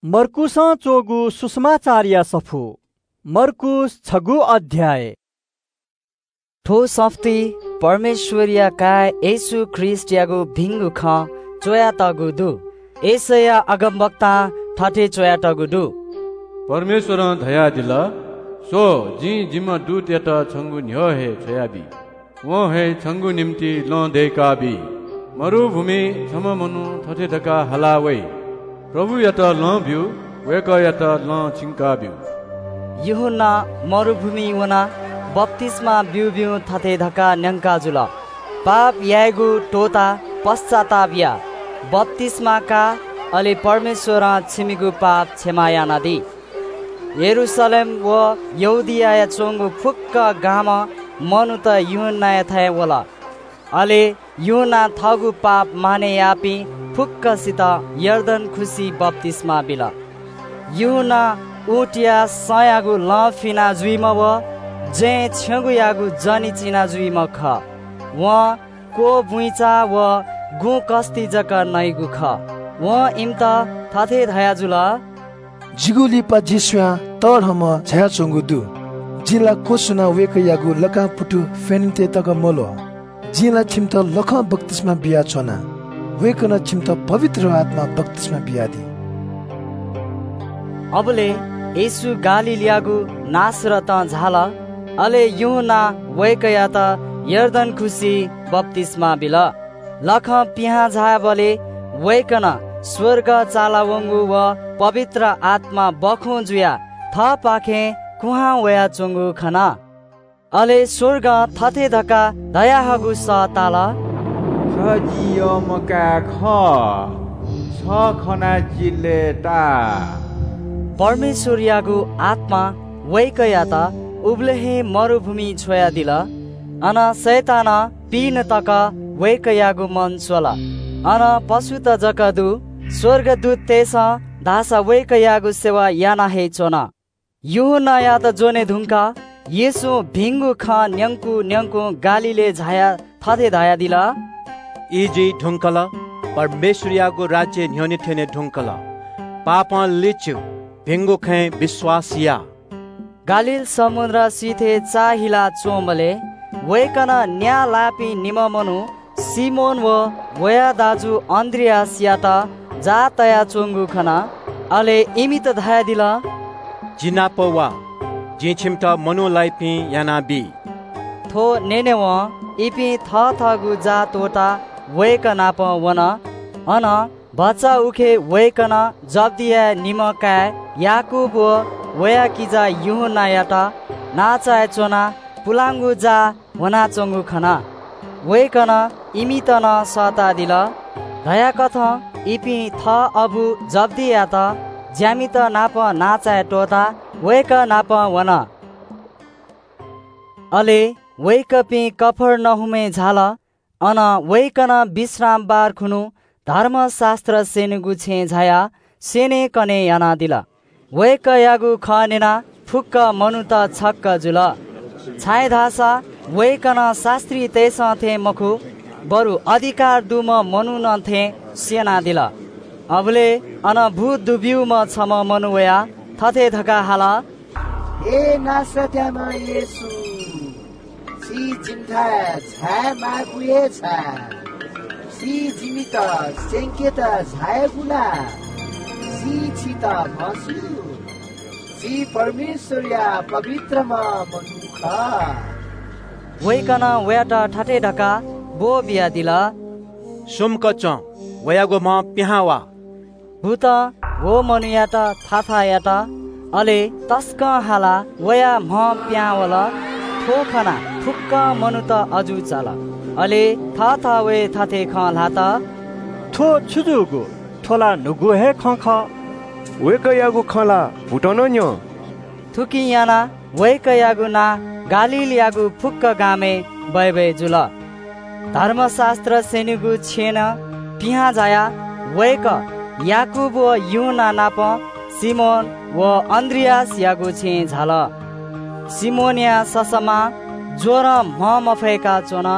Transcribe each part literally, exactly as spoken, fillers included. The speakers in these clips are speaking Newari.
मर्कूसं च्वःगु सुसमाचारया सफू। मर्कूस छगू अध्याय। थ्व सफुती परमेश्वरया काय् येशू ख्रीष्टयागु भिंगु खँ च्वयातःगु दु। यशैया अगमवक्तां थथे च्वयातःगु दु। परमेश्वरं धयादिल, "स्व, जिं जिम्ह दूतयात छंगु न्ह्यः हे छ्वयाबी। वं हे छंगु निंतिं लँ दय्काबी। मरुभूमिइ छम्ह मनू थथे धकाः हाला वइ, 'प्रभुयात लँ ब्यु, वय्कःयात लँ छिंकाब्यु।'" यूहन्ना मरुभूमिइ वनाः बप्तिस्मा ब्यूब्यूं थथे धकाः न्यंका जुल, "पाप यायेगु त्वःताः पश्चाताप या, बप्तिस्मा का, अले परमेश्वरं छिमिगु पाप क्षमा यानादी।" यरूशलेम व यहूदियाय् च्वंगु फुक्क गामं मनूत यूहन्नायाथाय् वल। अले यूहन्नां थःगु पाप मानय् याःपिं फुक्कसित यर्दन खुसिइ बप्तिस्मा बिल। यूहन्ना ऊँटया संयागु लँ फिना जुइम्ह व जँय् छ्यंगुयागु जनि चिना जुइम्ह खः। वं क्वबुइँचा व गुँ कस्ति जक नइगु खः। वं इमित थथे धयाजुल, "जिगु लिपा जि स्वयां तःधंम्ह झायाच्वंगु दु। जिं ला क्वछुनाः वय्कःयागु लकां पुतु फ्यनेत तक मल्वः। जिं ला छिमित लखं बप्तिस्मा बियाच्वना। वय्कलं छिमित पवित्र आत्मां बप्तिस्मा बियादी।" अबलय् येशू गालीलयागु नासरतं झाल। अले यूहन्नां वय्कःयात यर्दन खुसिइ बप्तिस्मा बिल। लखं पिहां झायेबलय् वय्कलं स्वर्ग चालावंगु व पवित्र आत्मा बखुं जुयाः थःपाखें कुहां वयाच्वंगु खन। अले स्वर्गं थथे धकाः धयाहःगु सः ताल, "छ जि यःम्ह काय् खः, छ खनाः जि लय्ताः।" परमेश्वरयागु आत्मां वय्कःयात उबलय् हे मरुभूमिइ छ्वयादिल। अन शैतानं पिने तक वय्कःयागु मन स्‍वल। अन पशुत जक दु। स्‍वर्गदूततय्‌सं धाःसा वय्कःयागु सेवा याना हे च्‍वन। यूहन्‍नायात ज्‍वने धुंकाः येशूं भिंगु खँ न्‍यंकु न्‍यंकुं गालीलय् झायाः थथे धयादिल, "ई जुइ धुंकल, परमेश्‍वरयागु राज्‍य न्‍ह्यःने थ्‍यने धुंकल। पापं लिच्‍यु, भिंगु खँय् विश्‍वास या।" गालील समुद्र सिथय् चाःहिला च्‍वंबलय् वय्‌कलं न्‍याः लाःपिं निम्‍ह मनू सिमोन व वया दाजु अन्‍द्रियासयात जाः तयाच्‍वंगु खन। अले इमित धयादिल, "जि नाप वा, जिं छिमित मनू लाइपिं यानाबी।" थ्‍व न्‍यनेवं इपिं थथःगु जाः त्‍वःताः वय्‌कः नाप वन। अन भचा उखे वय्‌कलं जब्‍दियाया निम्‍ह काय् याकूब व वया किजा यूहन्‍नायात नांचाय् च्‍वनाः पुलांगु जाः ह्वनाच्‍वंगु खन। वय्‌कलं इमित नं सःतादिल। धयाकथं इपिं थः अबु जब्‍दियात ज्‍यामित नाप नांचाय् त्‍वःताः वय्‌कः नाप वन। अले वय्‌कःपिं कफर्नहुमय् झाल। अन वय्‌कलं विश्रामबार खुन्‍हु धर्मशास्‍त्र स्‍यनेगु छेँय् झायाः स्‍यनेकने यानादिल। वय्‌कःयागु खँ न्‍यनाः फुक्‍क मनूत छक्‍क जुल, छाय्‌धाःसा वय्‌कलं शास्‍त्रीतय्‌सं थें मखु, बरु अधिकार दुम्‍ह मनुखं थें स्‍यनादिल। अबलय् अन भूत दुब्‍यूम्‍ह छम्‍ह मनू वयाः थथे धकाः हाल, "हे नासरतयाम्‍ह येशू, छि जिमिथाय् झाये माःगु हे छाय्? छि जिमित स्‍यंकेत झायागु ला? छि छित म्हस्‍यू, छि परमेश्‍वरया पवित्रम्‍ह मनू खः।" वय्‌कलं वयात थथे धकाः ब्‍वःबियादिल, "सुम्‍क च्‍वँ, वयागु म्‍हं पिहां वा।" भूतं व मनूयात थाथा यात। अले तसकं हालाः वया म्‍हं पिहां वल। थ्‍व खनाः फुक्‍क मनूत अजू चाल। अले थःथवय् थथे खँ ल्‍हात, "थ्‍व छु जूगु? थ्‍व ला न्‍हूगु हे खँ खः। वय्‌कःयागु खँ ला भूतं नं न्‍यं।" थुकिं यानाः वय्‌कःयागु नां गालीलयागु फुक्‍क गामय् बय्‌बय् जुल। धर्मशास्‍त्र स्‍यनेगु छेँनं पिहां झायाः वय्‌कः याकूब व यूहन्‍ना नाप सिमोन व अन्‍द्रियासयागु छेँय् झाल। सिमोनया ससःमां ज्‍वरं म्‍ह मफय्‌का च्‍वन।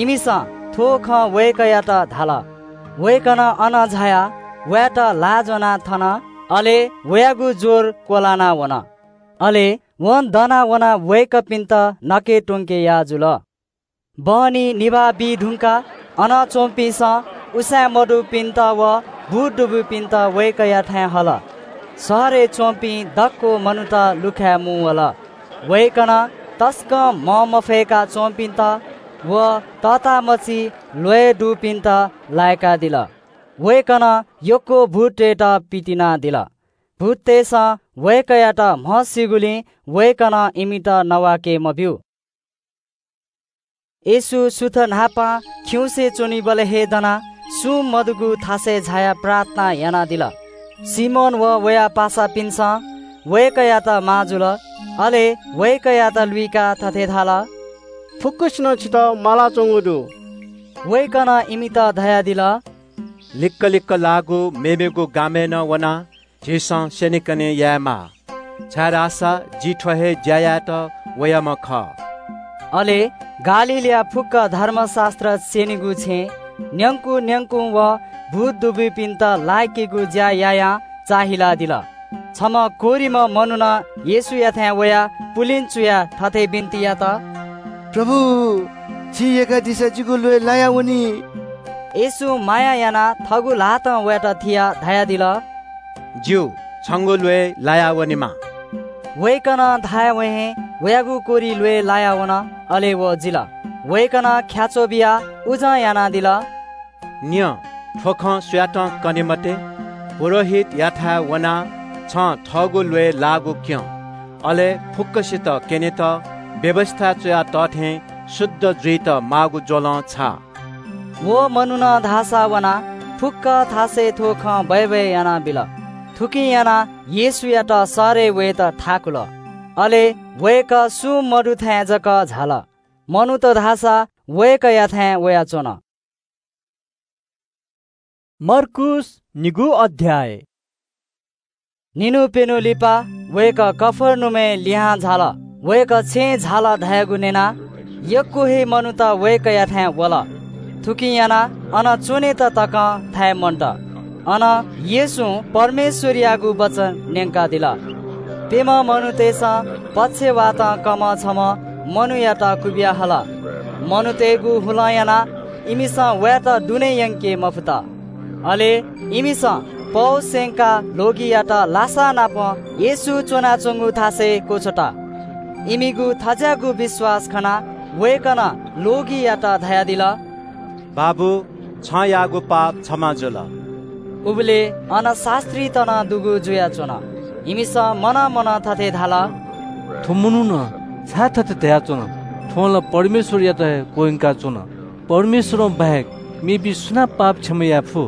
इमिसं थ्‍व खँ वय्‌कःयात धाल। वय्‌कलं अन झायाः वयात ल्‍हाः ज्‍वनाः थन। अले वयागु ज्वर क्वलाना वन। अले वं दना वनाः वय्कःपिन्त नके त्वंके याः जुल। बहनी निभाः बी धुंकाः अन च्वंपिन्सं उसाँय् मदुपिन्त व भूत दुबूपिन्त वय्कःयाथाय् हल। शहरय् च्वंपिं दक्व मनूत लुखाय् मुंवल। वय्कलं तसकं मं मफय्का च्वंपिन्त व तःतामछि ल्वय् दुपिन्त लाय्कादिल। वय्कलं यक्व भूततय्त पितिनादिल। भूततय्सं वय्कःयात म्हसीगुलिं वय्कलं इमित नवाके मब्यू। येशू सुथ न्हापां खिउँसे च्वनीबलय् हे दनाः सुं मदुगु थासय् झायाः प्रार्थना यानादिल। सिमोन व वया पासापिन्सं वय्कःयात माः जुल। अले वय्कःयात लुइकाः थथे धाल, फुक्कसिनं छितः मालाच्वंगु दु। वय्कलं इमित धयादिल, लिक्क लिक्क लाःगु मेमेगु गामय् नं वनाः झीसं स्यनेकने यायेमाः, छाय्धाःसा जि थ्व हे ज्या यायेत वयाम्ह खः। अले गालीलया फुक्क धर्मशास्त्र स्यनीगु छेँय् न्यंकु न्यंकुं व भूत दुबूपिन्त लाय्केगु ज्या यायां चाःहिलादिल। छम्ह कोह्रिम्ह मनुखं येशूयाथाय् वयाः पुलिं चुयाः थथे बिन्ति यात, प्रभु, छिं यय्कादिसँ, जिगु ल्वय् लायावनी। येशूं माया यानाः थःगु ल्हातं वयात थियाः धयादिल, ज्यू, छंगु ल्वय् लायावनेमा। वय्कलं धायेवं हे वयागु कोह्रि ल्वय् लायावन, अले व जिल। वय्कलं ख्याच्वः बियाः उजं यानादिल, न्यँ, थ्व खँ सुयातं कने मते। पुजाहारीयाथाय् वनाः छं थःगु ल्वय् लाःगु क्यँ, अले फुक्कसित क्यनेत व्‍यवस्‍थाय् च्‍वया तःथें शुद्ध जुइत माःगु ज्‍वलं छाः। व मनुखं धाःसा वनाः फुक्‍क थासय् थ्‍व खँ बय्‌बय् यानाबिल। थुकिं यानाः येशूयात शहरय् वयेत थाकुल। अले वय्‌कः सुं मदुथाय् जक झाल। मनूत धाःसा वय्‌कःयाथाय् वयाच्‍वन। मर्कूस निगू अध्‍याय। निन्‍हु प्‍यन्‍हु लिपा वय्‌कः कफर्नहुमय् लिहां झाल। वय्‌कः छेँय् झाल धयागु न्‍यनाः यक्‍व हे मनूत वय्‌कःयाथाय् वल। थुकिं यानाः अन च्‍वनेत तकं थाय् मन्‍त। अन येशूं परमेश्‍वरयागु वचन न्‍यंकादिल। प्‍यम्‍ह मनूतय्‌सं पक्षवातं कःम्‍ह छम्‍ह मनूयात क्‍वबिया हल। मनूतय्‌गु हुलं यानाः इमिसं वयात दुने यंके मफुत। अले इमिसं पौ स्‍यंकाः ल्‍वगियात लासा नाप येशू च्‍वनाच्‍वंगु थासय् क्‍वछ्वत। इमिगु थज्‍याःगु विश्‍वास खनाः वय्‌कलं ल्‍वगियात धयादिल, बाबु, छं याःगु पाप क्षमा जुल। उबलय् अन शास्‍त्रीत नं दुगु जुयाच्‍वन। इमिसं मनं मनं थथे धाल, थ्‍व मनुखं छाय् थथे धयाच्‍वन? थ्‍वं ला परमेश्‍वरयात हे क्‍वह्यंकाच्‍वन। परमेश्‍वरं बाहेक मेपिं सुनां पाप क्षमा याये फु?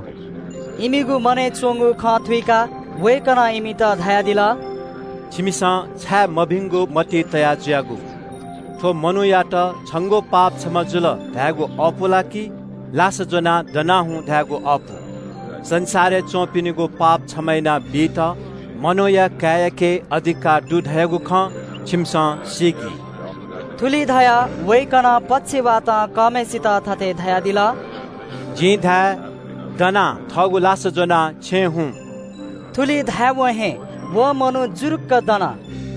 इमिगु मनय् च्‍वंगु खँ थुइकाः वय्‌कलं इमित धयादिल, छिमिसं छाय् मभिंगु मतिइ तया जुयागु? थ्‍व मनूयात छंगु पाप क्षमा जुल धायेगु अःपु ला कि लासा ज्‍वनाः दना हुँ धायेगु अःपु? संसारय् च्‍वंपिनिगु पाप क्षमा याना बीत मनूया काय्‌याके अधिकार दु धयागु खँ छिमिसं सीकि। थुलि धयाः वय्‌कलं पक्षवातं कःम्‍हय्‌सित थथे धयादिल, जिं धाये, दनाः थःगु लासा ज्‍वनाः छेँय् हुँ। थुलि धायेवं हे व मनू जुरुक्‍क दन।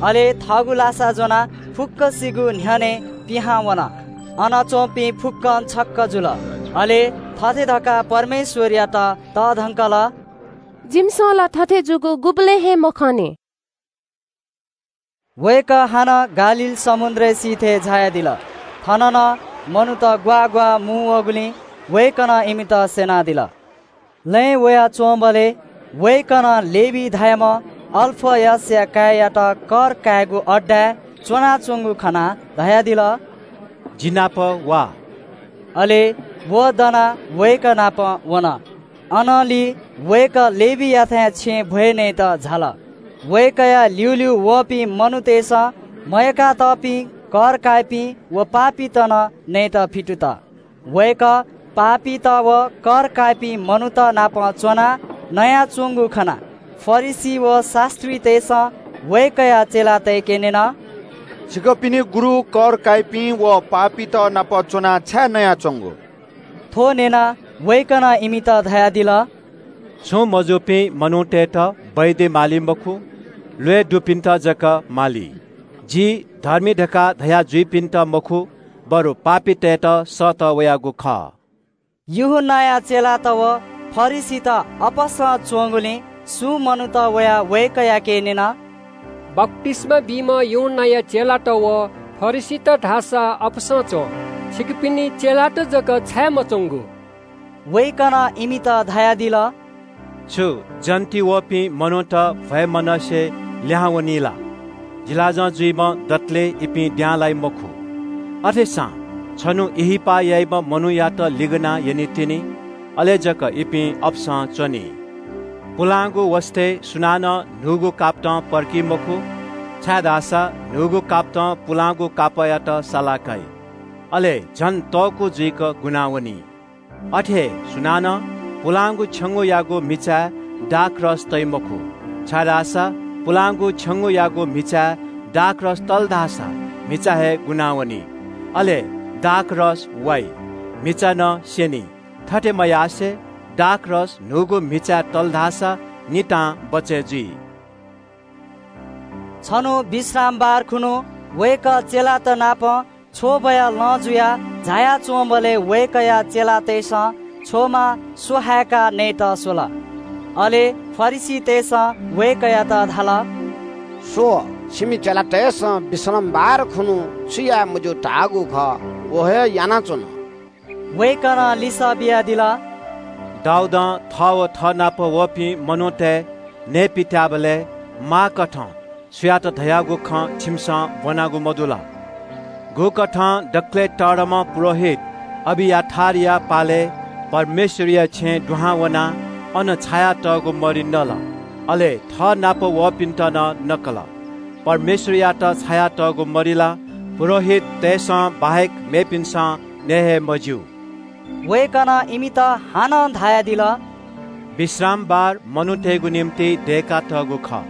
अले थःगु लासा ज्‍वनाः फुक्‍कसिगु न्‍ह्यःने पिहां वन। अन च्‍वंपिं फुक्‍कं छक्‍क जुल। अले थथे धकाः परमेश्‍वरयात तःधंकल, जिमिसं ला थथे जूगु गुबलें हे मखने। वय्‌कः हानं गालील समुद्रय् सिथय् झायादिल। थन नं मनूत ग्‍वाः ग्‍वाः मुंवःगुलिं वय्‌कलं इमित स्‍यनादिल। लँय् वयाच्‍वंबलय् वय्‌कलं लेवी धाःम्‍ह अल्‍फयसया काय्‌यात कर कायेगु अड्डाय् च्‍वनाच्‍वंगु खनाः धयादिल, जि नाप वा। अले व दनाः वय्‌कः नाप वन। अनंलि वय्‌कः लेवीयाथाय् छेँय् भ्‍वय् नयेत झाल। वय्‌कःया ल्‍यूल्‍यू वःपिं मनूतय्‌सं मयय्‌कातःपिं कर काइपिं व पापीत नं नयेत फितुत। वय्‌कः पापीत व कर काइपिं मनूत नाप च्‍वनाः नयाच्‍वंगु खनाः फरिसी व शास्‍त्रीतय्‌सं वय्‌कःया चेलातय्‌के न्‍यन, छिकपिनि गुरु कर काइपिं व पापीत नाप च्‍वनाः छाय् नयाच्‍वंगु? थ्‍व न्‍यनाः वय्‌कलं इमित धयादिल, छुं मजूपिं मनूतय्‌त वैद्य माली मखु, ल्वय् दुपिन्‍त जक माली। जि धर्मी धकाः धया जुइपिन्‍त मखु, बरु पापीतय्‌त सःतः वयागु खः।" यूहन्‍नाया चेलात व फरिसीत अपसं च्‍वंगुलिं सुं मनूत वयाः वय्‌कःयाके न्‍यन, "बप्‍तिस्‍मा बीम्‍ह यूहन्‍नाया चेलात व फरिसीत धाःसा अपसं च्‍वं, छिकपिनि चेलात जक छाय् मच्‍वंगु?" वय्‌कलं इमित धयादिल, "छु जन्‍ति वःपिं मनूत भ्‍वय् मनसे लिहां वनी ला? जिलाजं जुइम्‍ह दतले इपिं द्यां लाइ मखु। अथेसां छन्‍हु इहिपाः याइम्‍ह मनूयात लिगनाः यनीतिनि, अले जक इपिं अपसं च्‍वनी। पुलांगु वसतय् सुनानं न्‍हूगु कापतं पर्की मखु, छाय्‌धाःसा न्‍हूगु कापतं पुलांगु कापःयात सालाकाइ, अले झन तःकू जुइक गुनावनी। अथे हे सुनानं पुलांगु छ्यंगूयागु म्‍हिचाय् दाखरस तइ मखु, छाय्‌धाःसा पुलांगु छ्यंगूयागु म्‍हिचाय् दाखरस तल धाःसा म्‍हिचा हे गुनावनी, अले दाखरस वाइ, म्‍हिचा नं स्‍यनी। थथे मयासें दाखरस न्‍हूगु म्‍हिचाय् तल धाःसा नितां बचय् जुइ।" छन्‍हु विश्रामबार खुन्‍हु वय्‌कः चेलात नाप छ्वबया लँ जुयाः झायाच्‍वंबलय् वय्‌कःया चेलातय्‌सं छ्वमा स्‍वहाय्‌काः नयेत स्‍वल। अले फरिसीतय्‌सं वय्‌कःयात धाल, "स्‍व, छिमि चेलातय्‌सं विश्रामबार खुन्‍हु छु याये मज्‍यू धाःगु खः, व हे यानाच्‍वन।" वय्‌कलं लिसः बियादिल, "दाऊदं थः व थःनाप वःपिं मनूतय् नयेपित्‍याःबलय् माःकथं सुयात धयागु खँ छिमिसं ब्‍वनागु मदु ला? गुकथं दकलय् तःधंम्‍ह पुजाहारी अबियाथारया पालय् परमेश्‍वरया छेँय् दुहां वनाः अन छायातःगु मरि नल, अले थःनाप वःपिन्‍त नं नकल। परमेश्‍वरयात छायातःगु मरि ला पुजाहारीतय्‌सं बाहेक मेपिन्‍सं नये हे मज्‍यू।" वय्‌कलं इमित हानं धयादिल, "विश्रामबार मनूतय्‌गु निंतिं दय्‌कातःगु खः,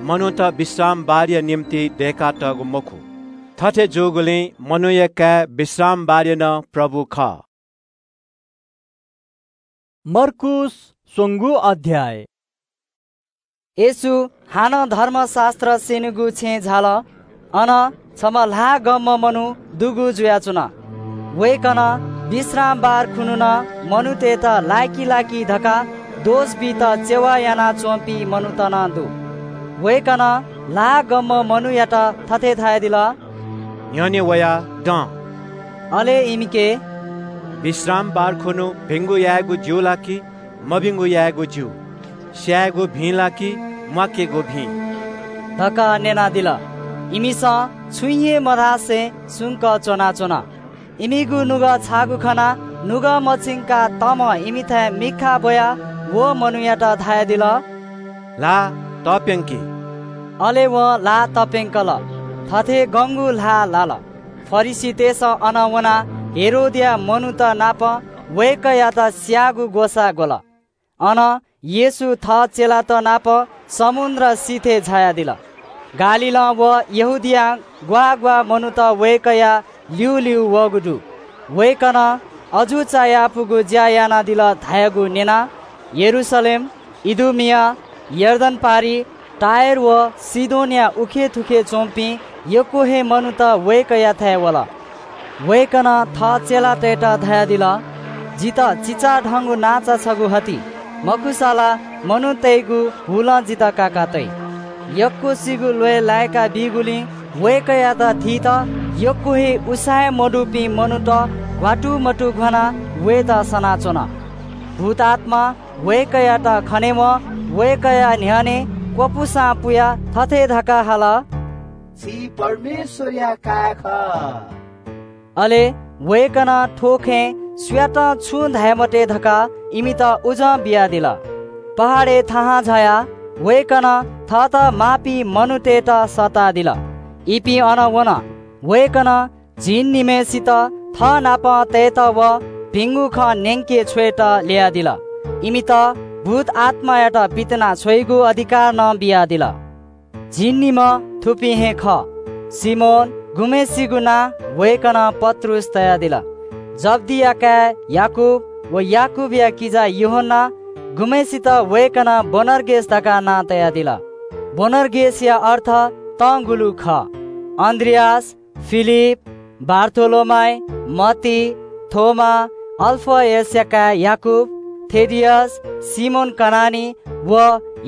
मनूत विश्रामबारया निंतिं दय्‌कातःगु मखु। थथे जूगुलिं मनूया काय् विश्रामबारया नं प्रभु खः।" मर्कूस स्वंगू अध्याय। येशू हानं धर्मशास्‍त्र स्‍यनीगु छेँय् झाल। अन छम्‍ह ल्‍हाः गंम्‍ह मनू दुगु जुयाच्‍वन। वय्‌कलं विश्रामबार खुन्‍हु नं मनूतय्‌त लाय्‌की लाय्‌की धकाः दोष बीत चेवा यानाच्‍वंपिं मनूत नं दु। वय्‌कलं ल्‍हाः गंम्‍ह मनूयात थथे धयादिल, "न्‍ह्यःने वयाः दँ।" अले इमिके, "विश्रामबार खुन्‍हु भिंगु यायेगु ज्‍यू ला कि मभिंगु यायेगु ज्‍यू? स्‍यायेगु भिं ला कि म्‍वाकेगु भिं?" धकाः न्‍यनादिल। इमिसं छुं हे मधासें सुम्‍क च्‍वनाच्‍वन। इमिगु नुगः छाःगु खनाः नुगः मछिंकाः तःम्‍हं इमिथाय् मिखा ब्‍वयाः व मनूयात धयादिल, "ल्‍हाः तप्‍यंकि।" अले वं ल्‍हाः तप्‍यंकल। थथे गंगु ल्‍हाः लाल। फरिसीतय्‌सं अन वनाः हेरोदया मनूत नाप वय्‌कःयात स्‍याःगु ग्‍वसाः ग्‍वल। अन येशू थः चेलात नाप समुद्र सिथय् झायादिल। गालीलं व यहूदियां ग्‍वाः ग्‍वाः मनूत वय्‌कःया ल्‍यूल्‍यू वःगु दु। वय्‌कलं अजू चायापुगु ज्‍या यानादिल धयागु न्‍यनाः यरूशलेम, इदुमिया, यर्दन पारि, टायर व सीदोनया उखेथुखे च्‍वंपिं यक्‍व हे मनूत वय्‌कःयाथाय् वल। वय्‌कलं थः चेलातय्‌त धयादिल, "जितः चिचाधंगु नांचा छगू हति, मखुसा ला मनूतय्‌गु हुलं जितः काका तइ।" यक्‍वसिगु ल्‍वय् लाय्‌का बीगुलिं वय्‌कःयात थीत यक्‍व हे उसाँय् मदुपिं मनूत घ्‍वातुमतु घ्‍वानाः वयेत सनाच्‍वन। भूतआत्‍मां वय्‌कःयात खनेवं वय्‌कःया न्‍ह्यःने क्‍वपुसां पुयाः थथे धकाः हाल, "छि परमेश्‍वरया काय् खः।" अले वय्‌कलं थ्‍व खँय् सुयातं छुं धाये मते धकाः इमित उजं बियादिल। पहाडय् थाहां झायाः वय्‌कलं थःत माःपिं मनूतय्‌त सःतादिल। इपिं अन वन। वय्‌कलं झिंनिम्‍हय्‌सित थःनापं तयेत व भिंगु खँ न्‍यंके छ्वयेत ल्‍ययादिल। इमित भूतआत्‍मायात पितिना छ्वइगु अधिकार नं बियादिल। झिंनिम्‍ह थुपिं हे खः। सिमोन, गुम्‍हय्‌सिगु नां वय्‌कलं पत्रुस तयादिल, जब्‍दिया काय् याकूब व याकूबया किजा यूहन्‍ना, गुम्हय्‌सित वय्‌कलं बोअनर्गेस धकाः नां तयादिल। बोअनर्गेसया अर्थ तंगुलु खः। अन्द्रियास, फिलिप, बारथोलोमाइ, मत्ती, थोमा, अल्फयसया काय् याकूब, थेदियस, सिमोन कनानी व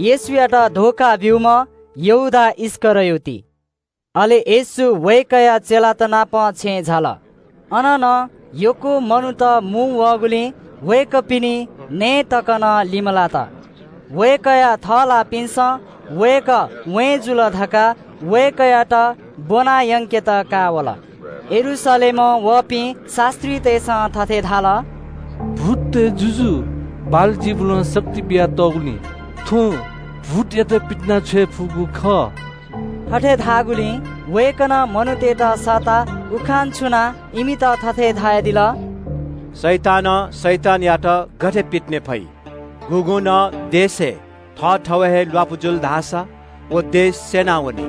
येशूयात धोखा ब्यूम्ह यहूदा इस्करियोती। अले येशू वय्‌कःया चेलात नाप छेँय् झाल। अन नं यक्व मनूत मू वःगुलिं वय्‌कःपिनि नँय् तक नं लिमलात। वय्‌कःया थःलाःपिन्सं वय्‌कः वँय् जुल धकाः वय्‌कःयात ब्वना यंकेत काः वल। यरूशलेमं वःपिं शास्त्रीतय्‌सं थथे धाल – “भूततय् जुजु बालजिबुलं शक्ति बियातःगुलिं थ्वं भूतयात पितिना छ्वये फुगु खः।” थथे धाःगुलिं वय्‌कलं मनूतय्‌त सःताः उखान छुनाः इमित थथे धयादिल – “शैतानं शैतानयात गथे पितिने फइ? गुगुं नं देशय् थःथवय् हे ल्वापु जुल धाःसा व देश स्यनावनी।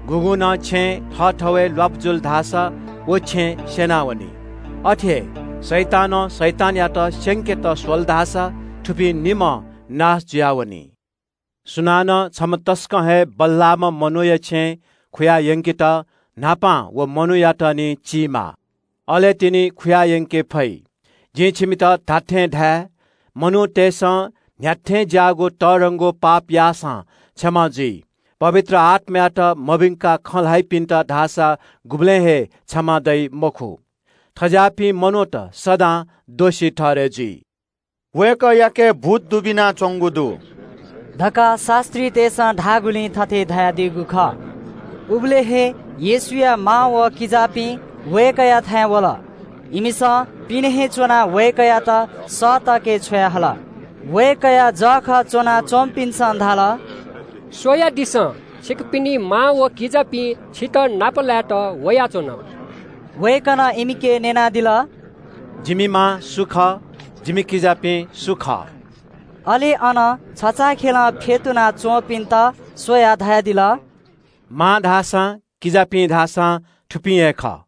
गुगुं नं छेँय् थःथवय् ल्वापु जुल धाःसा व छेँ स्यनावनी। अथे हे शैतानं शैतानयात स्यंकेत स्वल धाःसा थुपिं निम्हं नाश जुयावनी। सुनानं छम्ह तसकं हे बल्लाःम्ह मनूया छेँ खुया यंकेत न्हापां व मनूयात निं चीमाः, अले तिनि खुया यंके फइ। जिं छिमित धात्थें धाये – मनूतय्‌सं न्ह्याथें ज्याःगु तःधंगु पाप याःसां क्षमा जुइ। पवित्र आत्मायात मभिंकाः खँ ल्हाइपिन्त धाःसा गुबलें हे क्षमा दइ मखु। थज्याःपिं मनूत सदां दोषी ठहरय् जुइ।” “वय्‌कःयाके भूत दुबिनाच्वंगु दु” धकाः शास्त्रीतय्‌सं धाःगुलिं थथे धयादीगु खः। उबलय् हे येशूया मां व किजापिं वय्‌कःयाथाय् वल। इमिसं पिने हे च्वनाः वय्‌कःयात सःतके छ्वयाहल। वय्‌कःया जःखः च्वनाच्वंपिन्सं धाल – “स्‍वयादिसँ, छिकपिनि मां व किजापिं छितः नापलायेत वयाच्वन।” वय्‌कलं इमिके न्‍यनादिल – “जिमि मां सु खः? जिमि किजापिं सु खः?” अले अन छचाःखेलं फ्‍यतुना च्‍वंपिन्‍त स्‍वयाः धयादिल – “मां धाःसां, किजापिं धाःसां थुपिं हे खः।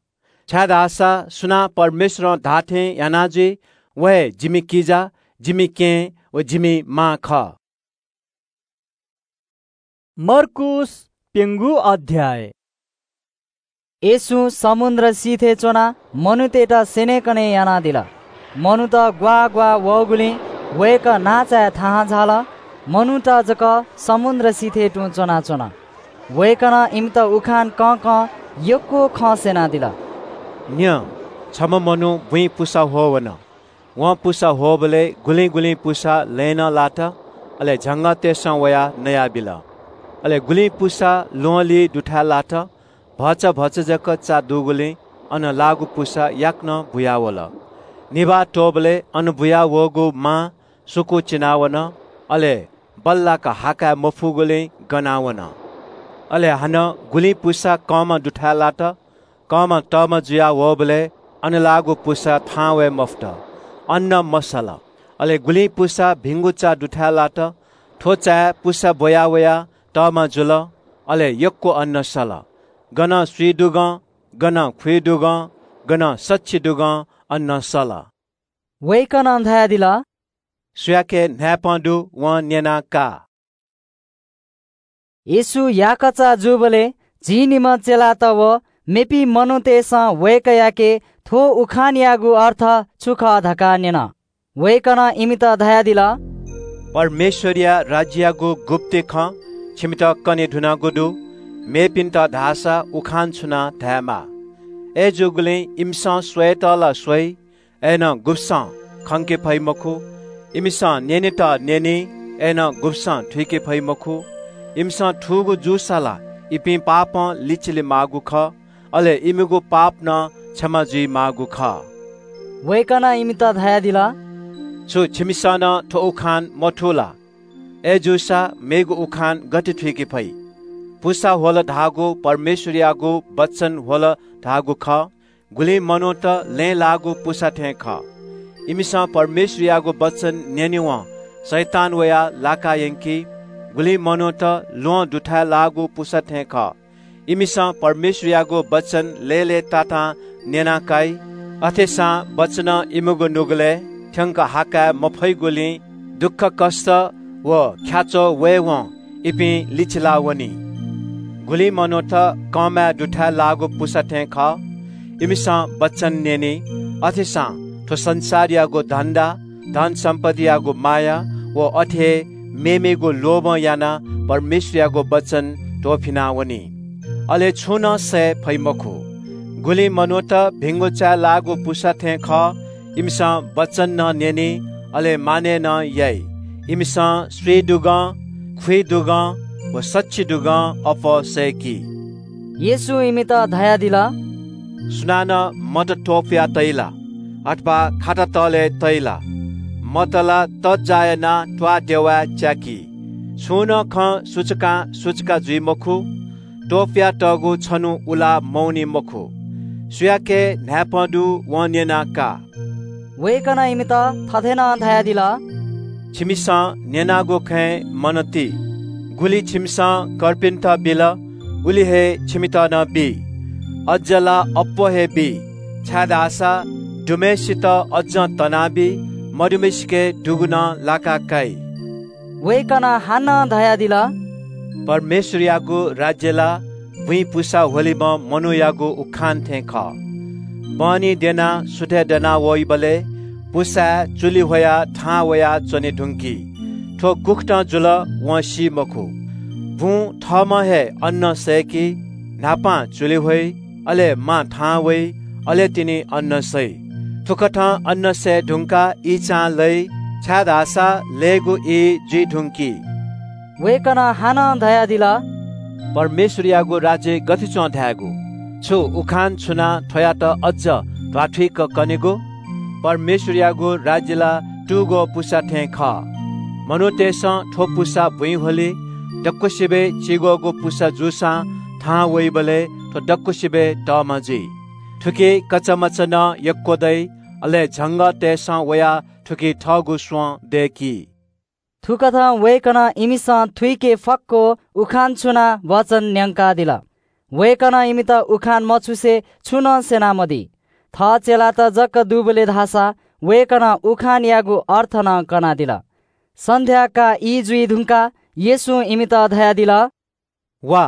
छाय्‌धाःसा सुनां परमेश्‍वरं धाःथें याना जुइ, व हे जिमि किजा, जिमि केहेँ व जिमि मां खः।” मर्कूस प्‍यंगू अध्‍याय। येशूं समुद्र सिथय् च्‍वनाः मनूतय्‌त स्‍यनेकने यानादिल। मनूत ग्‍वाः ग्‍वाः वःगुलिं वय्‌कः नांचाय् थाहां झाल। मनूत जक समुद्र सिथय् तुं च्‍वनाच्‍वन। वय्‌कलं इमित उखान कंकं यक्‍व खँ स्‍यनादिल। “न्‍यँ, छम्‍ह मनू बुँइ पुसा ह्वः वन। वं पुसा ह्वःबलय् गुलिं गुलिं पुसा लँय् नं लात, अले झंगःतय्‌सं वयाः नयाबिल। अले गुलिं पुसा ल्‍वहंलिइ दुथाय् लात। भचा भचा जक चा दुगुलिं अन लाःगु पुसा याकनं बुयावल। निभाः त्‍वःबलय् अन बुया वःगु मां सुकू चिनावन, अले बल्‍लाक हा काये मफुगुलिं गनावन। अले हानं गुलिं पुसा कंमा दुथाय् लात। कंमा तःमा जुया वःबलय् अन लाःगु पुसा थाहां वये मफुत, अन्‍न मसल। अले गुलिं पुसा भिंगु चा दुथाय् लात। थ्‍व चाय् पुसा ब्‍वया वयाः तःमा जुल, अले यक्‍व अन्‍न सल। गनं स्‍वइदुगं, गनं खुइदुगं, गनं सछिदुगं अन्‍न सल।” वय्‌कलं धयादिल – “सुयाके न्‍हाय्‌पं दु, वं न्‍यनाः का।” येशू याकःचा जूबलय् झिंनिम्‍ह चेलात व मेपिं मनूतय्‌सं वय्‌कःयाके थ्‍व उखानयागु अर्थ छु खः धकाः न्‍यन। वय्‌कलं इमित धयादिल – “परमेश्‍वरया राज्‍ययागु गुप्‍ति खँ छिमित कने धुनागु दु। मेपिन्‍त धाःसा उखान छुनाः धायेमाः। अय्‌जूगुलिं इमिसं स्‍वयेत ला स्‍वइ, अय्‌नं गुब्‍सं खंके फइ मखु। इमिसं न्‍यनेत न्‍यनी, अय्‌नं गुब्‍सं थुइके फइ मखु। इमिसं थूगु जूसा ला इपिं पापं लिचिले माःगु खः, अले इमिगु पाप नं क्षमा जुइ माःगु खः।” वय्‌कलं इमित धयादिल – “छु छिमिसं नं थ्‍व उखान मथू ला? अय्‌जूसा मेगु उखान गथे थुइके फइ? पुसा ह्वल धाःगु परमेश्‍वरयागु वचन ह्वल धाःगु खः। गुलिं मनूत लँय् लाःगु पुसा थें खः। इमिसं परमेश्‍वरयागु वचन न्‍यनेवं शैतान वयाः लाका यंकी। गुलिं मनूत ल्‍वहं दुथाय् लाःगु पुसा थें खः। इमिसं परमेश्‍वरयागु वचन लय्‌लय्‌तातां न्‍यना काइ। अथेसां वचनं इमिगु नुगलय् थ्‍यंक हा काये मफइगुलिं दुःखकष्ट व ख्याच्वः वयेवं इपिं लिचिला वनी। गुलिं मनूत कंमाय् दुथाय् लाःगु पुसा थें खः। इमिसं वचन न्यनी, अथेसां थ्व संसारयागु धन्दा, धनसम्पत्तियागु माया व अथे हे मेमेगु लोभं यानाः परमेश्वरयागु वचन त्वःफिना वनी। अले छुं नं सये फइ मखु। गुलिं मनूत भिंगु चाय् लाःगु पुसा थें खः। इमिसं वचन नं न्यनी, अले मानय् नं याइ। इमिसं स्वीदुगं, खुइदुगं व सछिदुगं अप्वः सय्‌की। येशूं इमित धयादिल, सुनानं मत त्वपुया तइ ला, अथवा खाता तलय् तइ ला? मत ला तज्जाः यानाः त्वाःदेवाय् च्याकी। छुं नं खँ सुचुकां सुचुका जुइ मखु। त्वपुयातःगु छन्हु उला मवनी मखु। सुयाके न्हाय्‌पं दु, वं न्यनाः का। वय्‌कलं इमित थथे नं धयादिल, छिमिसं न्यनागु खँय् मन ति। गुलि छिमिसं कर्पिन्त बिल, उलि हे छिमित नं बी। अज्ज ला अप्वः हे बी, छाय्‌धाःसा दुम्हय्‌सित अज्जं तनाबी, मदुम्हय्‌सिके दुगु नं लाका काइ। वय्‌कलं हानं धयादिल, परमेश्वरयागु राज्य ला बुँइ पुसा ह्वलिम्ह मनूयागु उखान थें खः। बहनी द्यनाः सुथय् दना वइबलय् पुसाय् चुलि ह्वयाः थाहां वया च्वने धुंकी। थ्व गुकथं जुल, वं सी मखु। बुँ थःम्हं हे अन्नं सय्‌की, न्हापां चुलि ह्वइ, अले मां थाहां वइ, अले तिनि अन्नं सइ। थुकथं अन्नं सये धुंकाः ईचां लइ, छाय्‌धाःसा लय्‌गु ई जुइ धुंकी। वय्‌कलं हानं धयादिल, परमेश्वरयागु राज्य गथे च्वं धायेगु? छु उखान छुनाः थ्वयात अज्ज ध्वाथुइक कनेगु? परमेश्वरयागु राज्य ला तुगः पुसा थें खः। मनूतय्‌सं थ्व पुसा बुँइ ह्वली, दक्वसिबय् चिग्वःगु पुसा जूसां थाहां वइबलय् थ्व दक्वसिबय् तःमा जुइ। थुकी कचामचा नं यक्व दइ, अले झंगःतय्‌सं वयाः थुकी थःगु स्वँ दय्‌की। थुकथं वय्‌कलं इमिसं थुइके फक्व उखान छुनाः वचन न्यंकादिल। वय्‌कलं इमित उखान मछुसे छुं नं स्यनामदी। थः चेलात जक दुबलय् धाःसा वय्‌कलं उखानयागु अर्थ नं कनादिल। सन्ध्याकाः ई जुइ धुंकाः येशूं इमित धयादिल, वा,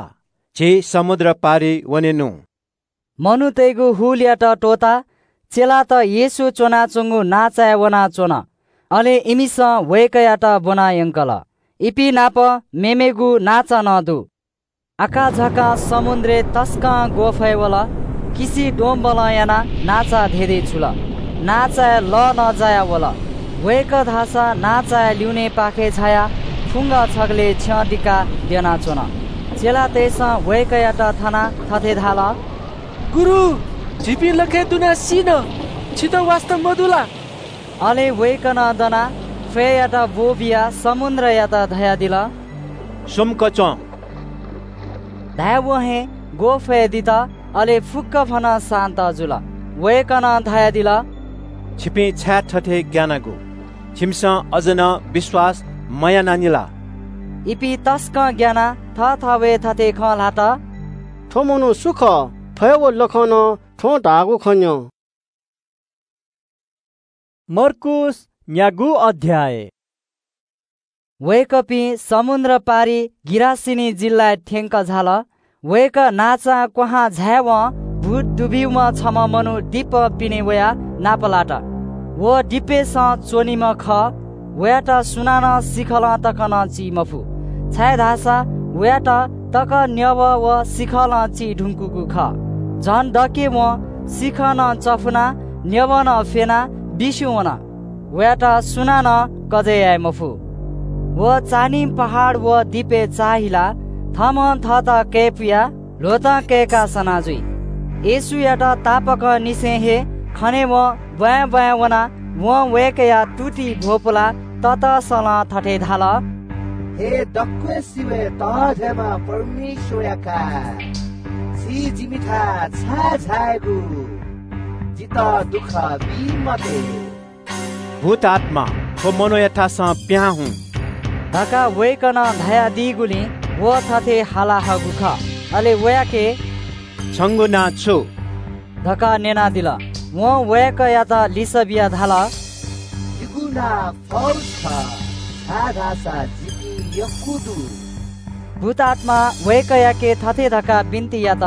झी समुद्र पारि वनेनु। मनूतय्‌गु हुलयात त्वःताः चेलात येशू च्वनाच्वंगु नांचाय् वनाच्वन। अले इमिसं वय्‌कःयात ब्वना यंकल। इपिं नाप मेमेगु नांचा नं दु। आकाझाकां समुद्रय् तसकं ग्वःफय् वल। किसि द्वंबलं यानाः नांचा धेधे छुल। नांचाय् लः नं जाया वल। वय्‌कः धाःसा नांचाया ल्यूनेपाखे झायाः फुंगा छगलय् छ्यं दिकाः द्यनाच्वन। चेलातय्‌सं वय्‌कःयात थनाः थथे धाल, गुरु, झीपिं लखय् दुनाः सीन, छितः वास्ता मदु ला? अले वय्‌कलं दनाः ख्वय्‌यात ब्वःबियाः समुद्रयात धयादिल, सुम्क च्वँ। धायेवं हे ग्वःफय् दित, अले फुक्कभनं शान्त जुल। वय्‌कलं धयादिल, छिपिं छाय् थथे ग्यानागु? छिमिसं अझ नं विश्वास मयानानि ला? इपिं तसकं ग्यानाः थःथवय् थथे खँ ल्हात, थ्व मनू सु खः? थ्व हे व लखं नं थ्वं धाःगु खँ न्यँ। मर्कूस न्यागू अध्याय। वय्‌कःपिं समुद्र पारि गिरासेनी जिल्लाय् थ्यंक झाल। वय्‌कः नांचां क्वहां झायेवं भूत दुब्यूम्ह छम्ह मनू दिपं पिने वयाः नापलात। व दिपय्‌सं च्वनीम्ह खः। वयात सुनानं सिखलं तक नं ची मफु, छाय्‌धाःसा वयात तक न्यवः व सिखलं ची धुंकूगु खः। झन दक्व वं सिखलं चफुनाः न्यवः नं फ्यनाः बिस्युं वन। वयात सुनानं कजय् याये मफु। व चान्हिं पहाड व दिपय् चाःहिलाः थःम्हं थःत कय्‌पुयाः ल्वहतं कय्‌काः सना जुइ। येशूयात तापाकंनिसें हे खनेवं ब्वाँय् ब्वाँय् वनाः वं वय्‌कःया तुति भ्वपुलाः ततसलं थथे धाल, हे दक्वसिबय् तःधंम्ह परमेश्वरया काय्, छि जिमिथाय् छाय् झायेगु? जितः दुःख बी मते। भूतआत्मा, थ्व मनूयाथासं पिहां हुँ धकाः वय्‌कलं धयादीगुलिं व थथे हाला हःगु खः। अले वयाके छंगु नां छु धकाः न्यनादिल। वं वय्‌कःयात लिसः बियाः धाल, जिगु नां फौज खः। आः धाःसा जिपिं यक्व दु। भूतआत्मां वय्‌कःयाके थथे धकाः बिन्ति यात,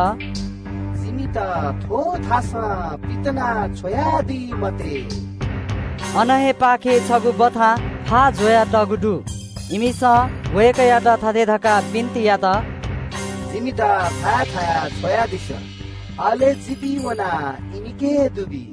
जिमित थ्व थासं पितिना छ्वयादी मते। अन हे पाखे छगू बथां फाः ज्वयातःगु दु। इमिसं वय्‌कःयात थथे धकाः बिन्ति यात, जिमित फाः थाय् छ्वयादिसँ, अले जिपिं वनाः इमिके दुबी।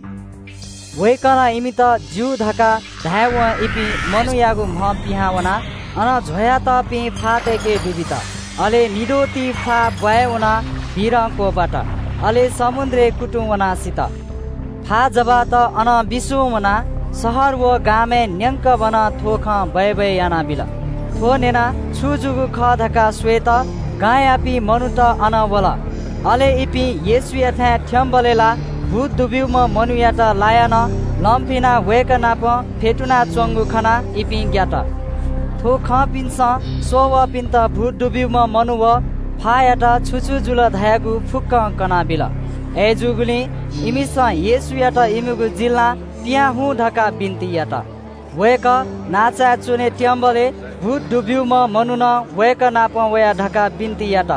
वय्‌कलं इमित ज्यू धकाः धायेवं इपिं मनूयागु म्ह पिहां वनाः अन ज्वयातःपिं फाःतय्‌के दुबित। अले निद्वःति फाः ब्वाँय् वनाः भीरं क्वब्वात। अले समुद्रय् कुतुं वनाः सित। फाः जब्वात अनं बिस्युं वनाः शहर व गामय् न्यंकभनं थ्व खँ बय्‌बय् यानाबिल। थ्व न्यनाः छु जूगु खः धकाः स्वयेत गांयापिं मनूत अन वल। अले इपिं येशूयाथाय् थ्यंबलय् ला भूत दुब्यूम्ह मनूयात लायाः नं लंफिनाः वय्‌कः नाप फ्यतुनाच्वंगु खनाः इपिं ग्यात। थ्व खंपिन्सं स्ववःपिन्त भूत दुब्यूम्ह मनू व फाःयात छु छु जुल धयागु फुक्कं कनाबिल। अय्‌जूगुलिं इमिसं येशूयात इमिगु जिल्लां पिहां हुँ धकाः बिन्ति यात। वय्‌कः नांचाय् च्वने त्यंबलय् भूत दुब्यूम्ह मनुखं वय्‌कः नाप वया धकाः बिन्ति यात।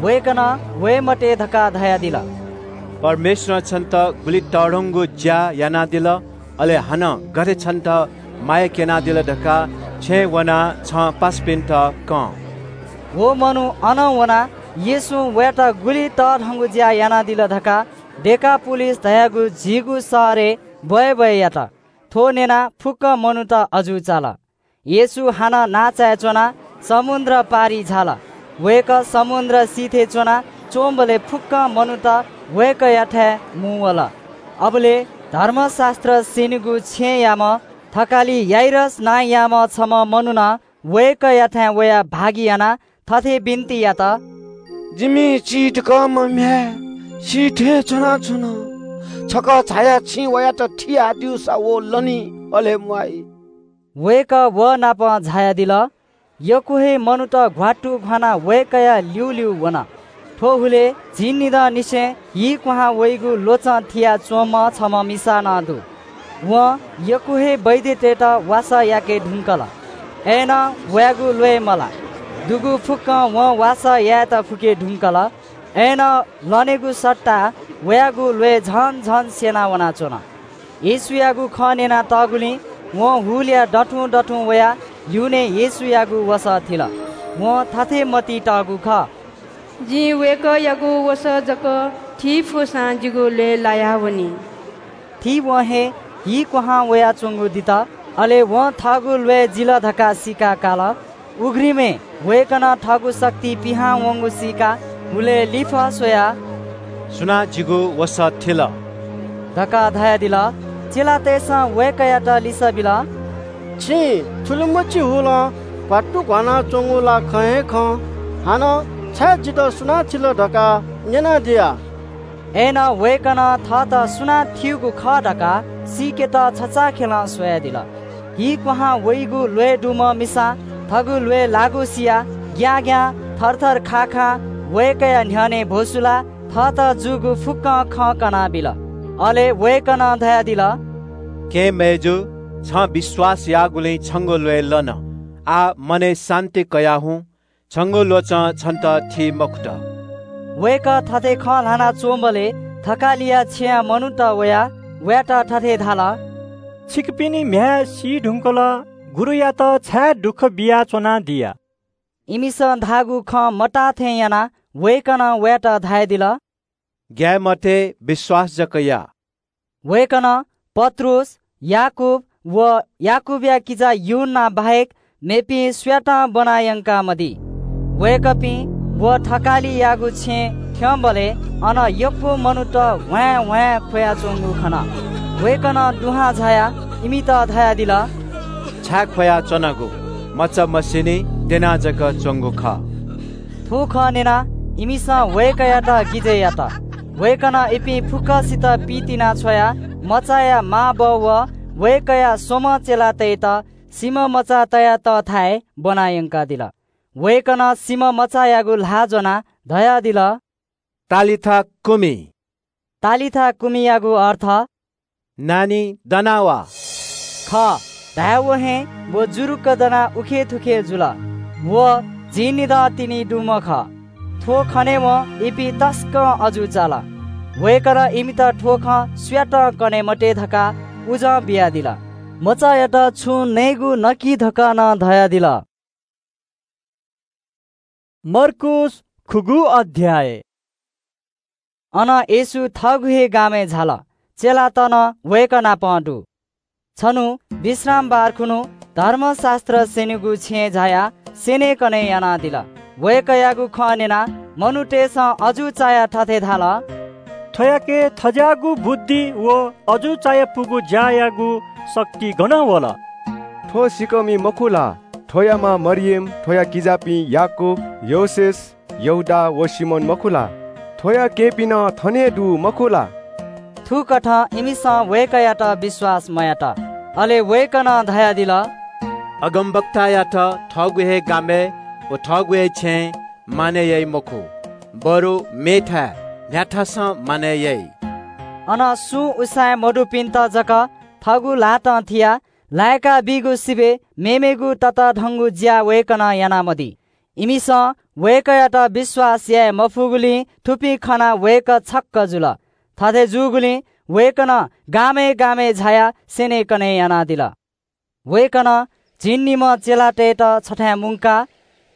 वय्‌कलं वये मते धकाः धयादिल। परमेश्वरं छन्त गुलि तःधंगु ज्या यानादिल, अले हानं गथे छन्त माया क्यनादिल धकाः छेँय् वनाः छं पासापिन्त कं। व मनू अनं वनाः येशूं वयात गुलि तःधंगु ज्या यानादिल धकाः डेकापोलिस धयागु झीगू शहरय् बय्‌बय् यात। थ्व न्यनाः फुक्क मनूत अजू चाल। येशू हानं नांचाय् च्वनाः समुद्र पारि झाल। वय्‌कः समुद्र सिथय् च्वनाः च्वंबलय् फुक्क मनूत वय्‌कःयाथाय् मुंवल। अबलय् धर्मशास्त्र स्यनीगु छेँयाम्ह थकालि याइरस नांयाम्ह छम्ह मनुखं वय्‌कःयाथाय् वयाः भागि यानाः थथे बिन्ति यात, जिमि चिधिकःम्ह म्ह्याय् सी थें च्वनाच्वन। छकः झायाः छिं वयात थियाब्यूसा व लनी, अले म्वाइ। वय्‌कः व नाप झायादिल। यक्व हे मनूत घ्वात्तु घ्वानाः वय्‌कःया ल्यूल्यू वन। थ्व हुलय् झिंनिदँनिसें हि क्वहां वइगु ल्वचं थिया च्वंम्ह छम्ह मिसा नं दु। वं यक्व हे वैद्यतय्‌त वासः याके धुंकल। अय्‌नं वयागु ल्वय् मलाः। दुगु फुक्कं वं वासः यायेत फुके धुंकल। अय्‌नं लनेगु सट्टा वयागु ल्वय् झन झन स्यना वनाच्वन। येशूयागु खँ न्यनातःगुलिं वं हुलया दथुं दथुं वयाः ल्यूने येशूयागु वसः थिल। वं थथे मतिइ तःगु खः, जिं वय्‌कःयागु वसः जक थी फुसां जिगु ल्वय् लायावनी। थीवं हे हि क्वहां वयाच्वंगु दित। अले वं थःगु ल्वय् जिल धकाः सीका काल। उघ्रिमय् वय्‌कलं थःगु शक्ति पिहां वंगु सीकाः हुलय् लिफः स्वयाः, सुनां जिगु वसः थिल धकाः धयादिल। चेलातय्‌सं वय्‌कःयात लिसः बिल, छिं थुलिमछि हुलं घ्वात्तु घ्वानाच्वंगु ला खँ हे खं। हानं छाय् जितः सुनां थिल धकाः न्यनादिया। अय्‌नं वय्‌कलं थःत सुनां थीगु खः धकाः सीकेत छचाःखेलं स्वयादिल। हि क्वहां वइगु ल्वय् दुम्ह मिसां थःगु ल्वय् लाःगु सियाः ग्यां ग्यां थरथर खाखां वय्‌कःया न्ह्यःने भ्वसुलाः थःत जूगु फुक्कं खँ कनाबिल। अले वय्‌कलं धयादिल, केहेँ मय्‌जु, छं विश्वास याःगुलिं छंगु ल्वय् लन। आः मनय् शान्ति कयाः हुँ, छंगु ल्वचं छन्त थी मखुत। वय्‌कः थथे खँ ल्हानाच्वंबलय् थकालिया छेँया मनूत वयाः वयात थथे धाल, छिकपिनि म्ह्याय् सी धुंकल, गुरुयात छाय् दुःख बियाच्वनादिया? इमिसं धाःगु खँ मताः थें यानाः वय्‌कलं वयात धयादिल, ग्याये मते, विश्वास जक या। वय्‌कलं पत्रुस, याकूब व याकूबया किजा यूहन्ना बाहेक मेपिं सुयातं ब्वना यंकामदी। वय्‌कःपिं व थकालियागु छेँ थ्यंबलय् अन यक्व मनूत ह्वाँय् ह्वाँय् ख्वयाच्वंगु खन। वय्‌कलं दुहां झायाः इमित धयादिल, छाय् ख्वयाच्वनागु? मचा मसिनि, द्यना जक च्वंगु खः। थ्व खँ न्यनाः इमिसं वय्‌कःयात गिजय् यात। वय्‌कलं इपिं फुक्कसित पितिना छ्वयाः मचाया मांबौ व वय्‌कःया स्वम्ह चेलातय्‌त सिमा मचा तया तःथाय् ब्वना यंकादिल। वय्‌कलं सिमा मचायागु ल्हाः ज्वनाः धयादिल, तालिथा कुमि। तालिथा कुमियागु अर्थ, नानी, दना वा। खः। धायेवं हे व जुरुक्क दनाः उखेथुखे जुल। व झिंनिदँ तिनि दुम्ह खः। थ्व खनेवं इपिं तसकं अजू चाल। वय्‌कलं इमित थ्व खँ सुयातं कने मते धकाः उजं बियादिल। मचायात छुं नयेगु नकि धकाः नं धयादिल। मर्कूस खुगू अध्याय। अनं येशू थःगु हे गामय् झाल। चेलात नं वय्‌कः नाप दु। छन्हु विश्रामबार खुन्हु धर्मशास्त्र स्यनेगु छेँय् झायाः स्यनेकने यानादिल। वय्‌कःयागु खँ न्यनाः मनूतय्‌सं अजू चायाः थथे धाल – थ्‍वयाके थज्‍याःगु बुद्धि व अजू चायापुगु ज्‍यायागु शक्ति गनं वल? थ्‍व सिँकःमि मखु ला? थ्‍वया मां मरियम, थ्‍वया किजापिं याकूब, योसेस, यहूदा व सिमोन मखु ला? थ्‍वया केहेँपिं नं थन हे दु, मखु ला? थुकथं इमिसं वय्‌कःयात विश्‍वास मयात। अले वय्‌कलं धयादिल – अगमवक्तायात थःगु हे गामय् व थःगु हे छेँय् मानय् याइ मखु, बरु मेथाय् न्‍ह्याथासं मानय् याइ। अन सुं उसाँय् मदुपिन्‍त जक थःगु ल्‍हातं थियाः लाय्‌का बीगु सिबय् मेमेगु ततःधंगु ज्‍या वय्‌कलं यानामदी। इमिसं वय्‌कःयात विश्‍वास याये मफुगुलिं थुपिं खनाः वय्‌कः छक्‍क जुल। थथे जूगुलिं वय्‌कलं गामय् गामय् झायाः स्‍यनेकने यानादिल। वय्‌कलं झिंनिम्‍ह चेलातय्‌त छथाय् मुंकाः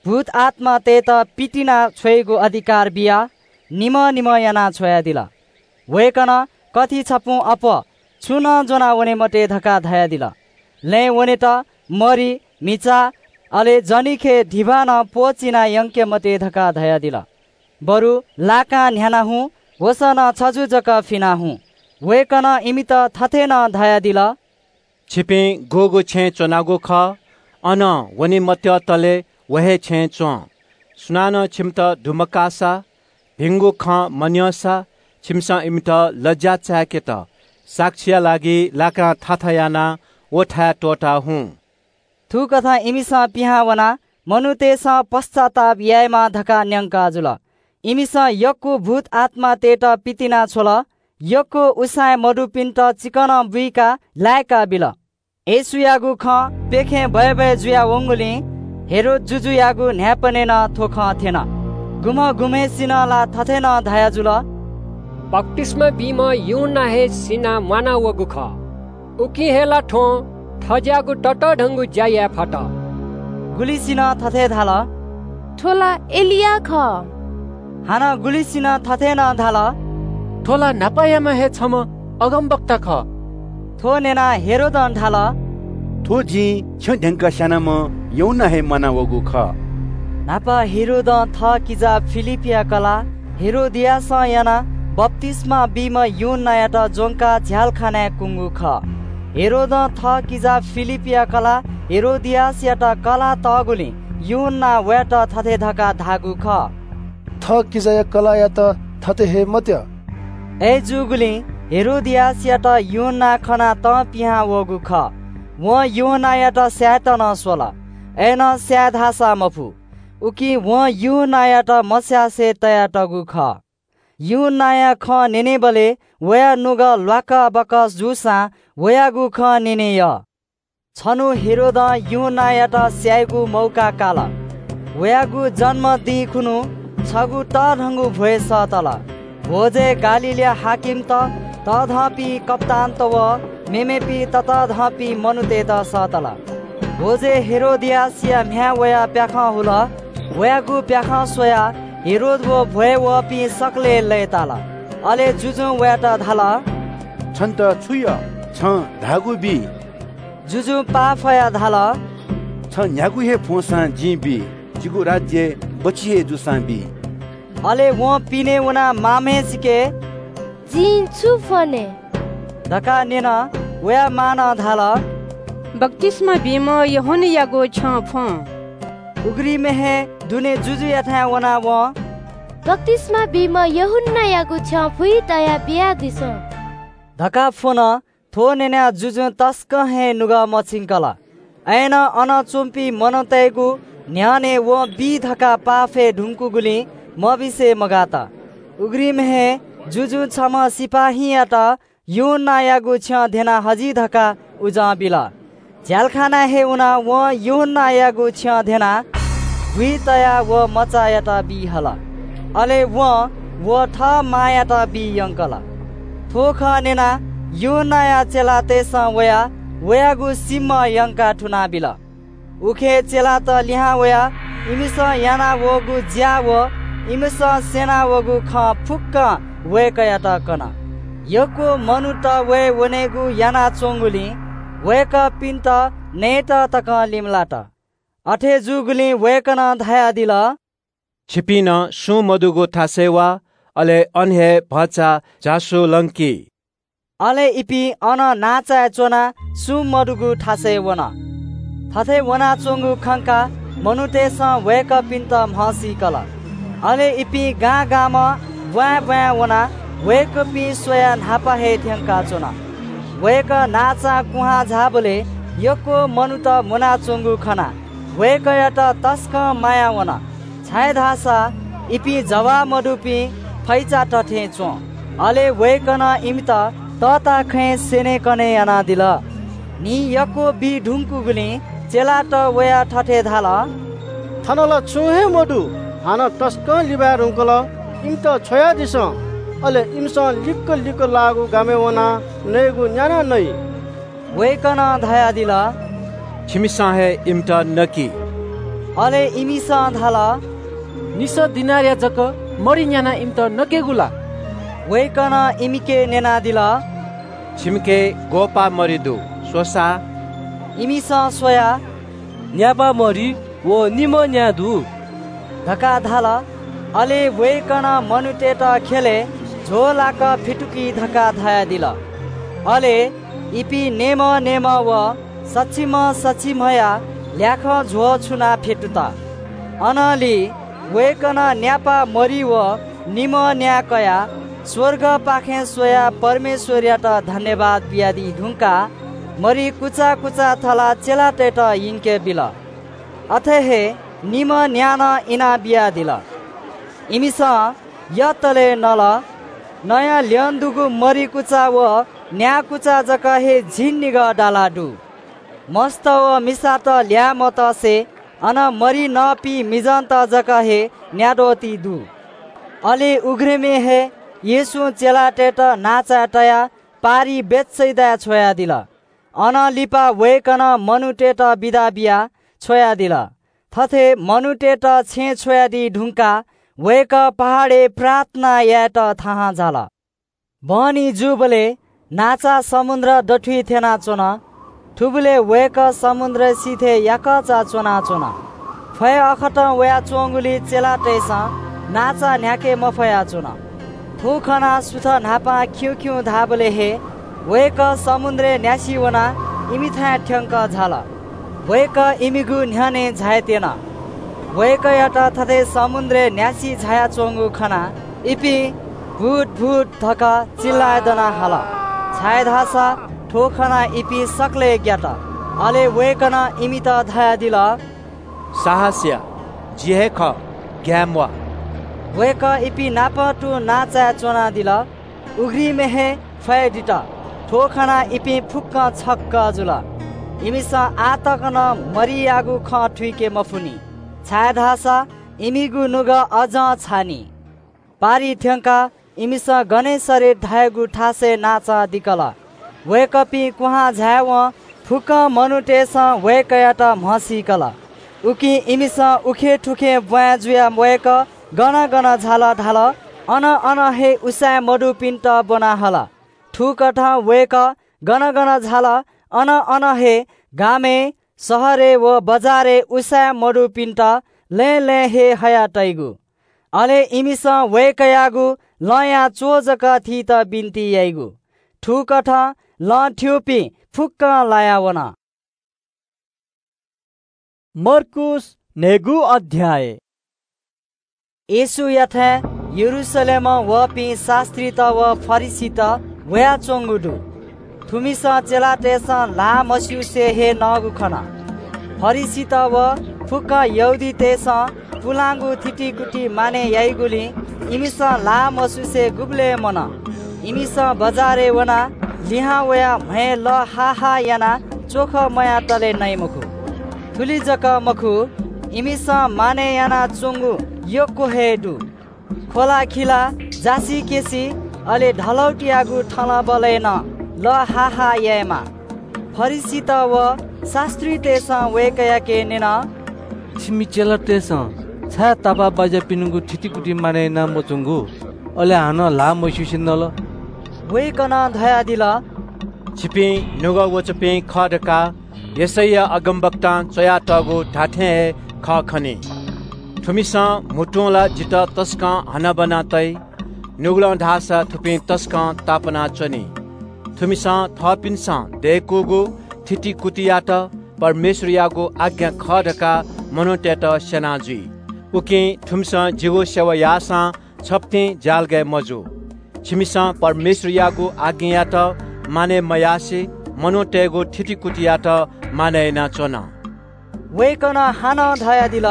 भूतआत्‍मातय्‌त पितिना छ्वयेगु अधिकार बियाः निम्‍ह निम्‍ह यानाः छ्वयादिल। वय्‌कलं कथि छपुं अप्‍वः छुं नं ज्‍वना वने मते धकाः धयादिल। लँय् वनेत मरि, म्‍हिचा, अले जनिखय् धिबा नं प्‍वःचिना यंके मते धकाः धयादिल। बरु लाकां न्‍ह्याना हुँ, वसः नं छजु जक फिना हुँ। वय्‌कलं इमित थथे नं धयादिल – छिपिं गुगु छेँय् च्‍वनागु खः, अनं वने मत्यःतले व हे छेँय् च्‍वँ। सुनानं छिमित दुमकाःसा, भिंगु खँ मन्‍यंसा, छिमिसं इमित लज्‍या चाय्‌केत साक्षीया लागि लाकां थाथा यानाः व थाय् त्‍वःता हुँ। थुकथं इमिसं पिहां वनाः मनूतय्‌सं पश्‍चाताप यायेमाः धकाः न्‍यंका जुल। इमिसं यक्‍व भूतआत्‍मातय्‌त पितिना छ्वल, यक्‍व उसाँय् मदुपिन्‍त चिकनं बुइकाः लाय्‌का बिल। येशूयागु खँ प्‍यखें बय्‌बय् जुया वंगुलिं हेरोद जुजुयागु न्‍हाय्‌पनय् नं थ्‍व खँ थ्‍यन। गुम्‍ह गुम्‍हय्‌सिनं ला थथे नं धयाजुल – बप्‍तिस्‍मा बीम्‍ह यूहन्‍ना हे सिनाः म्‍वाना वःगु खः। उकिं हे ला थ्‍वं थज्‍याःगु ततःधंगु ज्‍या याये फत। गुलिसिनं थथे धाल – थ्‍व ला एलिया खः। हानं गुलिसिनं थथे नं धाल – थ्‍व ला न्‍हापायाम्‍ह हे छम्‍ह अगमवक्ता खः। थ्‍व न्‍यनाः हेरोदं धाल – थ्‍व जिं छ्यं ध्‍यंकाः स्‍यानाम्‍ह यूहन्‍ना हे म्‍वाना वःगु खः। न्‍हापा हेरोदं थः किजा फिलिपया कलाः हेरोदियासं यानाः बप्‍तिस्‍मा बीम्‍ह यूहन्‍नायात ज्‍वंकाः झ्‍यालखानाय् कुंगु खः। हेरोदं थः किजा फिलिपया कलाः हेरोदियासयात कलाः तःगुलिं यूहन्‍नां वयात थथे धकाः धाःगु खः – थः किजाया कलाःयात थथे हये मत्यः। अय्‌जूगुलिं हेरोदियासयात यूहन्‍नां खनाः तं पिहां वःगु खः। वं यूहन्‍नायात स्‍यायेत नं स्वल, अय्‌नं स्‍याये धाःसा मफु। उकिं वं यूहन्‍नायात मस्‍यासे तयातःगु खः। यूहन्‍नाया खँ न्‍यनेबलय् वया नुगः ल्‍वाकबकस जूसां वयागु खँ न्‍यने यः। छन्‍हु हेरोदं यूहन्‍नायात स्‍यायेगु मौका काल। वयागु जन्‍म दिं खुन्‍हु छगू तःधंगु भ्‍वय् सःतल। भ्‍वजय् गालीलया हाकिमत, तःधंपिं कप्‍तानत व मेमेपिं ततःधंपिं मनूतय्‌त सःतल। भ्‍वजय् हेरोदियासया म्‍ह्याय् वयाः प्‍याखं हुल। वयागु प्‍याखं स्वयाः हेरोद व भ्‍वय् वःपिं सकलें लय्‌ताल। अले जुजुं वयात धाल – छन्‍त छु यः? छं धाःगु बी। जुजुं पाफयाः धाल – छ न्‍ह्यागु हे फ्‍वंसां जिं बी, जिगु राज्‍य बच्‍छि हे जूसां बी। अले वं पिने वनाः मांम्‍हय्‌सिके – जिं छु फ्‍वने? धकाः न्‍यन। वया मांनं धाल – बप्‍तिस्‍मा बीम्‍ह यूहन्‍नायागु छ्यं फ्‍वँ। उघ्रिमय् हे दुने जुजुयाथाय् वनाः वं – बप्‍तिस्‍मा बीम्‍ह यूहन्‍नायागु छ्यं फुइ तयाः बियादिसँ धकाः फ्‍वन। थ्‍व न्‍यनाः जुजुं तसकं हे नुगः मछिंकल। अय्‌नं अन च्‍वंपिं मनूतय्‌गु न्‍ह्यःने वं बी धकाः पाफय् धुंकूगुलिं मबिसे मगात। उघ्रिमय् हे जुजुं छम्‍ह सिपाइँयात यूहन्‍नायागु छ्यं ध्‍यना हजि धकाः उजं बिल। झ्यालखानाय् हे वनाः वं यूहन्नायागु छ्यं ध्यनाः बुइ तयाः व मचायात बी हल। अले वं व थः मांयात बी यंकल। थ्व खँ न्यनाः यूहन्नाया चेलातय्‌सं वयाः वयागु सिमा यंकाः थुनाबिल। उखे चेलात लिहां वयाः इमिसं यानावःगु ज्‍या व इमिसं स्‍यनावःगु खँ फुक्‍कं वय्‌कःयात कन। यक्‍व मनूत वये वनेगु यानाच्‍वंगुलिं वय्‌कःपिन्‍त नयेत तकं लिमलात। अथे जूगुलिं वय्‌कलं धयादिल, "छिपिं नं सुं मदुगु थासय् वा, अले अन हे भचा झासु लंकी।" अले इपिं अन नांचाय् च्‍वनाः सुं मदुगु थासय् वन। थथे वनाच्‍वंगु खंकाः मनूतय्‌सं वय्‌कःपिन्‍त म्हसीकल। अले इपिं गां गामं ब्‍वाँय् ब्‍वाँय् वनाः वय्‌कःपिं स्‍वयाः न्‍हापा हे थ्‍यंकाच्‍वन। वय्‌कः नांचां कुहां झाःबलय् यक्‍व मनूत मुनाच्‍वंगु खनाः वय्‌कःयात तसकं माया वन। छाय्‌धाःसा इपिं जवाः मदुपिं फैचात थें च्‍वं। अले वय्‌कलं इमित तःताखँय् स्‍यनेकने यानादिल। न्‍हि यक्‍व बी धुंकूगुलिं चेलात वयाः थथे धाल, "थन ला छुं हे मदु, हानं तसकं लिबाये धुंकल। इमित छ्वयादिसँ, अले इमिसं लिक्‍क लिक्‍क लाःगु गामय् वनाः नयेगु न्‍यानाः नइ।" वय्‌कलं धयादिल, "छिमिसं हे इमित नकि।" अले इमिसं धाल, "निसः दिनारया जक मरि न्‍यानाः इमित नकेगु ला?" वय्‌कलं इमिके न्‍यनादिल, "छिमिके ग्‍वःपाः मरि दु, स्‍वसा।" इमिसं स्वयाः, "न्‍यापा मरि व निम्‍ह न्‍या दु" धकाः धाल। अले वय्‌कलं मनूतय्‌त ख्‍यलय् झ्‍वःलाक फ्‍यतुकि धकाः धयादिल। अले इपिं नेमः नेमः व सछिम्‍ह सछिम्‍हया ल्‍याखं झ्‍वः छुनाः फ्‍यतुत। अनंलि वय्‌कलं न्‍यापा मरि व निम्‍ह न्‍या कयाः स्‍वर्गपाखें स्वयाः परमेश्‍वरयात धन्‍यवाद बियादी धुंकाः मरि कुचा कुचा थलाः चेलातय्‌त यंके बिल। अथे हे निम्‍ह न्‍या नं इनाबियादिल। इमिसं यतले नल। नँया ल्‍यं दुगु मरि कुचा व न्‍या कुचा जक हे झिंनिगः दाला दु। मस्त व मिसात ल्‍याये मतसे अन मरि नःपिं मिजंत जक हे न्‍याद्वःति दु। अले उघ्रिमय् हे येशूं चेलातय्‌त नांचाय् तयाः पारिइ बेथसेदाय् छ्वयादिल। अनं लिपा वय्‌कलं मनूतय्‌त बिदा बियाः छ्वयादिल। थथे मनूतय्‌त छेँय् छ्वयादी धुंकाः वय्‌कः पहाडय् प्रार्थना यायेत थाहां झाल। बहनी जूबलय् नांचा समुद्र दथुइ थ्यनाच्‍वन। थुबलय् वय्‌कः समुद्र सिथय् याकःचा च्‍वनाच्‍वन। फय् अःखतं वयाच्‍वंगुलिं चेलातय्‌सं नांचा न्‍ह्याके मफयाच्‍वन। थ्‍व खनाः सुथ न्‍हापां खिउँखिउँ धाःबलय् हे वय्‌कः समुद्रय् न्‍यासि वनाः इमिथाय् थ्‍यंकः झाल। वय्‌कः इमिगु न्‍ह्यःने झायेत्‍यन। वय्‌कःयात थथे समुद्रय् न्‍यासि झायाच्‍वंगु खनाः इपिं "भूत, भूत" धकाः चिल्‍लाय् दनाः हाल, छाय्‌धाःसा थ्‍व खनाः इपिं सकलें ग्‍यात। अले वय्‌कलं इमित धयादिल, "साहस या, जि हे खः, ग्‍याये म्‍वाः।" वय्‌कः इपिं नाप तुं नांचाय् च्‍वनादिल। उघ्रिमय् हे फय्‌दित। थ्‍व खनाः इपिं फुक्‍कं छक्‍क जुल। इमिसं आः तक नं मरियागु खँ थुइके मफुनि, छाय्‌धाःसा इमिगु नुगः अझं छाःनि। पारि थ्‍यंकाः इमिसं गनेसरेत धायेगु थासय् नांचा दिकल। वय्‌कःपिं कुहां झायेवं फुक्‍कं मनूतय्‌सं वय्‌कःयात म्हसीकल। उकिं इमिसं उखें थुखें ब्‍वाँय् जुयाः वय्‌कः गन गन झाल धाल, अन अन हे उसाँय् मदुपिन्‍त ब्‍वना हल। थुकथं वय्‌कः गन गन झाल, अन अन हे गामय्, शहरय् व बजारय् उसाँय् मदुपिन्‍त लँय् लँय् हे हयातइगु। अले इमिसं वय्‌कःयागु लँया च्‍वः जक थीत बिन्‍ति याइगु। थुकथं लँ थ्‍यूपिं फुक्‍कं लाया वन। मर्कूस न्‍हय्‌गू अध्‍याय। येशूयाथाय् यरूशलेमं वःपिं शास्‍त्रीत व फरिसीत वयाच्‍वंगु दु। थुमिसं चेलातय्‌सं ल्‍हाः मस्‍यूसे हे नःगु खन। फरिसीत व फुक्‍क यहूदीतय्‌सं पुलांगु थितिकुति मानय् याइगुलिं इमिसं ल्‍हाः मस्‍यूसे गुबलें मन। इमिसं बजारय् वनाः लिहां वयाः म्‍हय् लः हाः हाः यानाः च्वख मयातले नइ मखु। थुलि जक मखु, इमिसं मानय् यानाच्वंगु यक्व हे दु। ख्वलाखिला, जासिकेसि, अले धलौतियागु थलबलय् नं लःहाः यायेमाः। फरिसीत व शास्त्रीतय्‌सं वय्‌कःयाके न्यन, "छिमि चेलातय्‌सं छाय् तापाःबाज्यापिनिगु थितिकुति मानय् याना मच्वंगु, अले हानं ल्हाः मस्यूसे नल?" वय्‌कलं धयादिल, "छिपिं नुगः वःपिं खः धकाः यशैया अगमवक्तां च्वयातःगु धात्थें हे खः खनी। थुमिसं म्हुतुं ला जितः तसकं हनाबना तइ, नुगलं धाःसा थुपिं तसकं तापानाच्वनी। थुमिसं थःपिन्सं दय्‌कूगु थितिकुतियात परमेश्वरयागु आज्ञा खः धकाः मनूतय्‌त स्यना जुइ। उकिं थुमिसं जिगु सेवा याःसां छप्तिं ज्यालगय् मजू। छिमिसं परमेश्वरयागु आज्ञायात मानय् मयासें मनूतय्‌गु थितिकुतियात मानय् यानाच्वन।" वय्‌कलं हानं धयादिल,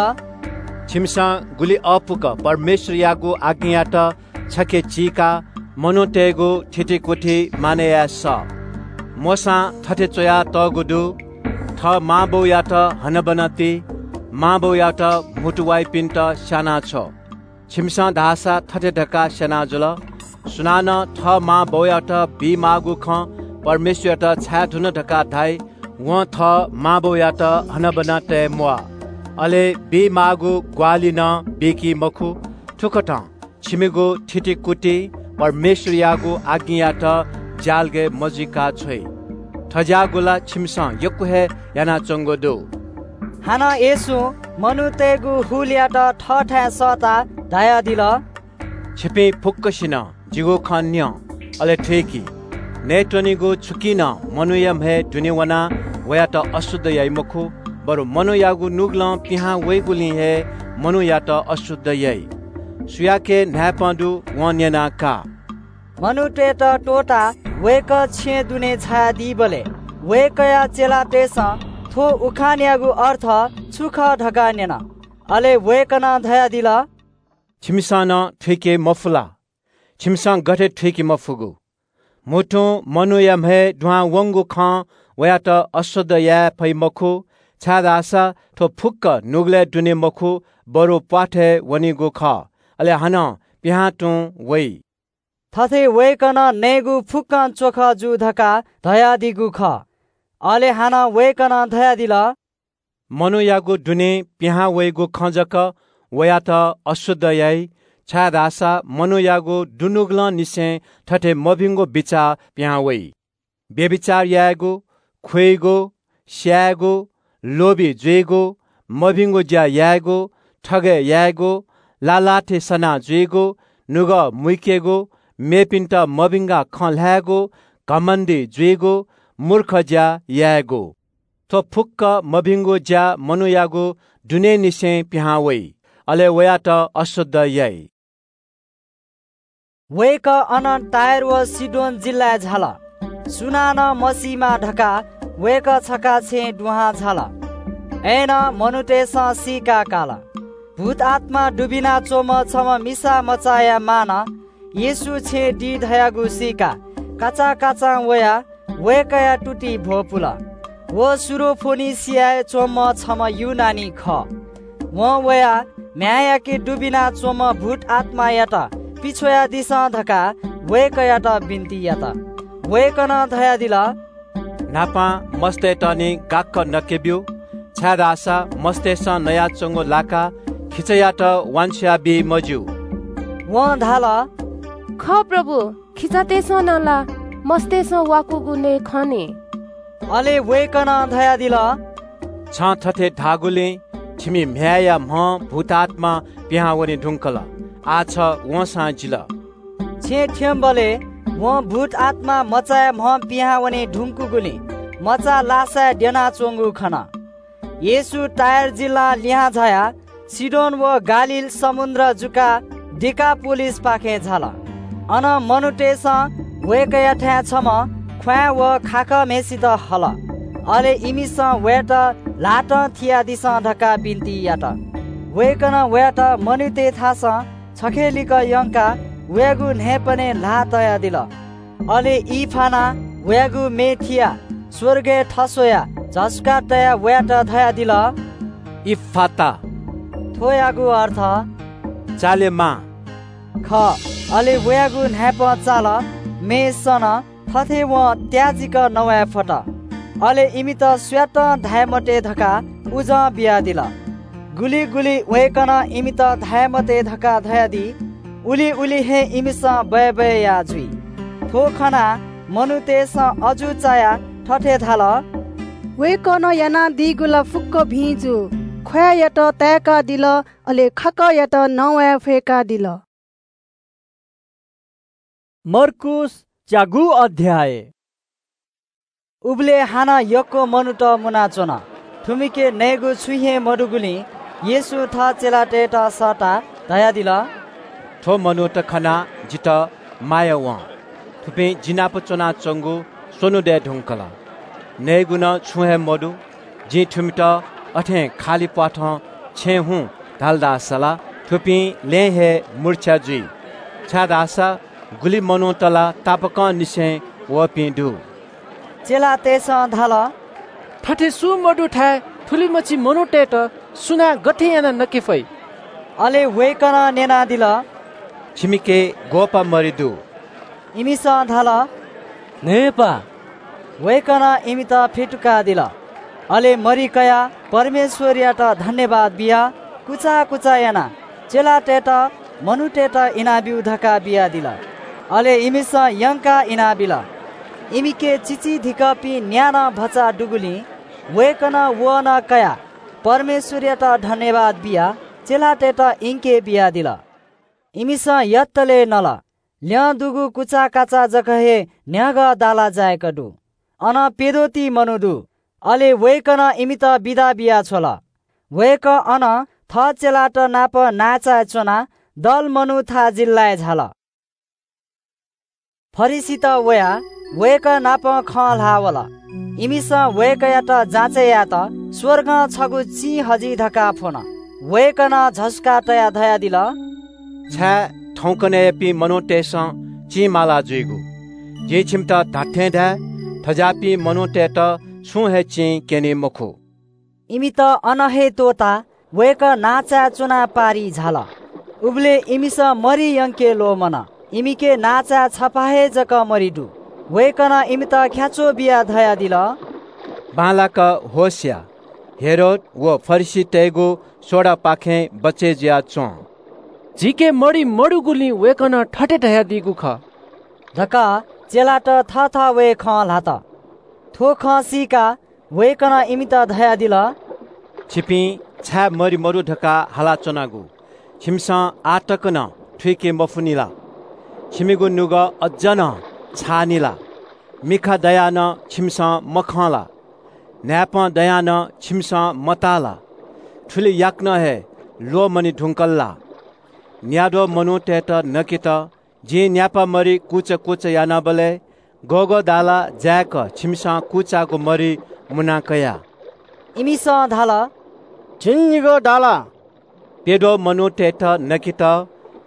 "छिमिसं गुलि अःपुक परमेश्वरयागु आज्ञायात छखे चीकाः मनूतय्‌गु थितिकुति मानय् याये सः। मोशां थथे च्वयातःगु दु, 'थः मांबौयात हनाबना ति, मांबौयात म्हुतु वाइपिन्त स्यानाछ्व।' छिमिसं धाःसा थथे धकाः स्यना जुल, 'सुनानं थः मांबौयात बीमाःगु खँ परमेश्वरयात छाय् धुन धकाः धाइ, वं थः मांबौयात हनाबना तये म्वाः, अले बीमाःगु ग्वाहालि नं बीकी मखु।' थुकथं छिमिगु थितिकुति परमेश्वरयागु आज्ञायात ज्यालगय् मजुइका छ्वइ। थज्याःगु ला छिमिसं यक्व हे यानाच्वंगु दु।" हानं येशूं मनूतय्‌गु हुलयात थःथाय् सःताः धयादिल, "छिपिं फुक्कसिनं जिगु खँ न्यँ, अले थुइकि। नयेत्वनीगु छुकिं नं मनूया म्‍हय् दुने वनाः वयात अशुद्ध याइ मखु, बरु मनूयागु नुगलं पिहां वइगुलिं हे मनूयात अशुद्ध याइ। सुयाके न्‍हाय्‌पं दु, वं न्‍यना का।" मनूतय्‌त त्‍वःताः वय्‌कः छेँय् दुने झायादीबलय् वय्‌कःया चेलातय्‌सं थ्‍व उखानयागु अर्थ छु खः धकाः न्‍यन। अले वय्‌कलं धयादिल, "छिमिसं नं थुइके मफु ला? छिमिसं गथे थुइके मफुगु? म्‍हुतुं मनूया म्‍हय् दुहां वंगु खं वयात अशुद्ध याये फइ मखु, छाय्‌धाःसा थ्‍व फुक्‍क नुगलय् दुने मखु, बरु प्‍वाथय् वनीगु खः, अले हानं पिहां तुं वइ।" थथे वय्‌कलं नयेगु फुक्‍कं च्‍वखः जू धकाः धयादीगु खः। अले हानं वय्‌कलं धयादिल, मनूयागु दुने पिहां वइगु खँ जक वयात अशुद्ध याइ, छाय्‌धाःसा मनूयागु दुनुगलंनिसें थथे मभिंगु बिचाः पिहां वइ। व्‍यभिचार यायेगु, खुइगु, स्‍यायेगु, लोभी जुइगु, मभिंगु ज्‍या यायेगु, थगय् यायेगु, लालाथि सना जुइगु, नुगः मुइकेगु, मेपिन्‍त मभिंकाः खँ ल्‍हायेगु, घमण्‍डी जुइगु, मूर्ख ज्‍या यायेगु। थ्‍व फुक्‍क मभिंगु ज्‍या मनूयागु दुनेनिसें पिहां वइ, अले वयात अशुद्ध याइ। वय्‌कः अनं टायर व सीदोन जिल्‍लाय् झाल। सुनानं मसीमा धकाः वय्‌कः छखा छेँय् दुहां झाल। अय्‌नं मनूतय्‌सं सीका काल। भूतआत्‍मा दुबिना च्‍वंम्‍ह छम्‍ह मिसा मचाया मांनं येशू छेँय् दी धयागु सीकाः काचाकाचां वयाः वय्‌कःया तुति भ्‍वपुल। व सुरोफोनिसियाय् च्‍वंम्‍ह छम्‍ह यूनानी खः। वं वयाः म्‍ह्याय्‌याके दुबिना च्‍वंम्‍ह भूतआत्‍मायात पिछ्वयादिसँ धकाः वय्‌कःयात बिन्‍ति यात। वय्‌कलं धयादिल, न्‍हापां मस्तय्‌त निं गाक्‍क नके ब्‍यु, छाय्‌धाःसा मस्तय्‌सं नयाच्‍वंगु लाकाः खिचायात वांछ्वया बी मज्‍यू। वं धाल, खः प्रभु, खिचातय्‌सं नं ला मस्तय्‌सं वाकूगु नये खनी। अले वय्‌कलं धयादिल, छं थथे धाःगुलिं छिमि म्‍ह्याय्‌या म्‍हं भूतआत्‍मा पिहां वने धुंकल। आः छ वंसां जिल। छेँय् थ्‍यंबलय् वं भूतआत्‍मा मचाया म्‍हं पिहां वने धुंकूगुलिं मचा लासाय् द्यनाच्‍वंगु खन। येशू टायर जिल्‍लां लिहां झायाः सीदोन व गालील समुन्द्र जुकाः दिकापोलिसपाखे झाल। अन मनूतय्‌सं वय्‌कःयाथाय् छम्‍ह ख्‍वाँय् व खाखःम्‍हय्‌सित हल। अले इमिसं वयात ल्‍हातं थियादिसँ धकाः बिन्‍ति यात। वय्‌कलं वयात मनूतय्‌थासं छखे लिक्‍क यंकाः वयागु न्‍हाय्‌पनय् ल्‍हाः तयादिल। अले ई फानाः वयागु मे थियाः स्वर्गय् थस्वयाः झसुकाः तयाः वयात धयादिल, "इफ्फाता।" थ्वयागु अर्थ "चालेमाः।" खः। अले वयागु न्हाय्पं चाल, में सन, थथे वं त्याजिक नवाये फत। अले इमित सुयातं धाये मते धकाः उजं बियादिल। गुलि गुलि वय्कलं इमित धाये मते धकाः धयादी, उलि उलि हे इमिसं बय्बय् याः जुइ। थ्व खनाः मनूतय्सं अजू चायाः थथे धाल, "वय्कलं यानादीगु ला फुक्क भिं जू। ख्वाँय्‌यात ताय्कादिल, अले खाकःयात नवाये फय्कादिल।" मर्कूस च्यागू अध्याय। उबलय् हानं यक्व मनूत मुनाच्वन। थुमिके नयेगु छुं हे मदुगुलिं येशूं थः चेलातय्त सःताः धयादिल, "थ्व मनूत खनाः जितः माया वं। थुपिं जि नाप च्वनाच्वंगु स्वन्हु दये धुंकल। नयेगु नं छुं हे मदु। जिं थुमित अथें खालि प्वाथं छेँ हुँ धाल धाःसा ला थुपिं लँय् हे मुर्छा जुइ, छाय्धाःसा गुलि मनूत ला तापाकंनिसें वःपिं दु।" चेलातय्सं धाल, "थथे सुं मदुथाय् थुलिमछि मनूतय्त सुनां गथे यानाः नके फइ?" अले वय्कलं न्यनादिल, "छिमिके ग्वःपा मरि दु?" इमिसं धाल, "न्हय्पा।" वय्कलं इमित फ्यतुकादिल। अले मरि कयाः परमेश्वरयात धन्यवाद बियाः कुचा कुचा यानाः चेलातय्त मनूतय्त इनाब्यु धकाः बियादिल। अले इमिसं यंकाः इनाबिल। इमिके चिचीधिकःपिं न्यान्हु भचा दुगुलिं वय्कलं वहः कयाः परमेश्वरयात धन्यवाद बियाः चेलातय्त इंके बियादिल। इमिसं यतले नल। ल्यं दुगु कुचाकाचा जक हे न्ह्यागः दाला जाय्क दु। अन प्यद्वःति मनू दु। अले वय्कलं इमित बिदा बियाछ्वल। वय्कः अन थः चेलात नाप नायचाय् च्वनाः दल मनूथाय् जिल्लाय् झाल। फरिसीत वयाः वय्कः नाप खँ ल्हाः वल। इमिसं वय्कःयात जाँचय् यायेत स्वर्गं छगू चिं हजि धकाः फ्वन। वय्कलं झसुकाः तयाः धयादिल, "छाय् थौंकन्हय्‌यापिं मनूतय्सं चिं माला जुइगु? जिं छिमित धात्थें धाये, थज्याःपिं मनूतय्त छुं हे चिं क्यनी मखु।" इमित अन हे त्वःताः वय्कः नांचाय् च्वनाः पारिइ झाल। उबलय् इमिसं मरि यंके ल्वःमन। इमिके नांचाय् छपा हे जक मरि दु। वय्कलं इमित ख्याच्वः बियाः धयादिल, "बांलाक होश या, हेरोद व फरिसीतय्गु सोडापाखें बचय् जुयाच्वँ।" झीके मरि मदुगुलिं वय्कलं थथे धयादीगु खः धकाः चेलात थःथवय् खँ ल्हात। थ्व खँ सीकाः वय्कलं इमित धयादिल, "छिपिं छाय् मरि मदु धकाः हालाच्वनागु छिमिसं आः तक नं थुइके मफुनि ला? छिमिगु नुगः अज्ज नं छाःनि ला? मिखा दयाः नं छिमिसं मखं ला? न्हाय्पं दयाः नं छिमिसं मताः ला? थुलि याकनं हे ल्वःमने धुंकल ला? न्याद्वः मनूतय्त नकेत जिं न्यापा मरि कुचा कुचा यानाबलय् गःगः दाला जाय्क छिमिसं कुचाःगु मरि मुना कया?" इमिसं धाल, "झिंनिगः दाला।" प्यद्वः मनूतय्त नकेत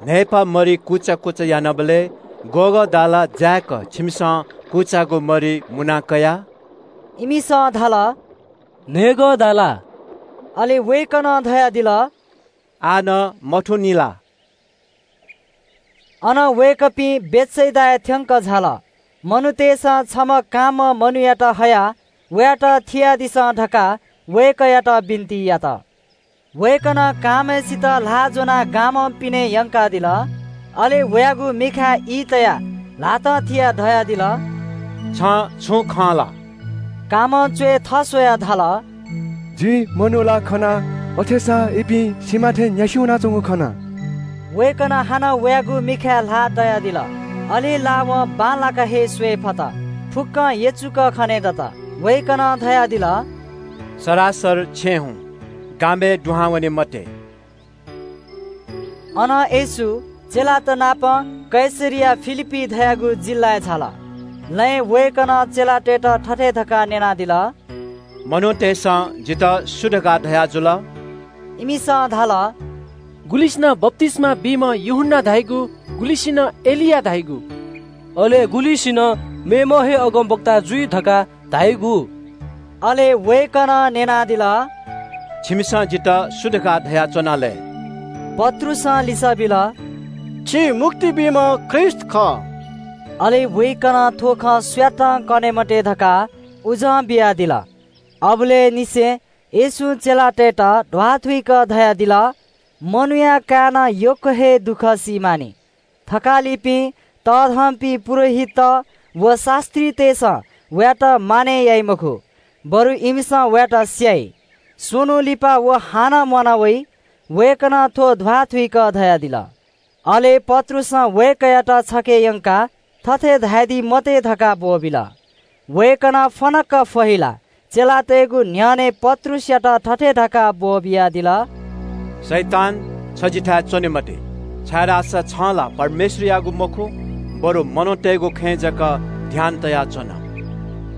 न्हाय्पा मरि कुचा कुचा यानाबलय् गःगः दाला जाय्क छिमिसं कुचाःगु मरि मुना कया? इमिसं धाल, "न्हय्गः दाला।" अले वय्कलं धयादिल, "आः नं मथूनि ला?" अन वय्कःपिं बेथसेदाय् थ्यंक झाल। मनूतय्सं छम्ह कांम्ह मनूयात हयाः वयात थियादिसँ धकाः वय्कःयात बिन्ति यात। वय्कलं कांम्हय्सित ल्हाः ज्वनाः गामं पिने यंकादिल। अले वयागु मिखाय् ई तयाः ल्हातं थियाः धयादिल, "छं छुं खं ला?" कांम्हं च्वय् थस्वयाः धाल, "जिं मनू ला खना, अथेसां इपिं सिमा थें न्यासि वनाच्वंगु खना।" वय्कलं हानं वयागु मिखाय् ल्हाः तयादिल। अले ला वं बांलाक हे स्वये फत। फुक्कं यचुक खने दत। वय्कलं धयादिल, "सरासर छेँ हुँ, गामय् दुहां वने मते।" अनं येशू चेलात नाप कैसरिया फिलिप्पी धयागु जिल्लाय् झाल। लँय् वय्कलं चेलातय्त थथे धकाः न्यनादिल, "मनूतय्सं जितः सु धकाः धयाजुल?" इमिसं धाल, "गुलिसिनं बप्तिस्मा बीम्ह यूहन्ना धाइगु, गुलिसिनं एलिया धाइगु, अले गुलिसिनं मेम्ह हे अगमवक्ता जुइ धकाः धाइगु।" अले वय्‌कलं न्‍यनादिल, "छिमिसं जितः सु धकाः धयाच्‍वना लय्?" पत्रुसं लिसः बिल, "छि मुक्ति बीम्‍ह ख्रीष्‍ट खः।" अले वय्‌कलं थ्‍व खँ सुयातं कने मते धकाः उजं बियादिल। अबलय् निसें येशूं चेलातय्‌त ध्‍वाथुइक धयादिल, "मनूया काय्‌नं यक्‍व हे दुःख सी मानि। थकालिपिं तःधंपिं पुजाहारीत व शास्‍त्रीतय्‌सं वयात मानय् याइ मखु, बरु इमिसं वयात स्‍याइ। स्‍वन्‍हु लिपा व हानं म्‍वाना वइ।" वय्‌कलं थ्‍व ध्‍वाथुइक धयादिल। अले पत्रुसं वय्‌कःयात छखे यंकाः थथे धयादी मते धकाः ब्‍वःबिल। वय्‌कलं फनक्‍क फहिलाः चेलातय्‌गु न्‍ह्यःने पत्रुसयात थथे धकाः ब्‍वःबियादिल, "शैतान, छ जिथाय् च्‍वने मते, छाय्‌धाःसा छं ला परमेश्‍वरयागु मखु, बरु मनूतय्‌गु खँय् जक ध्‍यान तयाच्‍वन।"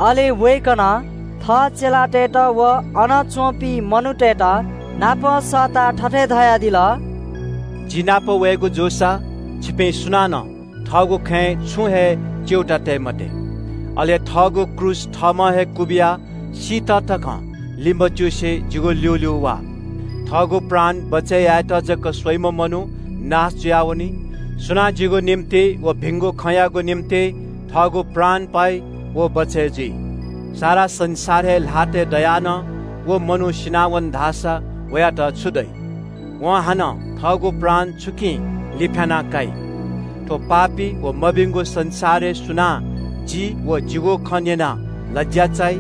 अले वय्‌कलं थः चेलातय्‌त व अन च्‍वंपिं मनूतय्‌त नापं सःताः थथे धयादिल, "जि नाप वयेगु जूसा छिपिं सुनानं थःगु खँय् छुं हे च्‍यूताः तये मते। अले थःगु क्रूस थःम्‍हं हे क्‍वबियाः सीत तकं लिमच्‍युसे जिगु ल्‍यूल्‍यू वा। थःगु प्राण बचय् यायेत जक स्‍वइम्‍ह मनू नाश जुयावनी। सुनां जिगु निंतिं व भिंगु खँयागु निंतिं थःगु प्राण पाइ, व बचय् जुइ। सारा संसार हे ल्‍हातय् दयाः नं व मनू सिनावन धाःसा वयात छु दइ? वं हानं थःगु प्राण छुकिं लिफ्‍याना काइ? थ्‍व पापी व मभिंगु संसारय् सुनां जि व जिगु खँ न्‍यनाः लज्‍या चाइ?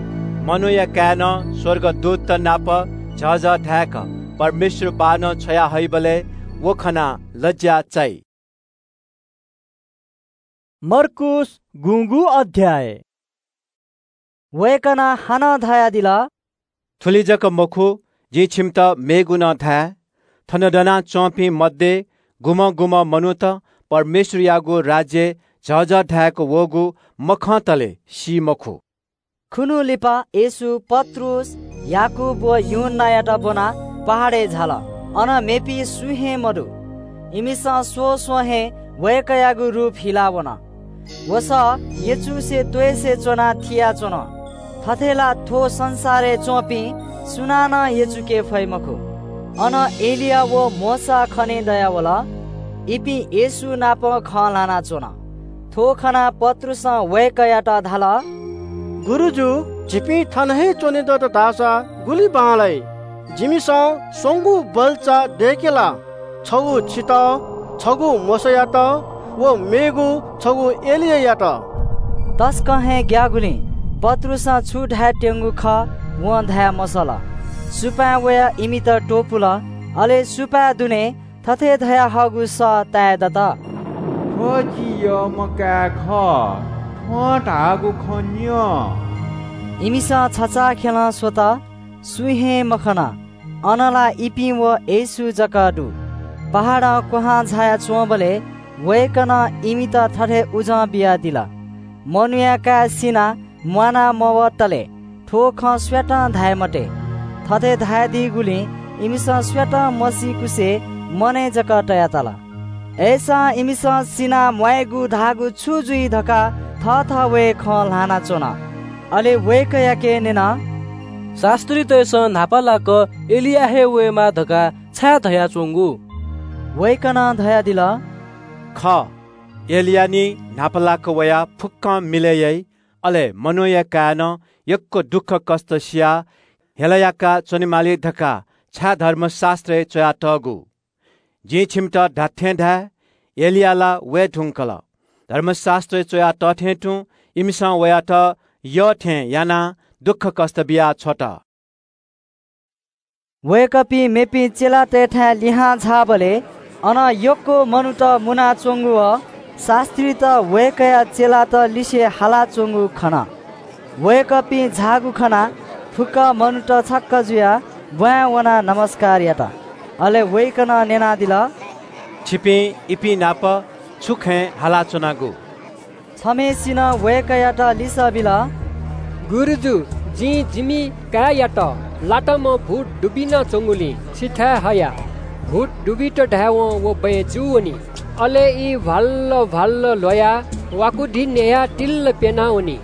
मनूया काय्‌नं स्‍वर्गदूतत नाप झःझः धाय्‌क परमेश्‍वर बाःनं छ्वया हइबलय् व खनाः लज्‍या चाइ।" मर्कूस गुंगू अध्‍याय। वय्‌कलं हानं धयादिल, थुलि जक मखु, जिं छिमित मेगु नं धाये। थन दनाच्‍वंपिं मध्ये गुम्‍हं गुम्‍हं मनूत परमेश्‍वरयागु राज्‍यय् झःझः धाय्‌क वःगु मखंतले सी मखु। खुन्‍हु लिपा येशू पत्रुस, याकूब व यूहन्‍नायात ब्‍वनाः पहाडय् झाल। अन मेपिं सुं हे मदु। इमिसं स्वस्‍वं हे वय्‌कःयागु रूप हिला वन। वसः यचुसे त्‍वइसे च्‍वनाः थियाच्‍वन। थथे ला थ्‍व संसारय् च्‍वंपिं सुनानं यचुके फइ मखु। अन एलिया व मोशा खनेदयावल। इपिं येशू नाप खँ ल्‍हानाच्‍वन। थ्‍व खनाः पत्रुसं वय्‌कःयात धाल, गुरुजु, झीपिं थन हे च्‍वने दत धाःसा गुलि बांलाइ? जिमिसं स्‍वंगू बल्‍चा दय्‌के ला? छगू छितः, छगू मोशायात व मेगू छगू एलियायात। तसकं हे ग्‍याःगुलिं पत्रुसं छु धायेत्यंगु खः वं धाये मसल। सुपाँय् वयाः इमित त्‍वपुल। अले सुपाँय् दुने थथे धयाहःगु सः ताये दत, थ्‍व जि यःम्‍ह काय् खः, थ्‍वं धाःगु खँ न्‍यँ। इमिसं छचाःखेलं स्‍वत, सुं हे मखन। अन ला इपिं व येशू जक दु। पहाडं क्‍वहां झायाच्‍वंबलय् वय्‌कलं इमित थथे उजं बियादिल, मनूया काय् सिनाः म्‍वाना मवतले थ्‍व खँ सुयातं धाये मते। थथे धयादीगुलिं इमिसं सुयातं मसीकुसे मनय् जक तयातल। अय्‌सां इमिसं सिनाः म्‍वायेगु धाःगु छु जुइ धकाः थःथवय् खँ ल्‍हानाच्‍वन। अले वय्‌कःयाके न्‍यन, शास्‍त्रीतय्‌सं न्‍हापालाक एलिया हे वयेमाः धकाः छाय् धयाच्‍वंगु? वय्‌कलं धयादिल, खः, एलिया निं न्‍हापालाक वयाः फुक्‍कं मिलय् याइ। अले मनूया काय्‌नं यक्‍व दुःखकष्‍ट सियाः हेला याकाः च्‍वनेमाली धकाः छाय् धर्मशास्‍त्रय् च्‍वयातःगु? जिं छिमित धात्‍थें धाये, एलिया ला वये धुंकल। धर्मशास्‍त्रय् च्‍वया तःथें तुं इमिसं वयात यः थें यानाः दुःखकष्‍ट बिया छ्वत। वय्‌कःपिं मेपिं चेलातय्‌थाय् लिहां झाःबलय् अन यक्‍व मनूत मुनाच्‍वंगु व शास्‍त्रीत वय्‌कःया चेलात लिसे हालाच्‍वंगु खन। वय्‌कःपिं झाःगु खनाः फुक्‍क मनूत छक्‍क जुयाः ब्‍वाँय् वनाः नमस्‍कार यात। अले वय्‌कलं न्‍यनादिल, छिपिं इपिं नाप छु खँय् हालाच्‍वनागु? छम्‍हय्‌सिनं वय्‌कःयात लिसः बिल, गुरुजु, जिं जिमि काय्‌यात लाताम्‍ह भूत दुबिनाच्‍वंगुलिं छिथाय् हया। भूत दुबित धायेवं व बँय् जू वनी। अले ई भ्‍वाल्‍ल भ्‍वाल्‍ल ल्‍वयाः वाकुधि न्‍ययाः तिल्‍ल प्‍यनावनी।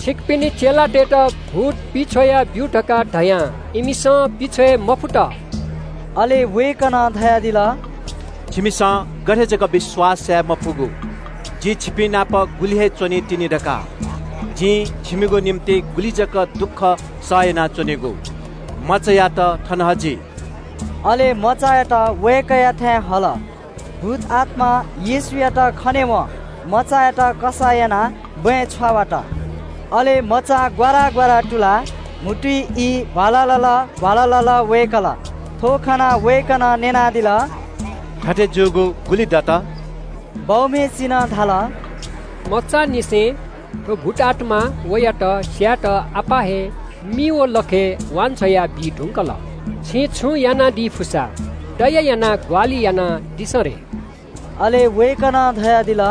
छिकपिनि चेलातय्‌त भूत पिछ्वया ब्यु धकाः धयां इमिसं पिछ्वये मफुत।" अले वय्‌कलं धयादिल, "छिमिसं गथे जक विश्वास याये मफुगु? जि छिपिं नाप गुलि हे च्वनीतिनि धकाः। जिं छिमिगु निंतिं गुलि जक दुःख सह यानाच्वनेगु। मचायात थन हजि।" अले मचायात वय्‌कःयाथाय् हल। भूत आत्मां येशूयात खनेवं मचायात कसाः यानाः बँय् छ्वावात। अले मचा ग्वारा ग्वारा तुलाः म्हुतुइ ई भ्वालालाला भ्वालालाला वय्‌कल। थ्व खनाः वय्‌कलं न्यनादिल, "थथे जूगु गुलि दत?" बौम्हय्‌सिनं धाल, "मचांनिसें थ्व भूत आत्मां वयात स्यायेत आपाः हे मि व लखय् वांछ्वया बी धुंकल। छिं छुं यानादी फुसा दया यानाः ग्वाहालि यानादिसँ रे।" अले वय्‌कलं धयादिल,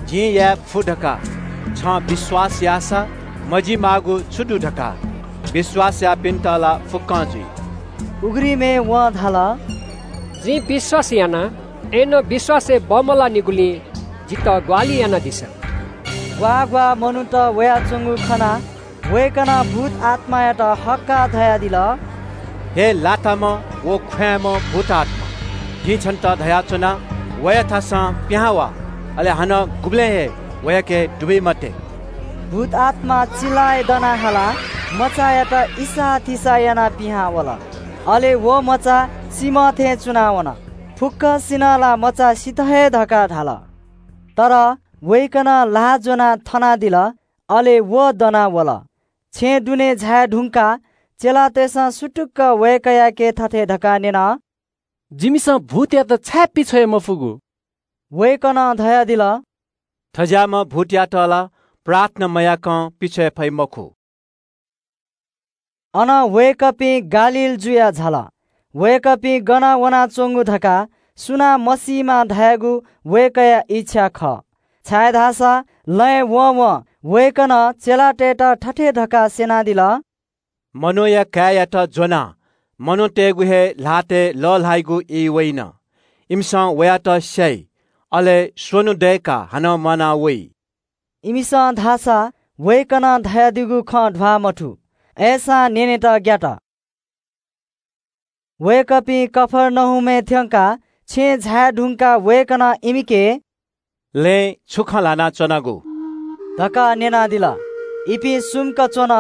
"जिं याये फु धकाः छं विश्वास याःसा मजिमाःगु छु दु धकाः? विश्वास याःपिन्त ला फुक्कं जुइ।" उघ्रिमय् वं धाल, "जिं विश्वास याना, अय्‌नं विश्वासय् बमलाःनिगुलिं जितः ग्वाहालि यानादिसँ।" ग्वाः ग्वाः मनूत वयाच्वंगु खनाः वय्‌कलं भूत आत्मायात हक्काः धयादिल, "हे लाताम्ह व ख्वाँय्‌म्ह भूत आत्मा, जिं छन्त धयाच्वना, वयाथासं पिहां वा, अले हानं गुबलें हे वयाके दुबी मते।" भूत आत्मा चिल्लाय् दनाः हालाः मचायात इसाःथिसाः यानाः पिहां वल। अले व मचा सिम्ह थें च्वनावन। फुक्कसिनं ला मचा सित हे धकाः धाल। तर वय्‌कलं ल्हाः ज्वनाः थनादिल, अले व दना वल। छेँ दुने झाये धुंकाः चेलातय्‌सं सुतुक्क वय्‌कःयाके थथे धकाः न्यन, "जिमिसं भूतयात छाय् पिछ्वये मफुगु?" वय्‌कलं धयादिल, "थज्याःम्ह भूतयात ला प्रार्थना मयाकं पिछ्वये फइ मखु।" अनं वय्‌कःपिं गालील जुयाः झाल। वय्‌कःपिं गन वनाच्वंगु धकाः सुनां मसीमा धायेगु वय्‌कःया इच्छा खः, छाय्‌धाःसा लँय् वंवं वय्‌कलं चेलातय्‌त थथे धकाः स्यनादिल, "मनूया काय्‌यात ज्वनाः मनूतय्‌गु हे ल्हातय् लःल्हाइगु ई वइन। इमिसं वयात स्याइ, अले स्वन्हु दय्‌काः हानं म्वाना वइ।" इमिसं धाःसा वय्‌कलं धयादीगु खँ ध्वाः मथू, अय्‌सां न्यनेत ग्यात। वय्‌कःपिं कफर्नहुमय् थ्यंकाः छेँय् झाये धुंकाः वय्‌कलं इमिके लँय् छु खँ ल्हानाच्वनागु धकाः न्यनादिल। इपिं सुम्क च्वन,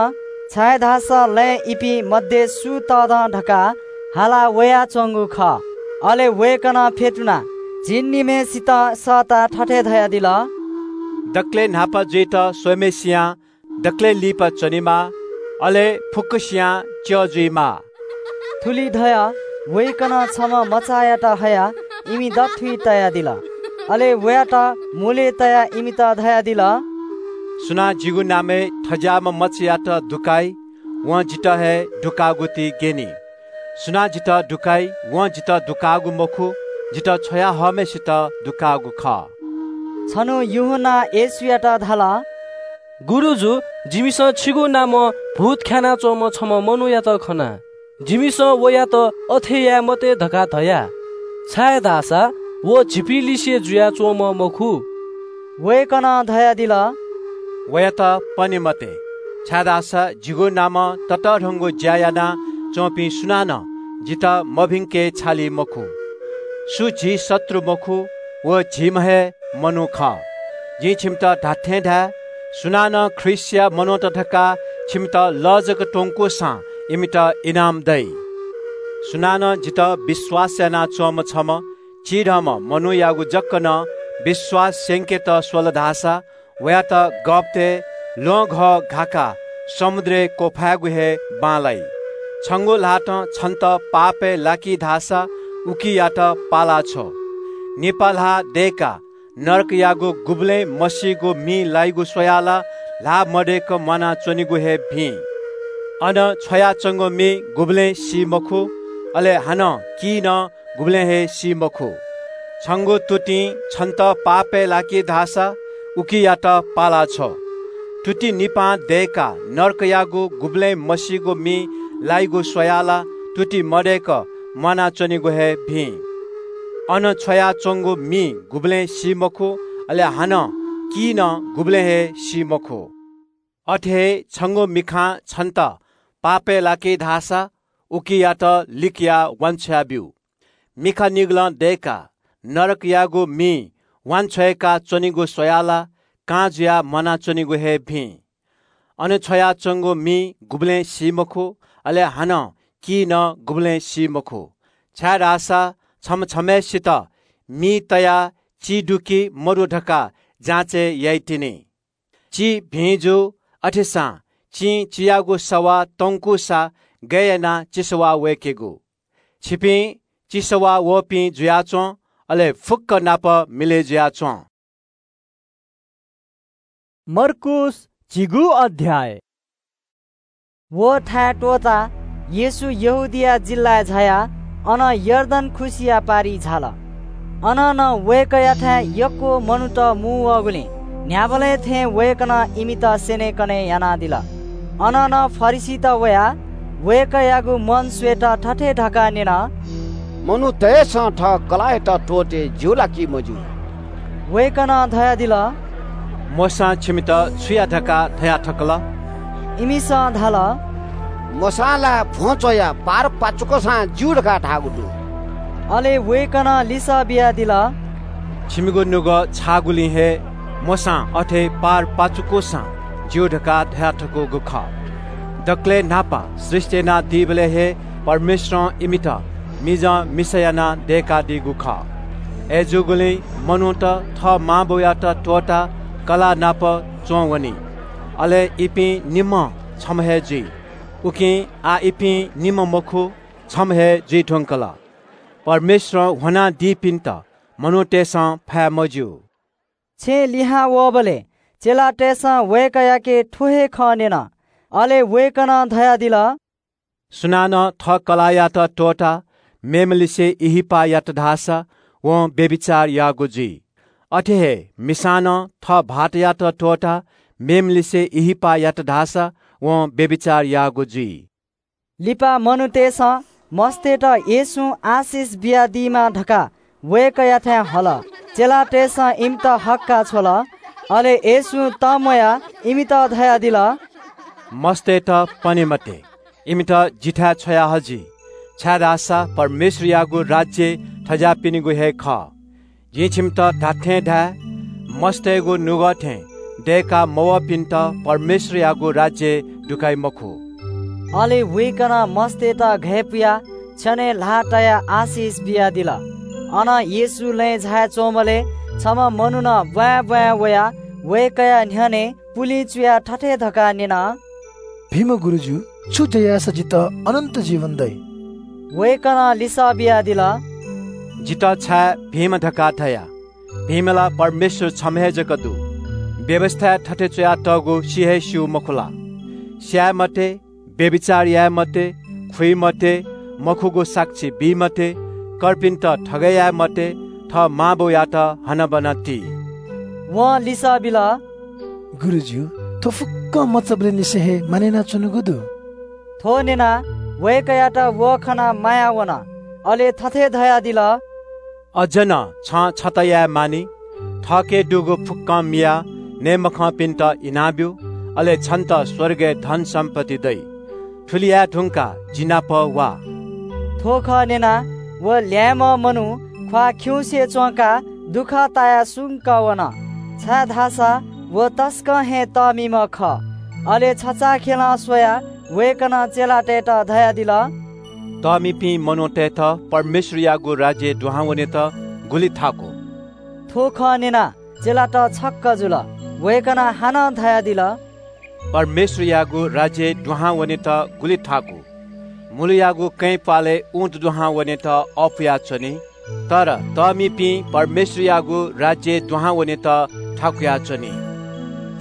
छाय्‌धाःसा लँय् इपिं मध्ये सु तःधं धकाः हाला वयाच्वंगु खः। अले वय्‌कलं फ्यतुनाः झिंनिम्हय्‌सित सःताः थथे धयादिल, दकलय् न्हापा जुइत स्वम्हय्‌सियां दकलय् लिपा च्वनेमाः, अले फुक्कसियां च्यः जुइमाः। थुलि धयाः वय्‌कलं छम्ह मचायात हयाः इमि दथुइ तयादिल। अले वयात मुलय् तयाः इमित धयादिल, सुनां जिगु नामय् थज्याःम्ह मचायात दुकाइ, वं जितः हे दुकाःगु ति ग्यनी। सुनां जितः दुकाइ, वं जितः दुकाःगु मखु, जितः छ्वयाहःम्हय्‌सित दुकाःगु खः। छन्हु यूहन्नां येशूयात धाल, गुरुजु, जिमिसं छिगु नामं भूत ख्यानाच्वंम्ह छम्ह मनूयात खना। जिमिसं वयात अथे याये मते धकाः धया, छाय्‌धाःसा व झीपिं लिसे जुयाच्वंम्ह मखु। वय्‌कलं धयादिल, वयात पने मते, छाय्‌धाःसा जिगु नामं ततःधंगु ज्या यानाच्वंपिं सुनानं जितः मभिंके छाली मखु। सु झी शत्रु मखु, व झीम्ह हे मनू खः। जिं छिमित धात्थें धाये, सुनानं ख्रीष्टया मनूत धकाः छिमित लः जक त्वंकूसां इमित इनाम दइ। सुनानं जितः विश्वास यानाच्वंम्ह छम्ह चिधंम्ह मनूयागु जक नं विश्वास स्यंकेत स्वल धाःसा, वयात गःपतय् ल्वहंघः घाकाः समुद्रय् क्वफायेगु हे बांलाइ। छंगु ल्हातं छन्त पापय् लाकी धाःसा उकियात पाला छ्व। निपा ल्हाः दय्‌काः नरकयागु गुबलें मसीगु मिं लाइगु स्वयाः ला ल्हाः मदय्‌क म्वानाच्वनेगु हे भिं। अन छ्वयाच्वंगु मि गुबलें सी मखु, अले हानं की नं गुबलें हे सी मखु। छंगु तुतिं छन्त पापय् लाकी धाःसा उकियात पाला छ्व। तुति निपां दय्‌काः नरकयागु गुबलें मसीगु मि लाइगु स्वयाः ला तुति मदय्‌क म्वानाच्वनेगु हे भिं। अन छ्वयाच्वंगु मि गुबलें सी मखु, अले हानं की नं गुबलें हे सी मखु। अथे हे छंगु मिखां छन्त पापय् लाकी धाःसा उकियात लिकयाः वांछ्वया ब्यु। मिखा निगलं दय्काः नरकयागु मिइ वांछ्वय्का च्वनीगु स्वयाः ला कां जुयाः म्वानाच्वनीगु हे भिं। अन छ्वयाच्वंगु मिइ गुबलें सी मखु, अले हानं की नं गुबलें सी मखु, छाय्धाःसा छम्ह छम्हय्सित मिइ तयाः ची दु कि मदु धकाः जाँचय् याइतिनि। ची भिं जू, अथेसां चिं चियागु सवाः तंकूसा गय् यानाः चिसवाः वय्केगु? छिपिं चिसवाः वःपिं जुयाच्वँ, अले फुक्क नाप मिलय् जुयाच्वँ। मर्कूस झिगू अध्याय। व थाय् त्वःताः येशू यहूदिया जिल्लाय् झायाः अन यर्दन खुसिया पारिइ झाल। अन नं वय्कःयाथाय् यक्व मनूत मू वःगुलिं न्ह्याबलें थें वय्कलं इमित स्यनेकने यानादिल। अन नं फरिसीत वयाः वय्कःयागु मन स्वयेत थथे धकाः न्यन, मनूतय्सं थः कलाःयात त्वःते ज्यू ला कि मज्यू? वय्कलं धयादिल, मोशां छिमित छु या धकाः धया थकल? इमिसं धाल, मोशां ला भ्वं च्वयाः पार पाचुकूसां ज्यू धकाः धाःगु दु। अले वय्कलं लिसः बियादिल, छिमिगु नुगः छाःगुलिं हे मोशां अथे पार पाचुकूसां ज्यू धकाः धया थकूगु खः। दकलय् न्हापा सृष्टि यानादीबलय् हे परमेश्वरं इमित मिजं मिसा यानाः दय्कादीगु खः। अय्जूगुलिं मनूत थः मांबौयात त्वःताः कलाः नाप च्वं वनी। अले इपिं निम्हं छम्ह हे जुइ। उकिं आः इपिं निम्ह मखु, छम्ह हे जुइ धुंकल। परमेश्वरं ह्वनादीपिन्त मनूतय्सं फाये मज्यू। छेँ लिहां वःबलय् चेलातय्सं वय्कःयाके थ्व हे खँ न्यन। अले वय्कलं धयादिल, सुनानं थः कलाःयात त्वःताः मेम्हलिसे इहिपाः यात धाःसा वं व्‍यभिचार याःगु जुइ। अथे हे मिसां नं थः भाःतयात त्वःताः मेम्हलिसे इहिपाः यात धाःसा वं व्‍यभिचार याःगु जुइ। लिपा मनूतय्सं मस्तय्त येशूं आशिष बियादीमा धकाः वय्कःयाथाय् हल। चेलातय्सं इमित हक्‍काः छ्वल। अले येशूं तंम्‍वयाः इमित धयादिल, मस्तय्त पने मते, इमित जिथाय् छ्वया हजि, छाय्धाःसा परमेश्‍वरयागु राज्‍य थज्‍याःपिनिगु हे खः। जिं छिमित धात्‍थें धाये, मस्तय्गु नुगः थें दय्‌का मवःपिन्‍त परमेश्‍वरयागु राज्‍यय् दुकाइ मखु। अले वय्‌कलं मस्तय्‌त घय् पुयाः छ्यनय् ल्‍हाः तयाः आशिष बियादिल। अनं येशू लँय् झायाच्‍वंबलय् छम्‍ह मनुखं ब्‍वाँय् ब्‍वाँय् वयाः वय्‌कःया न्‍ह्यःने पुलिं चुयाः थथे धकाः न्‍यन, भिंम्‍ह गुरुजु, छु ज्‍या याःसा जितः अनन्‍त जीवन दइ? वय्‌कलं लिसः बियादिल, जितः छाय् भिंम्‍ह धकाः धया? भिंम्‍ह ला परमेश्‍वर छम्‍ह हे जक दु। व्‍यवस्‍थाय् थथे च्‍वयातःगु सि हे स्‍यू मखु ला? स्‍याये मते, व्‍यभिचार याये मते, खुइ मते, मखुगु साक्षी बी मते, कर्पिन्‍त थगय् याये मते, थः मांबौयात हनाबना ति। वं लिसः बिल, गुरुजु, थ्‍व फुक्‍कं मचाबलय् निसें हे मानय् यानाच्‍वनागु दु। थ्‍व न्‍यनाः वय्‌कःयात व खनाः माया वन। अले थथे धयादिल, अझ नं छं छता याये मानि। थःके दुगु फुक्‍कं मियाः नये मखंपिन्‍त इनाब्‍यु, अले छन्‍त स्‍वर्गय् धन सम्‍पत्ति दइ। थुलि याये धुंकाः जि नाप वा। थ्‍व खँ न्‍यनाः व ल्‍याय्‌म्‍ह मनू ख्‍वाः खिउँसे च्‍वंकाः दुःख तायाः सुंक वन, छाय्‌धाःसा व तसकं हे तःमिम्‍ह खः। अले छचाःखेलं स्वयाः वय्‌कलं चेलातय्‌त धयादिल, तःमिपिं मनूतय्‌त परमेश्‍वरयागु राज्‍यय् दुहां वनेत गुलि थाकु। थ्‍व खँ न्‍यनाः चेलात छक्‍क जुल। वय्‌कलं हानं धयादिल, परमेश्‍वरयागु राज्‍यय् दुहां वनेत गुलि थाकु। मुलुयागु कँय् प्‍वालय् ऊँट दुहां वनेत अःपुयाच्‍वनी, तर तःमिपिं परमेश्‍वरयागु राज्‍यय् दुहां वनेत थाकुयाच्‍वनी।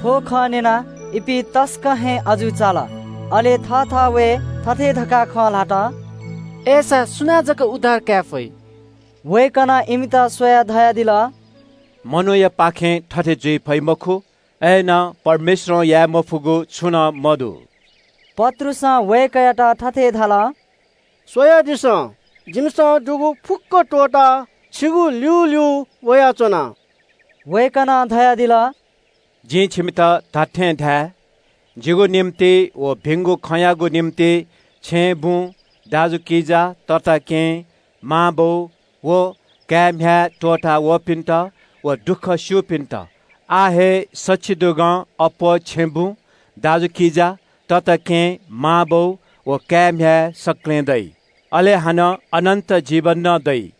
थ्‍व खँ न्‍यनाः इपिं तसकं हे अजू चाल। अले थःथवय् थथे धकाः खँ ल्‍हात, अय्‌सा सुनां जक उद्धार काये फइ? वय्‌कलं इमित स्वयाः धयादिल, मनूयापाखें थथे जुइ फइ मखु, अय्‌नं परमेश्‍वरं याये मफुगु छुं नं मदु। पत्रुसं वय्‌कःयात थथे धाल, स्वयादिसँ, जिमिसं दुगु फुक्‍क त्‍वःताः छिगु ल्‍यूल्‍यू वयाच्‍वना। वय्‌कलं धयादिल, जिं छिमित धात्‍थें धाये, जिगु निंतिं व भिंगु खँयागु निंतिं छेँय् बुँ, दाजुकिजा, तताकेहेँ, मांबौ व काय् म्ह्याय् त्वःता वःपिन्त व दुःख स्यूपिन्त आः हे सछि दुगं अप्वः छेँ बुँ, दाजुकिजा, तताकेहेँ, मांबौ व काय् म्ह्याय् सकलें दइ। अले हानं अनन्त जीवन नं दइ।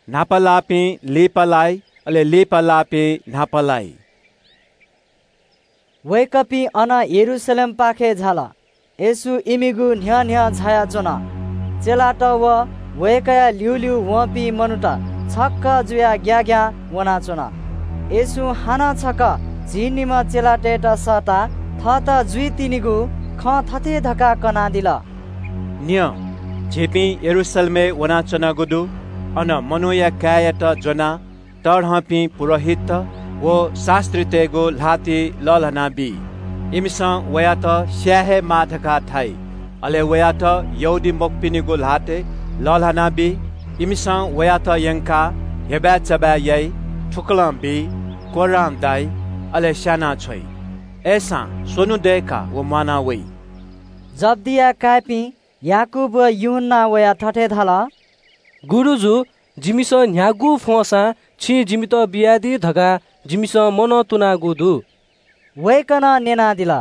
न्हापा लाःपिं लिपा लाइ, अले लिपा लाःपिं न्हापा लाइ। वय्कःपिं अनं यरूशलेमपाखे झाल। येशू इमिगु न्ह्यः न्ह्यः झायाच्वन। चेलात व वय्कःया ल्यूल्यू वंपिं मनूत छक्क जुयाः ग्याग्यां वनाच्वन। येशूं हानं छकः झिंनिम्ह चेलातय्त सःताः थःत जुइतिनिगु खँ थथे धकाः कनादिल। न्यँ, झीपिं यरूशलेमय् वनाच्वनागु दु। अन मनूया काय्‌यात ज्वनाः तःधंपिं पुजाहारीत व शास्त्रीतय्गु ल्हातिइ लःल्हाना बी। इमिसं वयात स्याये हे माः धकाः धाइ। अले वयात यहूदीमखुपिनिगु ल्हातय् लःल्हाना बी। इमिसं वयात यंकाः हेबाय् चबाय् याइ, थुकलं बी, कोर्रां दाइ, अले स्याना छ्वइ। अय्सां स्वन्हु दय्काः व म्वाना वइ। जब्दीया काय्‌पिं याकूब व यूहन्नां वयाः थथे धाल, "गुरुजु, जिमिसं न्ह्यागु फ्वंसां छिं जिमित बियादी धकाः जिमिसं मनंतुनागु दु।" वय्कलं न्यनादिल,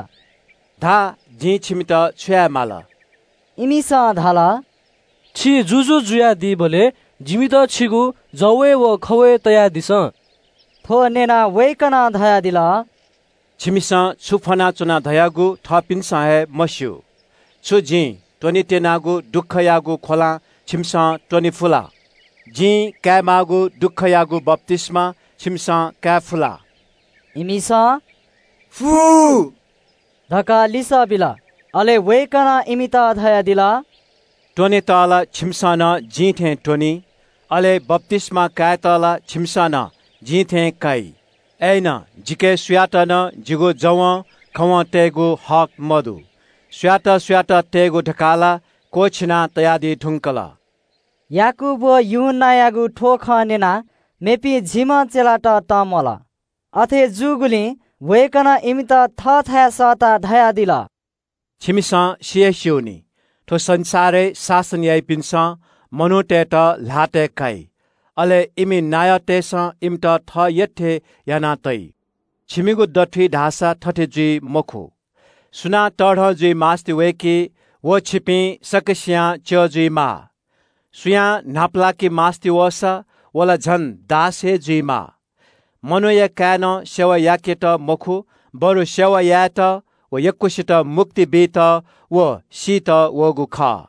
"धा, जिं छिमित छु याये माल?" इमिसं धाल, "छि जुजु जुयादीबलय् जिमित छिगु जवय् व खवय् तयादिसँ।" थ्व न्यनाः वय्कलं धयादिल, "छिमिसं छु फ्वनाच्वना धयागु थःपिन्सं हे मस्यू। छु जिं त्वनेत्यनागु दुःखयागु ख्वलां छिमिसं त्वने फु ला? जिं कायेमाःगु दुःखयागु बप्तिस्मा छिमिसं काये फु ला?" इमिसं, "फु" धकाः लिसः बिल। अले वय्कलं इमित धयादिल, "त्वनेत ला छिमिसं नं जिं थें त्वनी, अले बप्तिस्मा कायेत ला छिमिसं नं जिं थें काइ। अय्नं जिके सुयातं नं जिगु जवं खवं तयेगु हक मदु। सुयात सुयात तयेगु धकाः ला क्वःछिना तयादी धुंकल।" याकूब व यूहन्नायागु थ्व खँ न्यनाः मेपिं झिम्ह चेलात तंम्वल। अथे जूगुलिं वय्कलं इमित थःथाय् सःताः धयादिल, "छिमिसं सि हे स्यूनि, थ्व संसारय् शासन याइपिन्सं मनूतय्त ल्हातय् काइ, अले इमि नायःतय्सं इमित थः यःथें याना तइ। छिमिगु दथुइ धाःसा थथे जुइ मखु। सुनां तःधं जुइ मास्ति वय्की, व छिपिं सकसियां च्यः जुइमाः। सुयां न्हापालाके मास्ति वःसा, व ला झन दास हे जुइमाः। मनूया काय्‌नं सेवा याकेत मखु, बरु सेवा यायेत व यक्वसित मुक्ति बीत व सीत वःगु खः।"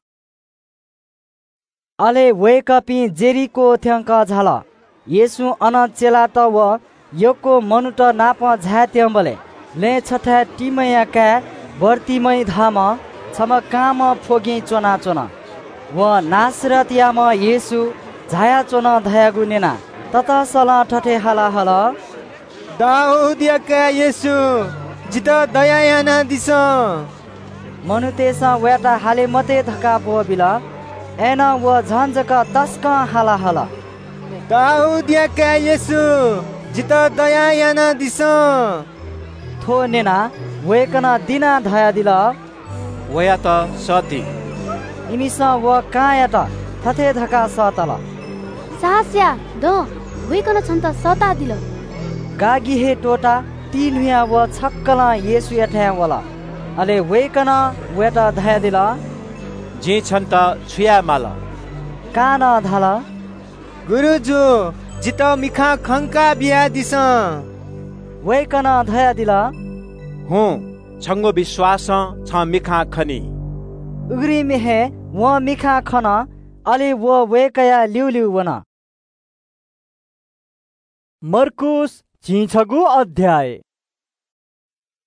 अले वय्कःपिं जेरिको थ्यंक झाल। येशूं अन चेलात व यक्व मनूत नाप झायेत्यंबलय् लँय् छथाय् तिमया काय् बर्तिमै धाःम्ह छम्ह कांम्ह फ्वगिं च्वनाच्वन। वं नासरतयाम्ह येशू झायाच्वन धयागु न्यनाः ततसलं थथे हाला हल, "दाऊदया काय् येशू, जितः दया यानादिसँ।" मनूतय्सं वयात हाले मते धकाः ब्वःबिल। अय्नं व झन जक तसकं हाला हल, "दाऊदया काय् येशू, जितः दया यानादिसँ।" थ्व न्यनाः वय्कलं दिनाः धयादिल, "वयात सःति।" इमिसं व कांयात थथे धकाः सःतल, "साहस या, दँ, वय्कलं छन्त सःतादिल।" गागि हे त्वःताः तीन्हुयाः व छक्कलं येशूयाथाय् वल। अले वय्कलं वयात धयादिल, "जिं छन्त छु याये माल?" कानं धाल, "गुरुजु, जितः मिखां खंका बियादिसँ।" वय्कलं धयादिल, "हुँ, छंगु विश्वासं छं मिखां खनी।" उघ्रिमय् हे वं मिखां खन, अले व वय्कःया ल्यूल्यू वन। मर्कूस झिंछगू अध्याय।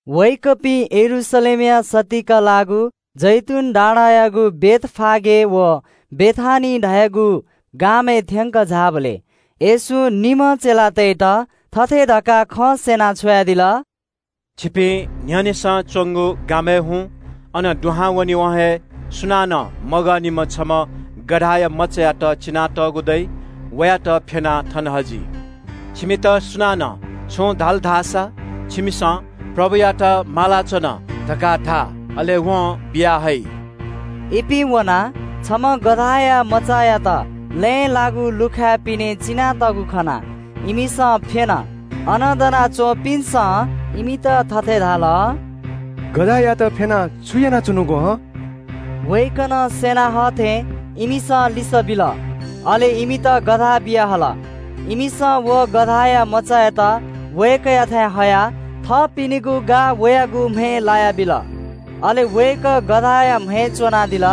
वय्कःपिं यरूशलेमया सत्तीक लाःगु जैतून डाँडायागु बेथफागे व बेथानी धायेगु गामय् थ्यंक झाःबलय् येशूं निम्ह चेलातय्त थथे धकाः खँ स्यना छ्वयादिल, "छिपिं न्ह्यःनेसं च्वंगु गामय् हुँ, अन दुहां वनेवं हे सुनानं मगःनिम्ह छम्ह गधाया मचायात चिनातःगु दइ, वयात फ्यनाः थन हजि। छिमित सुनानं छुं धाल धाःसा, छिमिसं 'प्रभुयात मालाच्वन, धकाः धा, अले वं बिया हइ।" इपिं वनाः छम्ह गधाया मचायात लँय् लाःगु लुखाय् पिने चिनातःगु खनाः इमिसं फ्‍यन। अन दनाच्‍वंपिन्‍सं इमित थथे धाल, "गधायात फ्‍यनाः छु यानाच्‍वनागु हं?" वय्‌कलं स्‍यना हःथें इमिसं लिसः बिल। अले इमित गधा बियाहल। इमिसं व गधाया मचायात वय्‌कःयाथाय् हयाः थःपिनिगु गाः वयागु म्हय् लायाबिल। अले वय्‌कः गधाया म्हय् च्‍वनादिल।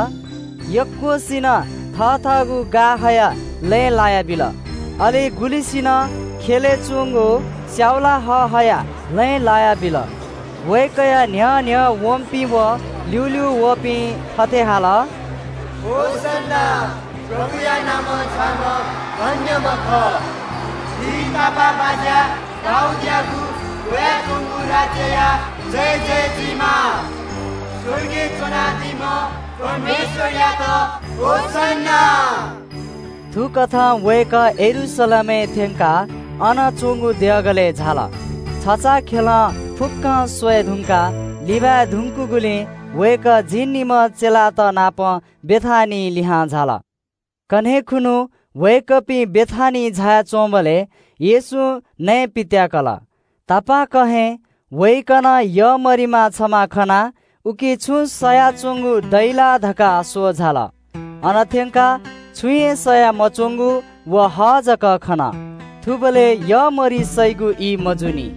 यक्‍वसिनं थःथःगु गाः हयाः लँय् लायाबिल। अले गुलिसिनं ख्‍यलय् च्‍वंगु स्‍याउला हः हयाः लँय् लायाबिल। वय्‌कःया न्‍ह्यः न्‍ह्यः वंपिं व ल्‍यूल्‍यू वःपिं थथे हाल, "होसन्‍ना, प्रभुया नामं झाःम्‍ह धन्‍यम्‍ह खः। झी तापाःबाज्‍या दाऊदयागु वयाच्‍वंगु राज्‍यया जय जय जुइमा। स्‍वर्गय् च्‍वनादीम्‍ह परमेश्‍वरयात होसन्‍ना।" थुकथं वय्‌कः यरूशलेमय् थ्‍यंकाः अन च्‍वंगु देगलय् झाल। छचाःखेलं फुक्‍कं स्वये धुंकाः लिबाये धुंकूगुलिं वय्‌कः झिंनिम्‍ह चेलात नाप बेथानिइ लिहां झाल। कन्‍हय् खुन्‍हु वय्‌कःपिं बेथानिइ झायाच्‍वंबलय् येशूं नये पित्‍याकल। तापाक हे वय्‌कलं यःमरिमा छम्‍ह खनाः उकी छुं सयाच्‍वंगु दइ ला धकाः स्‍वः झाल। अन थ्‍यंकाः छुं हे सया मच्‍वंगु व हः जक खन। थुबलय् यःमरि सइगु ई मजूनि।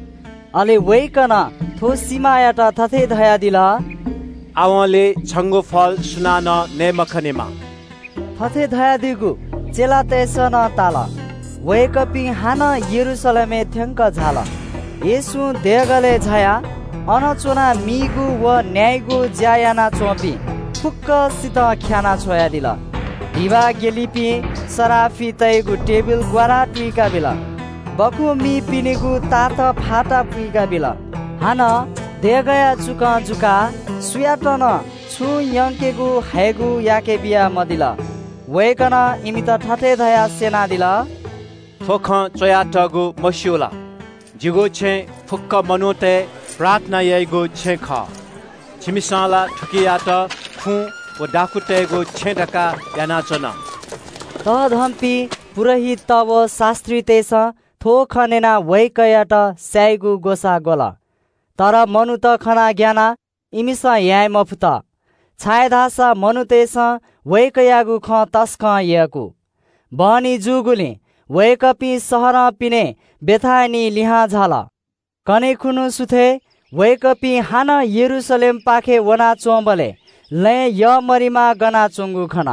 अले वय्‌कलं थ्‍व सिमायात थथे धयादिल, "आवंलि छंगु फल सुनानं नये मखनेमा।" थथे धयादीगु चेलातय्‌सं नं ताल। वय्‌कःपिं हानं यरूशलेमय् थ्‍यंक झाल। येशूं देगलय् झायाः अन च्‍वनाः मीगु व न्‍याइगु ज्‍या यानाच्‍वंपिं फुक्‍कसितं ख्‍यानाछ्वयादिल। धिबा ग्‍यलिपिं सराफितय्‌गु टेबिल ग्‍वाराः तुइकाबिल। बखुं मीपिनिगु तात फाता पुइकाबिल। हानं देगःया चुकं जुकाः सुयातं नं छुं यंकेगु हयेगु याके बिया मदिल। वय्‌कलं इमित थथे धयाः स्‍यनादिल, "थ्‍व खँ च्‍वयातःगु मस्‍यू ला? जिगु छेँ फुक्‍क मनूतय् प्रार्थना याइगु छेँ खः। छिमिसं ला थुकियात खुँ व डाकुतय्‌गु छेँ धकाः यानाच्‍वन।" तःधंपिं पुजाहारीत व शास्‍त्रीतय्‌सं थ्‍व खँ न्‍यनाः वय्‌कःयात स्‍यायेगु ग्‍वसाः ग्‍वल। तर मनूत खनाः ग्‍यानाः इमिसं याये मफुत, छाय्‌धाःसा मनूतय्‌सं वय्‌कःयागु खँ तसकं यय्‌कू। बहनी जूगुलिं वय्‌कःपिं शहरं पिने बेथानिइ लिहां झाल। कन्‍हय् खुन्‍हु सुथय् वय्‌कःपिं हानं यरूशलेमपाखे वनाच्‍वंबलय् लँय् यःमरिमा गनाच्‍वंगु खन।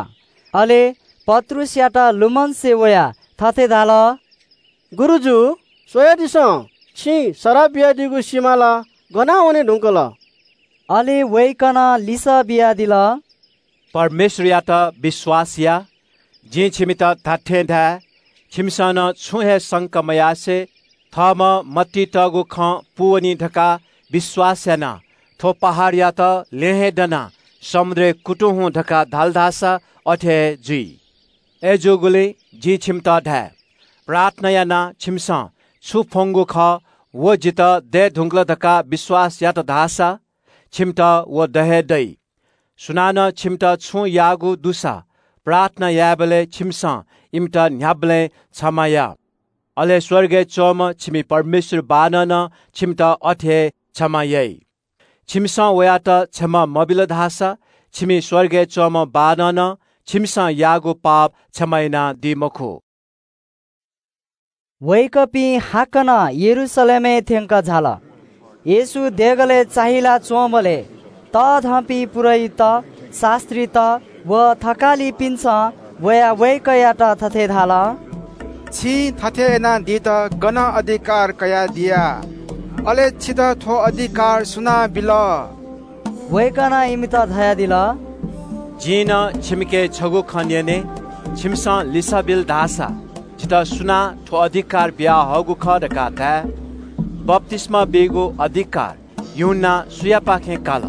अले पत्रुसयात लुमंसे वयाः थथे धाल, "गुरुजु, स्‍वयादिसँ, छिं सराप बियादीगु सिमा ला गना वने धुंकल?" अले वय्‌कलं लिसः बियादिल, "परमेश्‍वरयात विश्‍वास या। जिं छिमित धात्‍थें धाये, छिमिसं नं छुं हे संका मयासें थःम्‍हं मतिइ तःगु खँ पूवनी धकाः विश्‍वास यानाः थ्‍व पहाडयात ल्‍यँ हे दनाः समुद्रय् कुतुं हुँ धकाः धाल धाःसा अथे हे जुइ। अय्‌जूगुलिं जिं छिमित धाये, प्रार्थना यानाः छिमिसं छु फ्‍वंगु खः, व जितः दये धुंकल धकाः विश्‍वास यात धाःसा छिमित व द हे दइ। सुनानं छिमित छुं याःगु दुसा प्रार्थना यायेबलय् छिमिसं इमित न्‍ह्याबलें क्षमा या। अले स्‍वर्गय् च्‍वंम्‍ह छिमि परमेश्‍वर बाःनं नं छिमित अथे हे क्षमा याइ। छिमिसं वयात क्षमा मबिल धाःसा छिमि स्‍वर्गय् च्‍वंम्‍ह बाःनं नं छिमिसं याःगु पाप क्षमा यानादी मखु।" वय्‌कःपिं हाकनं यरूशलेमय् थ्‍यंक झाल। येशू देगलय् चाहिला च्‍वंबलय् तःधंपिं पुजाहारीत, शास्‍त्रीत व थकालिपिन्‍सं वयाः वय्‌कःयात थथे धाल, "छिं थथे यानादीत गनं अधिकार कयादिया? अले छितः थ्‍व अधिकार सुनां बिल?" वय्‌कलं इमित धयादिल, "जिं नं छिमिके छगू खँ न्‍यने, छिमिसं लिसः बिल धाःसा जितः सुनां थ्‍व अधिकार बियाहःगु खः धकाः धाये? बप्‍तिस्‍मा बीगु अधिकार यूहन्‍नां सुयापाखें काल?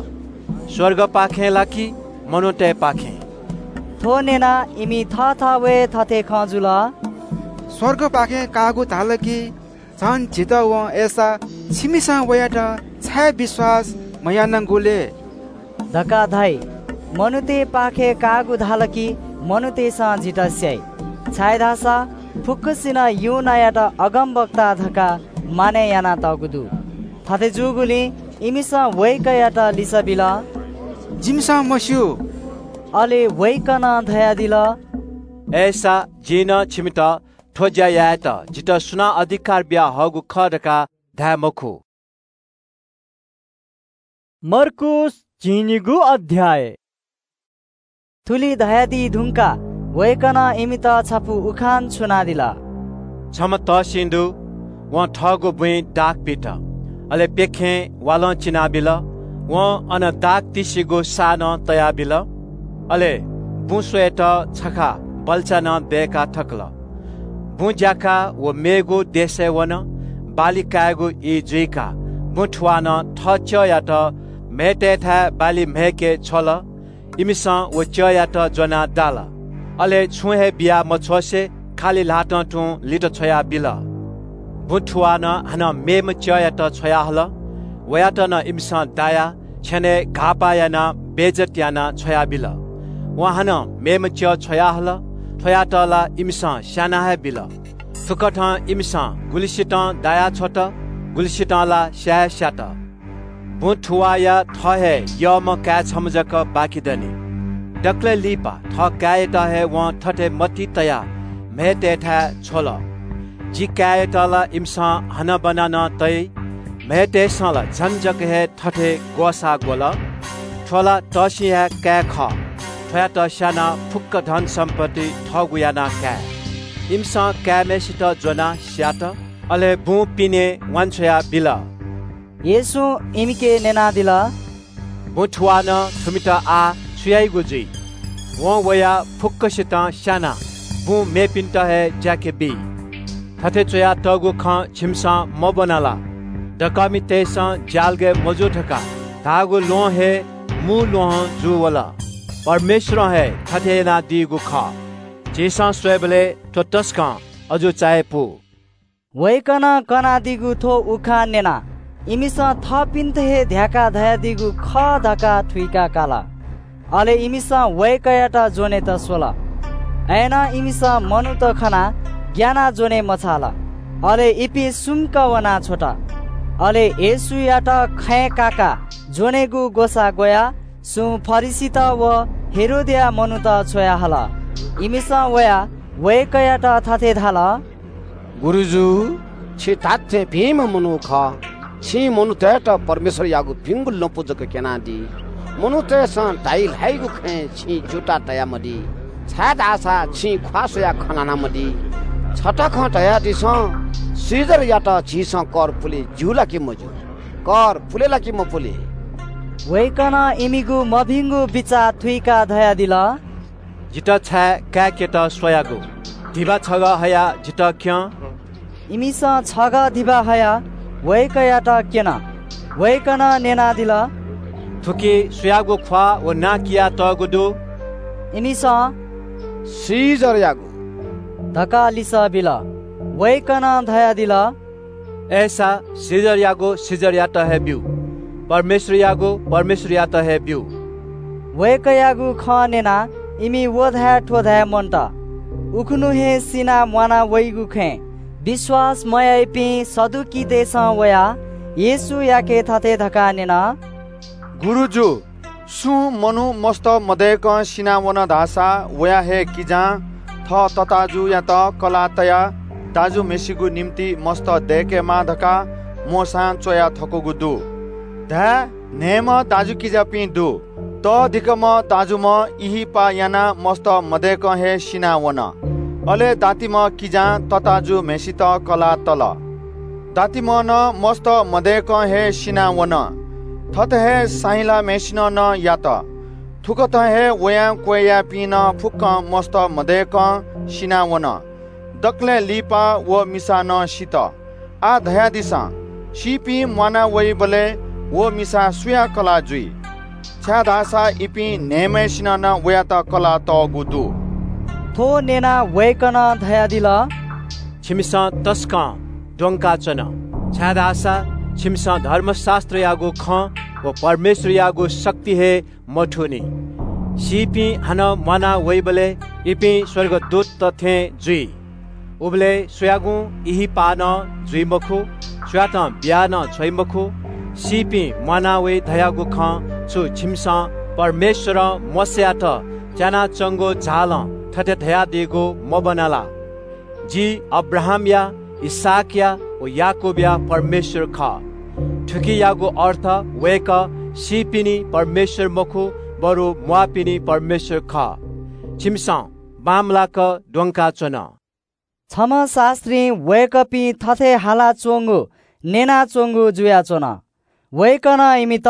स्‍वर्गपाखें ला कि मनूतय्‌पाखें?" थ्‍व न्‍यनाः इमि थःथवय् थथे खँ जुल, "स्‍वर्गपाखें काःगु धाल कि झन झीत वं अय्‌सा छिमिसं वयात छाय् विश्‍वास मयानागुलय्?" धकाः धाइ। मनूतय्‌पाखें काःगु धाल कि मनूतय्‌सं जितः स्‍याइ, छाय्‌धाःसा फुक्‍कसिनं यूहन्‍नायात अगमवक्ता धकाः मानय् यानातःगु दु। थथे जूगुलिं इमिसं वय्‌कःयात लिसः बिल, "जिमिसं मस्‍यू।" अले वय्‌कलं धयादिल, "अय्‌सा जिं नं छिमित थ्‍व ज्‍या यायेत जितः सुनां अधिकार बियाहःगु खः धकाः धाये मखु।" मर्कूस झिंनिगू अध्‍याय। थुलि धयादी धुंकाः वय्‌कलं इमित छपु उखान छुनादिल। छम्‍ह तःसिं दु, वं थःगु बुँइ दाख पित, अले प्‍यखें वालं चिनाबिल। वं अन दाख तिसिगु साः नं तयाबिल। अले बुँ स्वयेत छखा बल्‍चा नं दय्‌का थकल। बुँ ज्‍याकाः व मेगु देशय् वन। बाली कायेगु ई जुइकाः बुँ थुवालं थः च्‍यःयात म्‍हय्‌तय्‌थाय् बाली म्‍हय्‌के छ्वल। इमिसं व च्‍यःयात ज्‍वनाः दाल। अले छुं हे बिया मछ्वसे खालि ल्‍हातं तुं लित छ्वयाबिल। बुँ थुवालं हानं मेम्‍ह च्‍यःयात छ्वयाहल। वयात नं इमिसं दायाः छ्यनय् घाःपाः यानाः बेइज्‍जत यानाः छ्वयाबिल। वं हानं मेम्‍ह च्‍यः छ्वयाहल। थ्‍वयात ला इमिसं स्‍याना हे बिल। थुकथं इमिसं गुलिसितं दायाछ्वत, गुलिसितं ला स्‍याये स्‍यात। बुँ थुवाःया थः हे यःम्‍ह काय् छम्‍ह जक बाकि दनि। दकलय् लिपा थः काय्‌यात हे वं थथे मतिइ तयाः म्‍हय्‌तय्‌थाय् छ्वल, "जि काय्‌यात ला इमिसं हनाबना नं तइ। म्‍हय्‌तय्‌सं ला झन जक हे थथे ग्‍वसाः ग्‍वल। थ्‍व ला तःसिंया काय् खः। थ्‍वयात स्‍यानाः फुक्‍क धनसम्‍पत्ति थःगु यानाः काये।" इमिसं काय्‌म्‍हय्‌सित ज्‍वनाः स्‍यात। अले बुँ पिने वांछ्वया बिल। येशूं इमिके न्‍यनादिल, "बुँ थुवालं थुमित आः छु याइगु जुइ? वं वयाः फुक्‍कसितं स्‍यानाः बुँ मेपिन्‍त हे ज्‍याके बी। थथे च्‍वयातःगु खँ छिमिसं मब्‍वना ला? 'दकःमितय्‌सं ज्‍यालगय् मजू धकाः धाःगु ल्‍वहं हे मू ल्‍वहं जूवल।' परमेश्‍वरं हे थथे यानादीगु खः। झीसं स्वयेबलय् थ्‍व तसकं अजू चायापु।" वय्‌कलं कनादीगु थ्‍व उखान न्‍यनाः इमिसं थःपिन्‍त हे ध्‍याकाः धयादीगु खः धकाः थुइका काल। अले इमिसं वय्‌कःयात ज्‍वनेत स्‍वल। अय्‌नं इमिसं मनूत खनाः ग्‍यानाः ज्‍वने मछाल। अले इपिं सुम्‍क वनाछ्वत। अले येशूयात खँय् काकाः ज्‍वनेगु ग्‍वसाः ग्‍वयाः सुं फरिसीत व हेरोदया मनूत छ्वयाहल। इमिसं वयाः वय्‌कःयात थथे धाल, "गुरुजु, छि धात्‍थें भिंम्‍ह मनू खः। छिं मनूतय्‌त परमेश्‍वरयागु भिंगु लँपु जक क्‍यनादी। मनूतय्‌सं धाइ ल्‍हाइगु खँय् छिं च्‍यूताः तयामदी, छाय्‌धाःसा छिं ख्‍वाः स्‍वयाः खँ ल्‍हानामदी। छता खँ धयादिसँ, सिजरयात झीसं कर पुले ज्‍यू ला कि मज्‍यू? कर पुले ला कि मपुले?" वय्‌कलं इमिगु मभिंगु बिचाः थुइकाः धयादिल, "जितः छाय् काय्‌केत स्‍वयागु? धिबा छगः हयाः जितः क्‍यँ।" इमिसं छगः धिबा हयाः वय्‌कःयात क्‍यन। वय्‌कलं न्‍यनादिल, "थुकी सुयागु ख्‍वाः व नां कियातःगु दु?" इमिसं "सिजरयागु" धकाः लिसः बिल। वय्‌कलं धयादिल, "अय्‌सा सिजरयागु सिजरयात हे ब्‍यु, परमेश्‍वरयागु परमेश्‍वरयात हे ब्‍यु।" वय्‌कःयागु खँ न्‍यनाः इमि व धाये थ्‍व धाये मन्‍त। उखुन्‍हु हे सिनाः म्‍वाना वइगु खँय् विश्‍वास मयाइपिं सदुकीतय्‌सं वयाः येशूयाके थथे धकाः न्‍यन, "गुरुजु, सुं मनू मस्त मदय्‌कं सिनावन धाःसा वया हे किजां थः तताजुयात कलाः तयाः दाजुम्‍हय्‌सिगु निंतिं मस्त दय्‌केमाः धकाः मोशां च्‍वया थकूगु दु। धाय्, न्‍हय्‌म्‍ह दाजुकिजापिं दु। तःधिकःम्‍ह दाजुम्‍ह इहिपाः यानाः मस्त मदय्‌कं हे सिनावन। अले दातिम्‍ह किजां तताजुम्‍हय्‌सित कलाः तल। दातिम्‍ह नं मस्त मदय्‌कं हे सिनावन। थथे हे साहिलाम्‍हय्‌सिनं नं यात। थुकथं हे वयां क्‍वय् याःपिं नं फुक्‍कं मस्त मदय्‌कं सिनावन। दकलय् लिपा व मिसा नं सित। आः धयादिसँ, सीपिं म्‍वाना वइबलय् व मिसा सुया कलाः जुइ? छाय्‌धाःसा इपिं न्‍हय्‌म्‍हय्‌सिनं नं वयात कलाः तःगु दु।" थ्‍व न्‍यनाः वय्‌कलं धयादिल, "छिमिसं तसकं द्वंकाच्‍वन, छाय्‌धाःसा छिमिसं धर्मशास्‍त्रयागु खँ व परमेश्वरयागु शक्ति हे मथूनि। सीपिं हानं म्वाना वइबलय् इपिं स्वर्गदूतत थें जुइ। उबलय् सुयागुं इहिपाः नं जुइ मखु, सुयातं बिया नं छ्वइ मखु। सीपिं म्वाना वइ धयागु खँ छु छिमिसं परमेश्वरं मोशायात त्यानाच्वंगु झालं थथे धयादीगु मब्वना ला? जि अब्राहामया, इसहाकया व याकूबया परमेश्वर खः। थुकियागु अर्थ वय्कः सीपिनि परमेश्वर मखु, बरु म्वाःपिनि परमेश्वर खः। छिमिसं बांमलाक द्वंकाच्वन। छम्ह शास्त्रीं वय्कःपिं थथे हालाच्वंगु न्यनाच्वंगु जुयाच्वन। वय्कलं इमित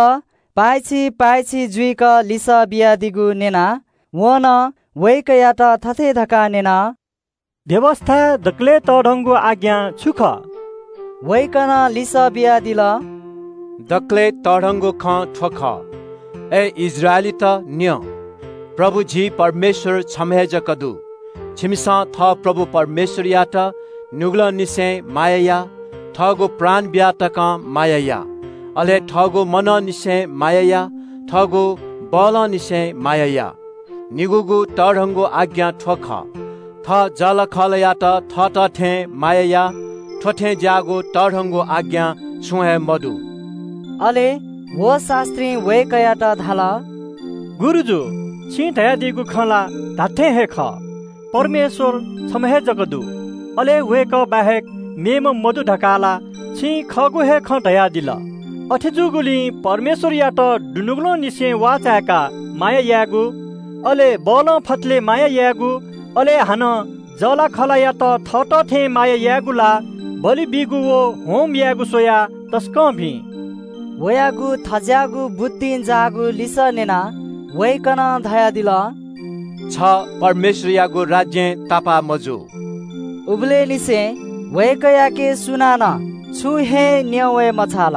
पाय्छि पाय्छि जुइक लिसः बियादीगु न्यनाः वं नं वय्कःयात थथे धकाः न्यन, "व्‍यवस्‍थाय् दकलय् तःधंगु आज्ञा छु खः?" वय्कलं लिसः बियादिल, "दकलय् तःधंगु खँ थ्‍व खः, अय् इस्राएलीत, न्‍यँ, प्रभु झी परमेश्‍वर छम्‍ह हे जक दु। छिमिसं थः प्रभु परमेश्‍वरयात नुगलंनिसें माया या, थःगु प्राण बिया तकं माया या, अले थःगु मनंनिसें माया या, थःगु बलंनिसें माया या। निगूगु तःधंगु आज्ञा थ्‍व खः, थः जःलाखःलायात थःत थें माया या। थ्‍व थें ज्‍याःगु तःधंगु आज्ञा छुं हे मदु।" अले व शास्त्रीं वय्कःयात धाल, "गुरुजु, छिं धयादीगु खँ ला धात्‍थें हे खः। परमेश्‍वर छम्‍ह हे जक दु, अले वय्कः बाहेक मेम्‍ह मदु धकाः ला छिं खःगु हे खँ धयादिल। अथे जूगुलिं परमेश्‍वरयात दुनुगलंनिसें वाःचाय्‌काः माया यायेगु, अले बलं फतले माया यायेगु, अले हानं जःलाखःलायात थःत थें माया यायेगु ला बलि बीगु व होम यायेगु स्‍वयाः तसकं भिं।" वयागु थज्‍याःगु बुद्धिं जाःगु लिसः न्‍यनाः वय्कलं धयादिल, "छ परमेश्‍वरयागु राज्‍यय् तापाः मजू।" उबलय् निसें वय्कःयाके सुनानं छुं हे न्‍यं वये मछाल।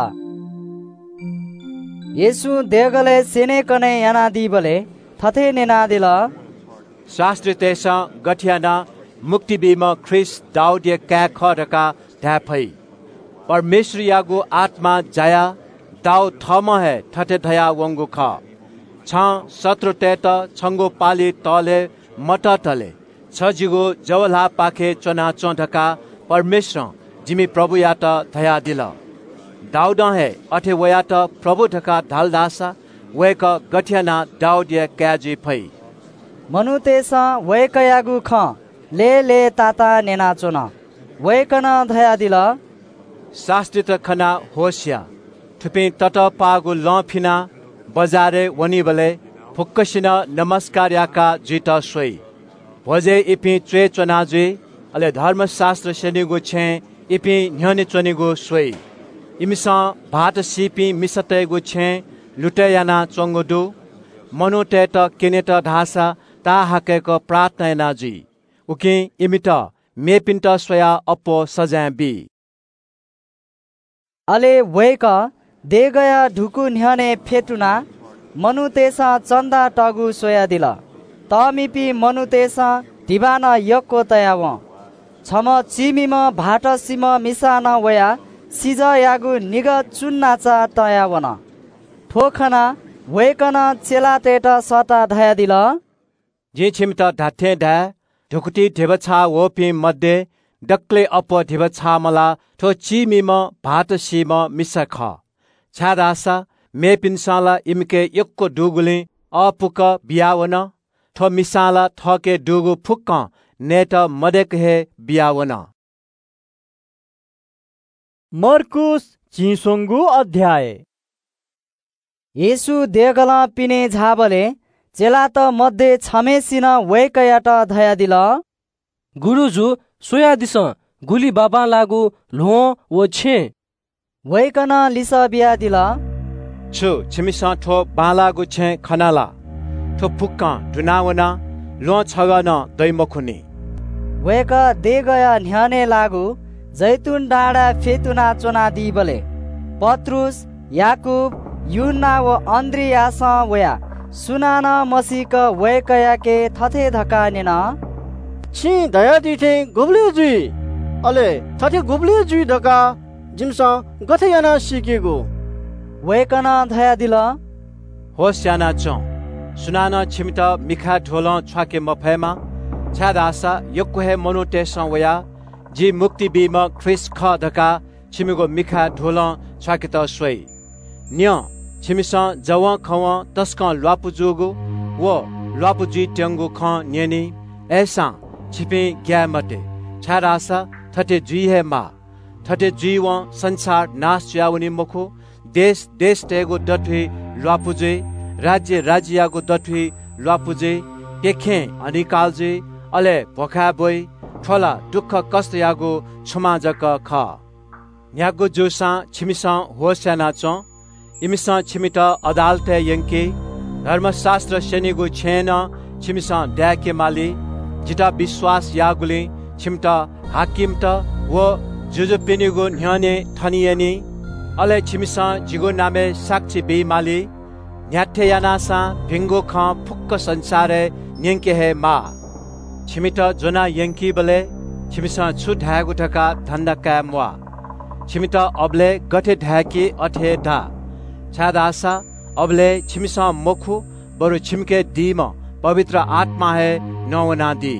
येशूं देगलय् स्‍यनेकने यानादीबलय् थथे न्‍यनादिल, शास्‍त्रीतय्‌सं गथे यानाः मुक्ति बीम्‍ह ख्रीष्‍ट दाऊदया काय् खः धकाः धाये फइ? परमेश्‍वरयागु आत्‍मां जायाः दाऊद थःम्‍हं हे थथे धयाः वंगु खः, "छं शत्रुतय्‌त छंगु पालि तःले मततले छ जिगु जव ल्‍हाःपाखे च्‍वनाच्‍वँ धकाः परमेश्‍वरं जिमि प्रभुयात धयादिल।" दाऊदं हे अथे वयात प्रभु धकाः धाल धाःसा वय्‌कः गथे यानाः दाऊदया काय् जुइ फइ? मनूतय्‌सं वय्‌कःयागु खँ लय्‌लय्‌तातां न्‍यनाच्‍वन। वय्‌कलं धयादिल, शास्‍त्रीत खनाः होश या। थुपिं ततःपाःगु लं फिनाः बजारय् वनीबलय् फुक्‍कसिनं नमस्‍कार याकाः जुइत स्‍वइ। भ्‍वजय् इपिं च्‍वय् च्‍वना जुइ, अले धर्मशास्‍त्र स्‍यनीगु छेँय् इपिं न्‍ह्यःने च्‍वनेगु स्‍वइ। इमिसं भाःत सीपिं मिसातय्‌गु छेँय् लुतय् यानाच्‍वंगु दु। मनूतय्‌त क्‍यनेत धाःसा ताःहाकय्‌क प्रार्थना याना जुइ। उकिं इमित मेपिन्‍त स्‍वयाः अप्‍वः सजाँय बी। अले वय्‌कः देगःया धुकू न्‍ह्यःने फ्‍यतुनाः मनूतय्‌सं चन्‍दा तःगु स्‍वयादिल। तःमिपिं मनूतय्‌सं धिबा नं यक्‍व तयावं। छम्‍ह चीमिम्‍ह भाःत सीम्‍ह मिसां नं वयाः सिजःयागु निगः चुन्‍नाचा तयावन। थ्‍व खनाः वय्‌कलं चेलातय्‌त सःताः धयादिल, जिं छिमित धात्‍थें धाये, धुकुतिइ धिबा छाः वःपिं मध्ये दकलय् अप्‍वः धिबा छाःम्‍ह ला थ्‍व चीमिम्‍ह भाःत सीम्‍ह मिसा खः। छाय्‌धाःसा मेपिन्‍सं ला इमिके यक्‍व दुगुलिं अःपुक बियावन। थ्‍व मिसां ला थःके दुगु फुक्‍कं नयेत मदय्‌क हे बियावन। मर्कूस झिंस्वंगू अध्‍याय। येशू देगलं पिने झाःबलय् चेलात मध्ये छम्‍हय्‌सिनं वय्‌कःयात धयादिल, गुरुजु, स्‍वयादिसँ, गुलि बांबांलाःगु ल्‍वहं व छेँ। वय्‌कलं लिसः बियादिल, छु छिमिसं थ्‍व बांलाःगु छेँ खना ला? थ्‍व फुक्‍कं दुना वनाः ल्‍वहं छगः नं दइ मखुनि। वय्‌कः देगःया न्‍ह्यःने लाःगु जैतून डाँडाय् फ्‍यतुना च्‍वनादीबलय् पत्रुस, याकूब, यूहन्‍ना व अन्‍द्रियासं वयाः सुनानं मसीक वय्‌कःयाके थथे धकाः न्‍यन, छिं धयादी थें गुबलय् जुइ? अले थथे गुबलय् जुइ धकाः जिमिसं गथे यानाः सीकेगु? वय्‌कलं धयादिल, "होश यानाच्वँ। सुनानं छिमित मिखाय् धुलं छ्वाके मफयेमा, छाय्‌धाःसा यक्व हे मनूतय्‌सं वयाः जि मुक्ति बीम्ह ख्रीष्ट खः धकाः छिमिगु मिखाय् धुलं छ्वाकेत स्वइ। न्यँ, छिमिसं जवंखवं तसकं ल्वापु जूगु व ल्वापु जुइत्यंगु खँ न्यनी। अय्‌सां छिपिं ग्याये मते, छाय्‌धाःसा थथे जुइ हे माः। थथे जुइवं संसार नाश जुयावनी मखु, देश देशतय्‌गु दथुइ ल्वापु जुइ, राज्य राज्ययागु दथुइ ल्वापु जुइ, प्यखें हनिकाल जुइ, अले भ्वखाय् ब्वइ। थ्व ला दुःख कष्टयागु छुमां जक खः। न्ह्यागु जूसां छिमिसं होश यानाच्वँ। इमिसं छिमित अदालतय् यंकी, धर्मशास्त्र स्यनीगु छेँय् नं छिमिसं दाय्‌के माली। जितः विश्वास याःगुलिं छिमित हाकिमत व जुजुपिनिगु न्ह्यःने थने यनी। अले छिमिसं जिगु नामय् साक्षी बी माली। न्ह्याथे यानासां भिंगु खँ फुक्क संसारय् न्यंके हे माः। छिमित ज्वनाः यंकीबलय् छिमिसं छु धायेगु धकाः धन्दा काये म्वाः। छिमित अबलय् गथे धाय्‌की अथे हे धा, छाय्‌धाःसा अबलय् छिमिसं मखु, बरु छिमिके दीम्ह पवित्र आत्मां हे नवानादी।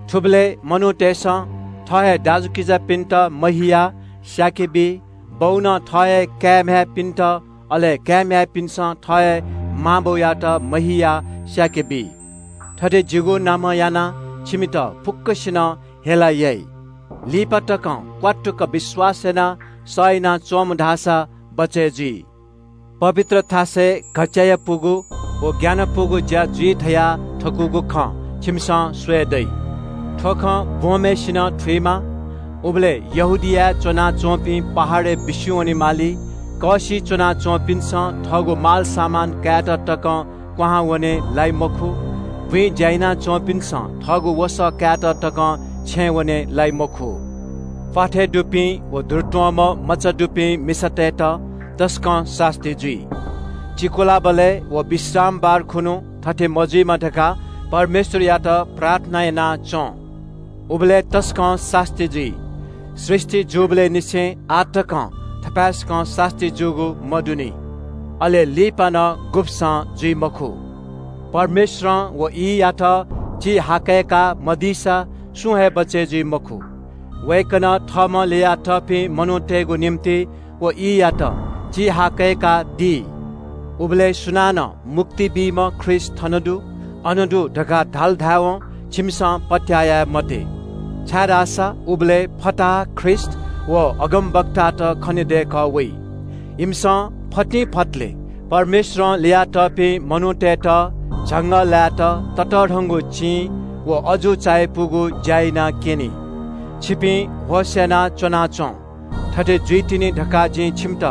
थुबलय् मनूतय्‌सं थः हे दाजुकिजापिन्त महियाः स्याके बी, बौनं थः हे काय्‌म्ह्याय्‌पिन्त, अले काय्‌म्ह्याय्‌पिन्सं थः हे मांबौयात महियाः स्याके बी। थथे जिगु नामं यानाः छिमित फुक्कसिनं हेला याइ। लिपा तकं क्वातुक विश्वास यानाः सह यानाच्वंम्ह धाःसा बचय् जुइ। पवित्र थासय् घच्‍चायापुगु व ग्‍यानापुगु ज्‍या जुइ धयाः थकूगु खँ छिमिसं स्वये दइ। थ्‍व खँ ब्‍वंम्‍हय्‌सिनं थुइमा। उबलय् यहूदियाय् च्‍वनाच्‍वंपिं पहाडय् बिस्‍युं वनेमाली। कःसिइ च्‍वनाच्‍वंपिन्‍सं थःगु मालसामान कायेत तकं क्‍वहां वने लाइ मखु। बुँइ ज्‍या यानाच्‍वंपिन्‍सं थःगु वसः कायेत तकं छेँय् वने लाइ मखु। प्‍वाथय् दुपिं व दुरुत्‍वंम्‍ह मचा दुपिं मिसातय्‌त तसकं सास्‍ती जुइ। चिकुलाबलय् व विश्रामबार खुन्‍हु थथे मजुइमा धकाः परमेश्‍वरयात प्रार्थना याना च्‍वँ। उबलय् तसकं सास्‍ती जुइ। सृष्‍टि जूबलय् निसें आः तकं थपाय्‌सकं सास्‍ती जूगु मदुनि। अले लिपा नं गुब्‍सं जुइ मखु। परमेश्‍वरं व ईयात चिहाकय्‌का मदीसा सुं हे बचय् जुइ मखु। वय्‌कलं थःम्‍हं ल्‍ययातःपिं मनूतय्‌गु निंतिं व ईयात चिहाकय्‌कादी। उबलय् सुनानं मुक्ति बीम्‍ह ख्रीष्‍ट थन दु, अन दु धकाः धाल धायेवं छिमिसं पत्‍याः याये मते। छाय्‌धाःसा उबलय् फताहा ख्रीष्‍ट व अगमवक्तात खनेदय्‌कः वइ। इमिसं फतिंफतले परमेश्‍वरं ल्‍ययातःपिं मनूतय्‌त झंगः लायेत ततःधंगु चिं व अजू चायापुगु ज्‍या यानाः क्‍यनी। छिपिं होश यानाः च्‍वनाच्‍वँ। थथे जुइतिनि धकाः जिं छिमित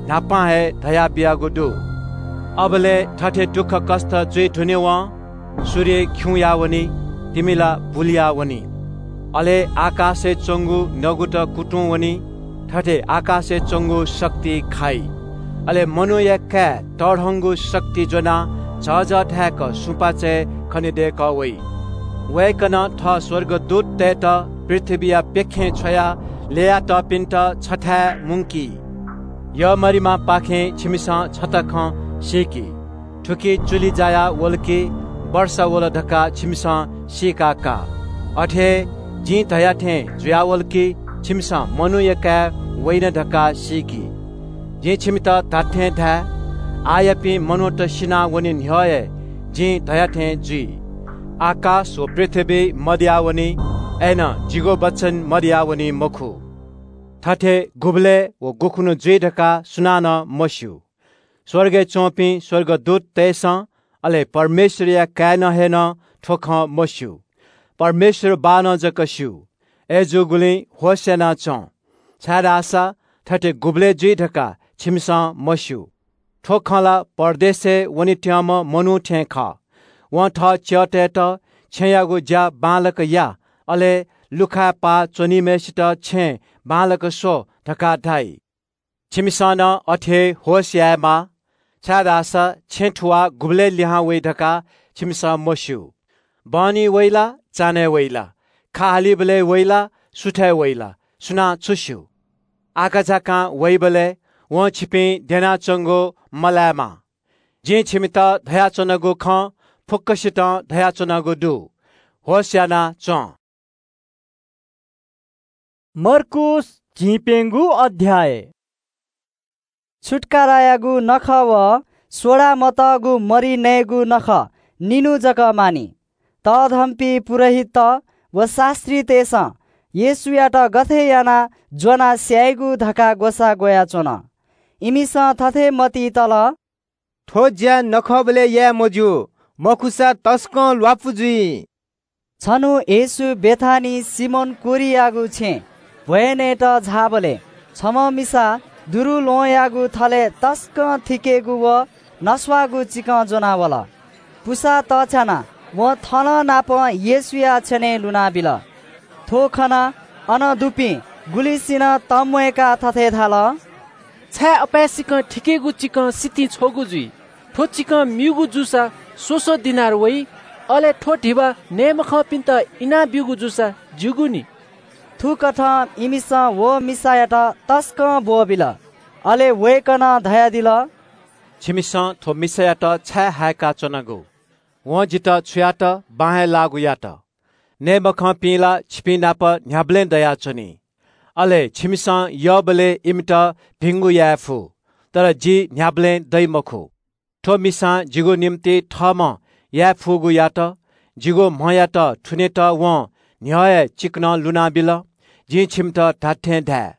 न्‍हापां हे धयाबियागु दु। अबलय् थथे दुःखकष्‍ट जुइ धुनेवं सूर्य खिउँयावनी, तिमि ला बुलियावनी। अले आकाशय् च्‍वंगु नगुत कुतुं वनी, थथे आकाशय् च्‍वंगु शक्ति खाइ। अले मनूया काय् तःधंगु शक्ति ज्‍वनाः झःझः धाय्‌क सुपाँचय् खनेदय्‌कः वइ। वय्‌कलं थः स्‍वर्गदूततय्‌त पृथ्‍वीया प्‍यखें छ्वयाः ल्‍ययातःपिन्‍त छथाय् मुंकी। यःमरिमापाखें छिमिसं छता खँ सीकि। थुकी चुलि जाया वल कि वर्षा वल धकाः छिमिसं सीका का। अथे हे जिं धया थें जुयावल कि छिमिसं मनूया काय् वइन धकाः सीकि। जिं छिमित धात्‍थें धाये, आःयापिं मनूत सिनावने न्‍ह्यः हे जिं धया थें जुइ। आकाश व पृथ्‍वी मदयावनी, अय्‌नं जिगु वचन मदयावनी मखु। थथे गुबलय् व गुखुन्‍हु जुइ धकाः सुनानं मस्‍यू। स्‍वर्गय् च्‍वंपिं स्‍वर्गदूततय्‌सं, अले परमेश्‍वरया काय्‌नं हे नं थ्‍व खँ मस्‍यू। परमेश्‍वर बाःनं जक स्‍यू। अय्‌जूगुलिं होश यानाच्‍वँ, छाय्‌धाःसा थथे गुबलय् जुइ धकाः छिमिसं मस्‍यू। थ्‍व खँ ला परदेशय् वनेत्यंम्‍ह मनू थें खः। वं थः च्‍यःतय्‌त छेँयागु ज्‍या बांलाक या, अले लुखाय् पाः च्‍वनीम्‍हय्‌सित छेँ बांलाक स्‍व धकाः धाइ। छिमिसं नं अथे हे होश यायेमाः, छाय्‌धाःसा छेँ थुवाः गुबलय् लिहां वइ धकाः छिमिसं मस्‍यू। बहनी वइ ला, चान्‍हय् वइ ला, खा हालीबलय् वइ ला, सुथय् वइ ला, सुनां छु स्‍यू? आकाझाकां वइबलय् वं छिपिं द्यनाच्वंगु मलायेमा। जिं छिमित धयाच्वनागु खँ फुक्कसितं धयाच्वनागु दु। होश यानाः च्वँ। मर्कूस झिंप्यंगू अध्याय। छुत्कारायागु नखः व सोडा मतःगु मरि नयेगु नखः निन्हु जक मानि। तःधंपिं पुजाहारीत व शास्त्रीतय्‌सं येशूयात गथे यानाः ज्वनाः स्यायेगु धकाः ग्वसाः ग्वयाच्वन। इमिसं थथे मतिइ तल, थ्व ज्या नखःबलय् याये मज्यू, मखुसा तसकं ल्वापु जुइ। छन्हु येशू बेथानी सिमोन कुरेनीयागु छेँय् भ्वय् नयेत झाःबलय् छम्ह मिसा दुरुल्वहंयागु थलय् तसकं थिकेगु व नस्वाःगु चिकं ज्वनावल। पुसा तःछ्यानाः वं थनं नापं येशूया छ्यनय् लुनाबिल। थ्व खनाः अन दुपिं गुलिसिनं तंम्वय्‌काः थथे धाल, छाय् अपाय्‌सकं थिकेगु चिकं सितिं छ्वःगु जुइ? थ्व चिकं म्यूगु जूसा स्व स्व दिनार वइ, अले थ्व धिबा नये मखंपिन्त इनाब्यूगु जूसा ज्यूगु नि। थुकथं इमिसं व मिसायात तसकं ब्वःबिल। अले वय्‌कलं धयादिल, छिमिसं थ्व मिसायात छाय् हाय्‌का च्वनागु? वं जितः छु यात, बां हे लाःगु यात। नये मखंपिं ला छिपिं नाप न्ह्याबलें दयाच्वनी। अले छिमिसं यःबलय् इमित भिंगु याये फु, तर जि न्ह्याबलें दइ मखु। थ्व मिसां जिगु निंतिं थःम्हं याये फुगु यात। जिगु म्हयात थुनेत वं न्ह्यः हे चिकनं लुनाबिल। जिं छिमित धात्थें धाये,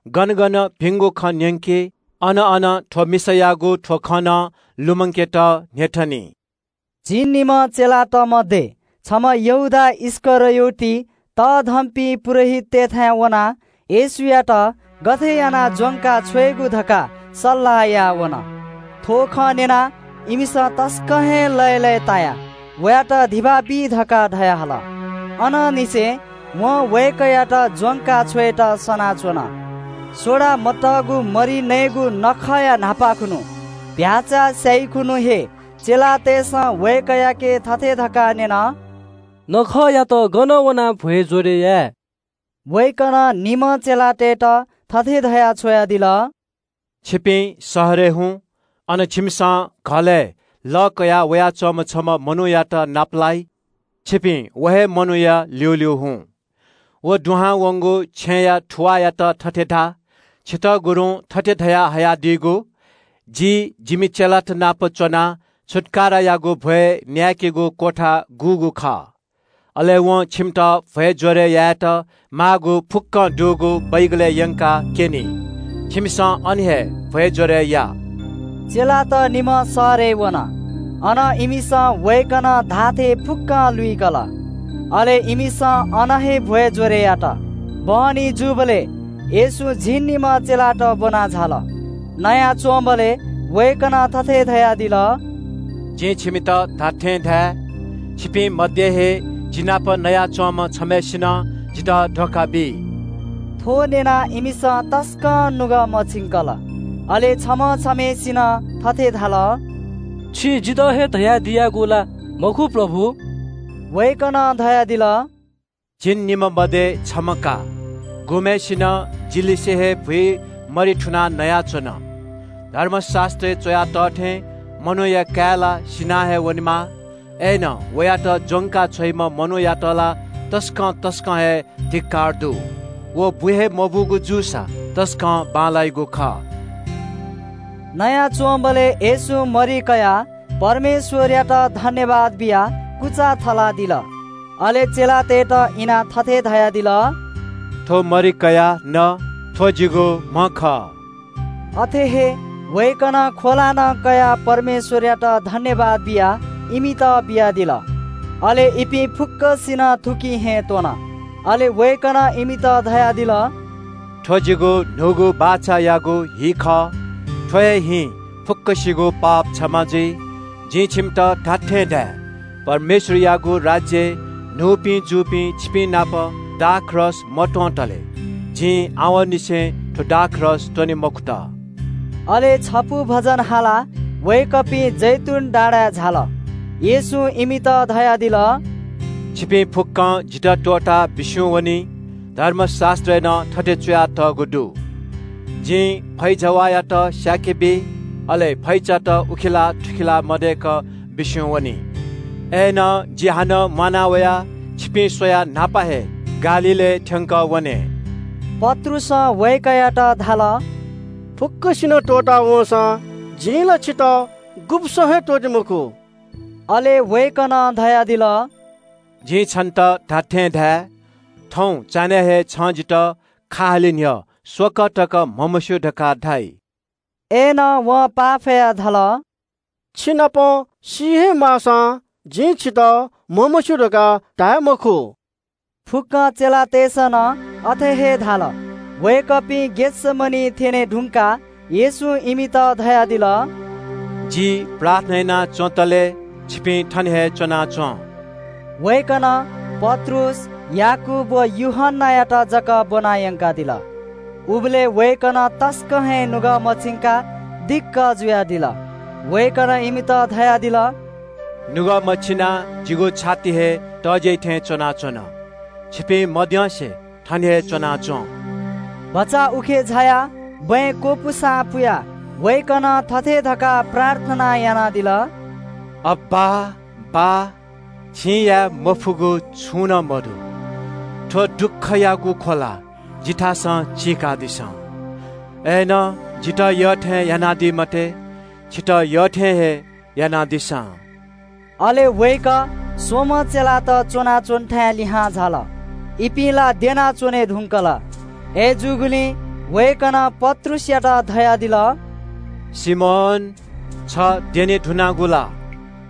गन गन भिंगु खँ न्यंकी, अन अन थ्व मिसायागु थ्व खँ नं लुमंकेत न्ह्यथनी। झिंनिम्ह चेलात मध्ये छम्ह यहूदा इस्करियोती तःधंपिं पुजाहारीतय्‌थाय् वनाः येशूयात गथे यानाः ज्वंका छ्वयेगु धकाः सल्लाह याः वन। थ्व खँ न्यनाः इमिसं तसकं हे लय्‌लय्‌तायाः वयात धिबा बी धकाः धयाहल। अनंनिसें वं वय्‌कःयात ज्वंका छ्वयेत सनाच्वन। सोडा मतःगु मरि नयेगु नखःया न्हापाखुन्हु भ्याःचा स्याइखुन्हु हे चेलातय्‌सं वय्‌कःयाके थथे धकाः न्यन, नखःयात गन वनाः भ्वय् ज्वरय् याये? वय्‌कलं निम्ह चेलातय्‌त थथे धयाः छ्वयादिल, छिपिं शहरय् हुँ, अन छिमिसं घलय् लः कयाः वयाच्वंम्ह छम्ह मनूयात नापलाइ। छिपिं व हे मनूया ल्यूल्यू हुँ। व दुहां वंगु छेँया थुवाःयात थथे धा, छितः गुरुं थथे धयाः हयादीगु, जि जिमि चेलात नाप च्वनाः छुत्कारायागु भ्वय् न्यायेकेगु क्वथा गुगु खः। अले वं छिमित भ्वय् ज्वरय् यायेत माःगु फुक्कं दुगु बैगलय् यंकाः क्यनी। छिमिसं अन हे भ्वय् ज्वरय् या। चेलात निम्ह शहरय् वन। अन इमिसं वय्‌कलं धाःथें फुक्कं लुइकल। अले इमिसं अन हे भ्वय् ज्वरय् यात। बहनी जूबलय् येशू झिंनिम्ह चेलात ब्वना झाल। नयाच्वंबलय् वय्‌कलं थथे धयादिल, जिं छिमित धात्थें धाये, छिपिं मध्ये हे जि नाप नयाच्वंम्ह छम्हय्‌सिनं जितः धोखा बी। थ्व न्यनाः इमिसं तसकं नुगः मछिंकल। अले छम्ह छम्हय्‌सिनं थथे धाल, छिं जितः हे धयादियागु ला मखु, प्रभु? वय्‌कलं धयादिल, झिंनिम्ह मध्ये छम्ह का, गुम्हय्‌सिनं जिलिसे हे भुइ मरि थुनाः नयाच्वन। धर्मशास्‍त्रय् च्‍वया तः थें मनूया काय् ला सिनाः हे वनेमाः। अय्‌नं वयात ज्‍वंका छ्वइम्‍ह मनूयात ला तसकं तसकं हे धिक्‍कार दु। व बु हे मबूगु जूसा तसकं बांलाइगु खः। नयाच्‍वंबलय् येशूं मरि कयाः परमेश्‍वरयात धन्‍यवाद बियाः कुचा थलादिल। अले चेलातय्‌त इनाः थथे धयादिल, थ्‍व मरि कयाः न, थ्‍व जिगु म्‍ह खः। अथे हे वय्‌कलं ख्‍वला नं कयाः परमेश्‍वरयात धन्‍यवाद बियाः इमित बियादिल। अले इपिं फुक्‍कसिनं थुकिं हे त्‍वन। अले वय्‌कलं इमित धयादिल, थ्‍व जिगु न्‍हूगु बाचायागु हि खः। थ्‍व हे हिं फुक्‍कसिगु पाप क्षमा जुइ। जिं छिमित धात्‍थें धाये, परमेश्‍वरयागु राज्‍यय् न्‍हूपिं जूपिं छिपिं नाप दाखरस मत्‍वंतले जिं आवंनिसें थ्‍व दाखरस त्‍वने मखुत। अले छपु भजन हालाः वय्‌कःपिं जैतून डाँडाय् झाल। येशूं इमित धयादिल, छिपिं फुक्‍कं जितः त्‍वःताः बिस्युं वनी। धर्मशास्‍त्रय् नं थथे च्‍वयातःगु दु, जिं फैजवाःयात स्याके बी, अले फैचात उखेला थुखेला मदय्क बिस्युं वनी। अय्‌नं जि हानं म्वाना वयाः छिपिं स्वयाः न्हापा हे गालीलय् थ्यंक वने।" पत्रुसं वय्‌कःयात धाल, "फुक्कसिनं त्वःता वंसां जिं ला छितः गुब्‍सं हे त्वःते मखु।" अले वय्‌कलं धयादिल, "जिं छन्‍त धात्‍थें धाये, थौं चान्‍हय् हे छं जितः खा हाले न्‍ह्यः स्वकः तक म्‍हमस्‍यू धकाः धाइ।" अय्‌नं वं पाफयाः धाल, "छिनाप सी हे माःसां जिं छितः म्‍हमस्‍यू धकाः धाये मखु।" फुक्‍क चेलातय्‌सं नं अथे हे धाल। वय्‌कःपिं गेथसेमनी थ्‍यने धुंकाः येशूं इमित धयादिल, "जि प्रार्थना याना च्‍वंतले छिपिं थन हे च्‍वनाच्‍वँ।" वय्‌कलं पत्रुस, याकूब व यूहन्‍नायात जक ब्‍वना यंकादिल। उबलय् वय्‌कलं तसकं हे नुगः मछिंकाः दिक्‍क जुयादिल। वय्‌कलं इमित धयादिल, "नुगः मछिनाः जिगु छाति हे तज्‍याइ थें च्‍वनाच्‍वन। छिपिं मद्यंसे थन हे च्‍वनाच्‍वँ।" भचा उखे झायाः बँय् क्‍वपुसां पुयाः वय्‌कलं थथे धकाः प्रार्थना यानादिल, "अब्‍बा, बाः, छिं याये मफुगु छुं नं मदु। थ्‍व दुःखयागु ख्‍वला जिथासं चीकादिसँ। अय्‌नं जितः यःथें यानादी मते, छितः यःथें हे यानादिसँ।" अले वय्‌कः स्‍वम्‍ह चेलात च्‍वनाच्‍वनेथाय् लिहां झाल। इपिं ला द्यनाच्‍वने धुंकल। अय्‌जूगुलिं वय्‌कलं पत्रुसयात धयादिल, "सिमोन, छ द्यने धुनागु ला?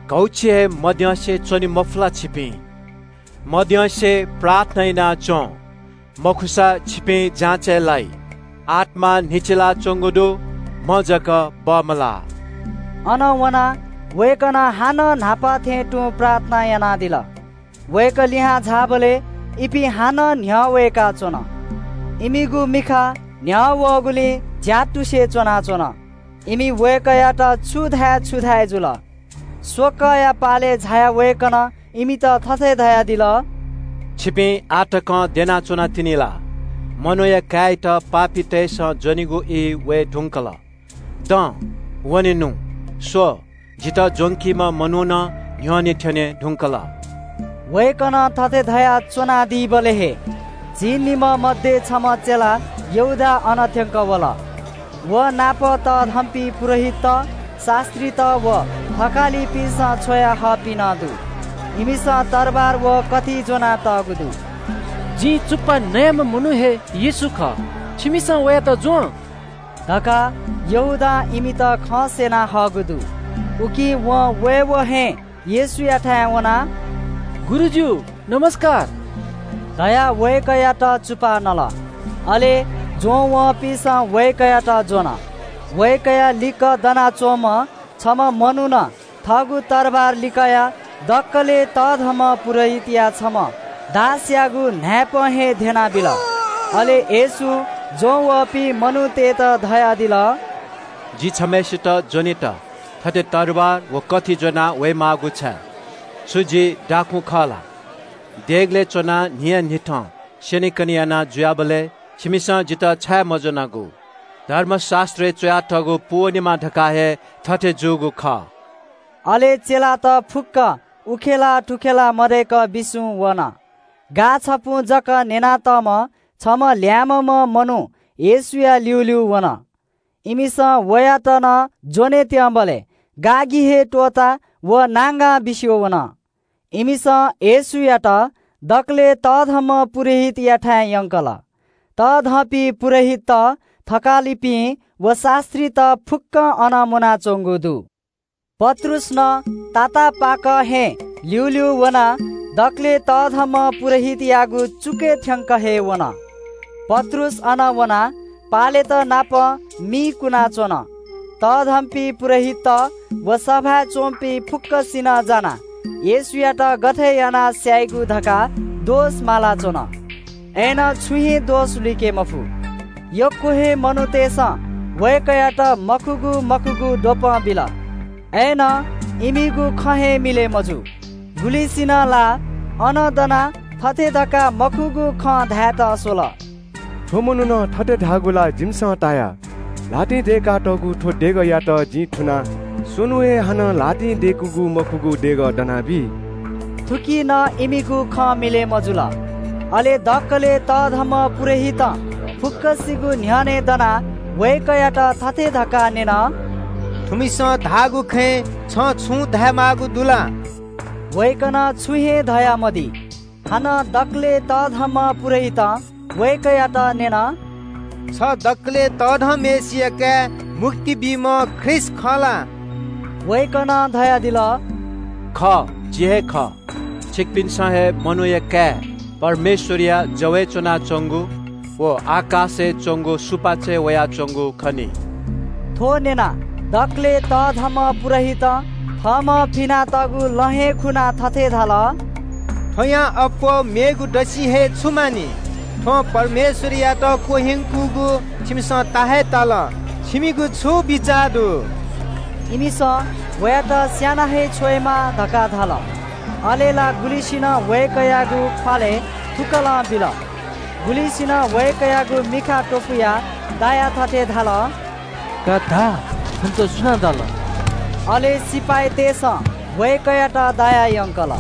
घौछि हे मद्यंसे च्‍वने मफु ला छिपिं? मद्यंसे प्रार्थना याना च्‍वँ, मखुसा छिपिं जाँचय् लाइ। आत्‍मा न्‍हिचिलाच्‍वंगु दु, म्‍ह जक बमलाः।" अन वनाः वय्‌कलं हानं न्‍हापा थें तुं प्रार्थना यानादिल। वय्‌कः लिहां झाःबलय् इपिं हानं न्‍ह्यः वय्‌काच्‍वन। इमिगु मिखा न्‍ह्यः वःगुलिं ज्‍यातुसे च्‍वनाच्‍वन। इमि वय्‌कःयात छु धाये छु धाये जुल। स्वकःया पालय् झायाः वय्‌कलं इमित थथे धयादिल, "छिपिं आः तकं द्यनाच्‍वनातिनि ला? मनूया काय्‌यात पापीतय्‌सं ज्‍वनेगु ई वये धुंकल। दँ, वने नु। स्‍व, जितः ज्‍वंकीम्‍ह मनू नं न्‍ह्यःने थ्‍यने धुंकल।" वय्‌कलं थथे धयाः च्‍वनादीबलय् हे झी निम्‍ह मध्ये छम्‍ह चेला यहूदा अन थ्‍यंक वल। व नाप तःधंपिं पुजाहारीत, शास्‍त्रीत व थकालिपिन्‍सं छ्वया हःपिं नं दु। इमिसं तरवार व कथि ज्‍वनातःगु दु। "जिं चुप्‍पा नयेम्‍ह मनू हे येशू खः। छिमिसं वयात ज्‍वँ" धकाः यहूदां इमित खँ स्‍यना हःगु दु। उकिं वं वय्‌वः हे येशूयाथाय् वनाः, "गुरुजु, नमस्‍कार" धयाः वय्‌कःयात चुप्‍पा नल। अले ज्‍वंवःपिन्‍सं वय्‌कःयात ज्‍वन। वय्‌कःया लिक्‍क दनाच्‍वंम्‍ह छम्‍ह मनुखं थःगु तरवार लिकयाः दकलय् तःधंम्‍ह पुजाहारीया छम्‍ह दासयागु न्‍हाय्‌पं हे ध्‍यनाबिल। अले येशूं ज्‍वंवःपिं मनूतय्‌त धयादिल, "जि छम्‍हय्‌सित ज्‍वनेत थथे तरवार व कथि ज्‍वनाः वयेमाःगु छाय्? छु जि डाकुं खः ला? देगलय् च्‍वनाः न्‍हियान्‍हिथं स्‍यनेकने याना जुयाबलय् छिमिसं जितः छाय् मज्‍वनागु? धर्मशास्‍त्रय् च्‍वयातःगु पूवनेमा धकाः हे थथे जूगु खः।" अले चेलात फुक्‍क उखेला थुखेला मदय्‌क बिस्‍युं वन। गाः छपुं जक न्‍यनातःम्‍ह छम्‍ह ल्‍याय्‌म्‍हम्‍ह मनू येशूया ल्‍यूल्‍यू वन। इमिसं वयात नं ज्‍वने त्यंबलय् गागि हे त्‍वःताः व नांगां बिस्‍युं वन। इमिसं येशूयात दकलय् तःधंम्‍ह पुजाहारीयाथाय् यंकल। तःधंपिं पुजाहारीत, थकालिपिं व शास्‍त्रीत फुक्‍कं अन मुनाच्‍वंगु दु। पत्रुस नं तातापाक हे ल्‍यूल्‍यू वनाः दकलय् तःधंम्‍ह पुजाहारीयागु चुकय् थ्‍यंक हे वन। पत्रुस अन वनाः पालेत नाप मि कुनाच्‍वन। तःधंपिं पुजाहारीत व सभाय् च्‍वंपिं फुक्‍कसिनं जानाः येशूयात गथे यानाः स्‍याइगु धकाः दोष मालाच्‍वन। अय्‌नं छुं हे दोष लुइके मफु। यक्‍व हे मनूतय्‌सं वय्‌कःयात मखुगु मखुगु द्वपं बिल। अय्‌नं इमिगु खँ हे मिलय् मजू। गुलिसिनं ला अन दनाः थथे धकाः मखुगु खँ धायेत स्‍वल। थ्‍व मनुखं थथे धाःगु ला जिमिसं ताया। ल्‍हातिं दय्‌कातःगु थ्‍व देगःयात जिं थुनाः स्वन्‍हु हे हानं ल्‍हातिं दय्‌कूगु मखुगु देगः दनाबी।" थुकी नं इमिगु खँ मिलय् मजुल। अले दकलय् तःधंम्‍ह पुजाहारीं फुक्‍कसिगु न्‍ह्यःने दनाः वय्‌कःयात थथे धकाः न्‍यन, "थुमिसं धाःगु खँय् छं छुं धायेमाःगु दु ला?" वय्‌कलं छुं हे धयामदी। हानं दकलय् तःधंम्‍ह पुजाहारीं वय्‌कःयात न्‍यन, "छ दकलय् तःधंम्‍हय्‌सिया काय् मुक्ति बीम्‍ह ख्रीष्‍ट खः ला?" वय्‌कलं धयादिल, "खः, जि हे खः। छिकपिन्‍सं हे मनूया काय् परमेश्‍वरया जवय् च्‍वनाच्‍वंगु व आकाशय् च्‍वंगु सुपाँचय् वयाच्‍वंगु खनी।" थ्‍व न्‍यनाः दकलय् तःधंम्‍ह पुजाहारीं थःम्‍हं पिनातःगु लँ हे खुनाः थथे धाल, "थ्‍वयां अप्‍वः मेगु दसि हे छु मानि? थ्‍वं परमेश्‍वरयात क्‍वह्यंकूगु छिमिसं ता हे ताल। छिमिगु छु बिचाः दु?" इमिसं वयात स्‍याना हे छ्वयेमाः धकाः धाल। अले ला गुलिसिनं वय्‌कःयागु ख्‍वालय् थुकलं बिल। गुलिसिनं वय्‌कःयागु मिखा त्‍वपुयाः दायाः थथे धाल, "का धा, थुमित सुनां दाल?" अले सिपाइँतय्‌सं वय्‌कःयात दायाः यंकल।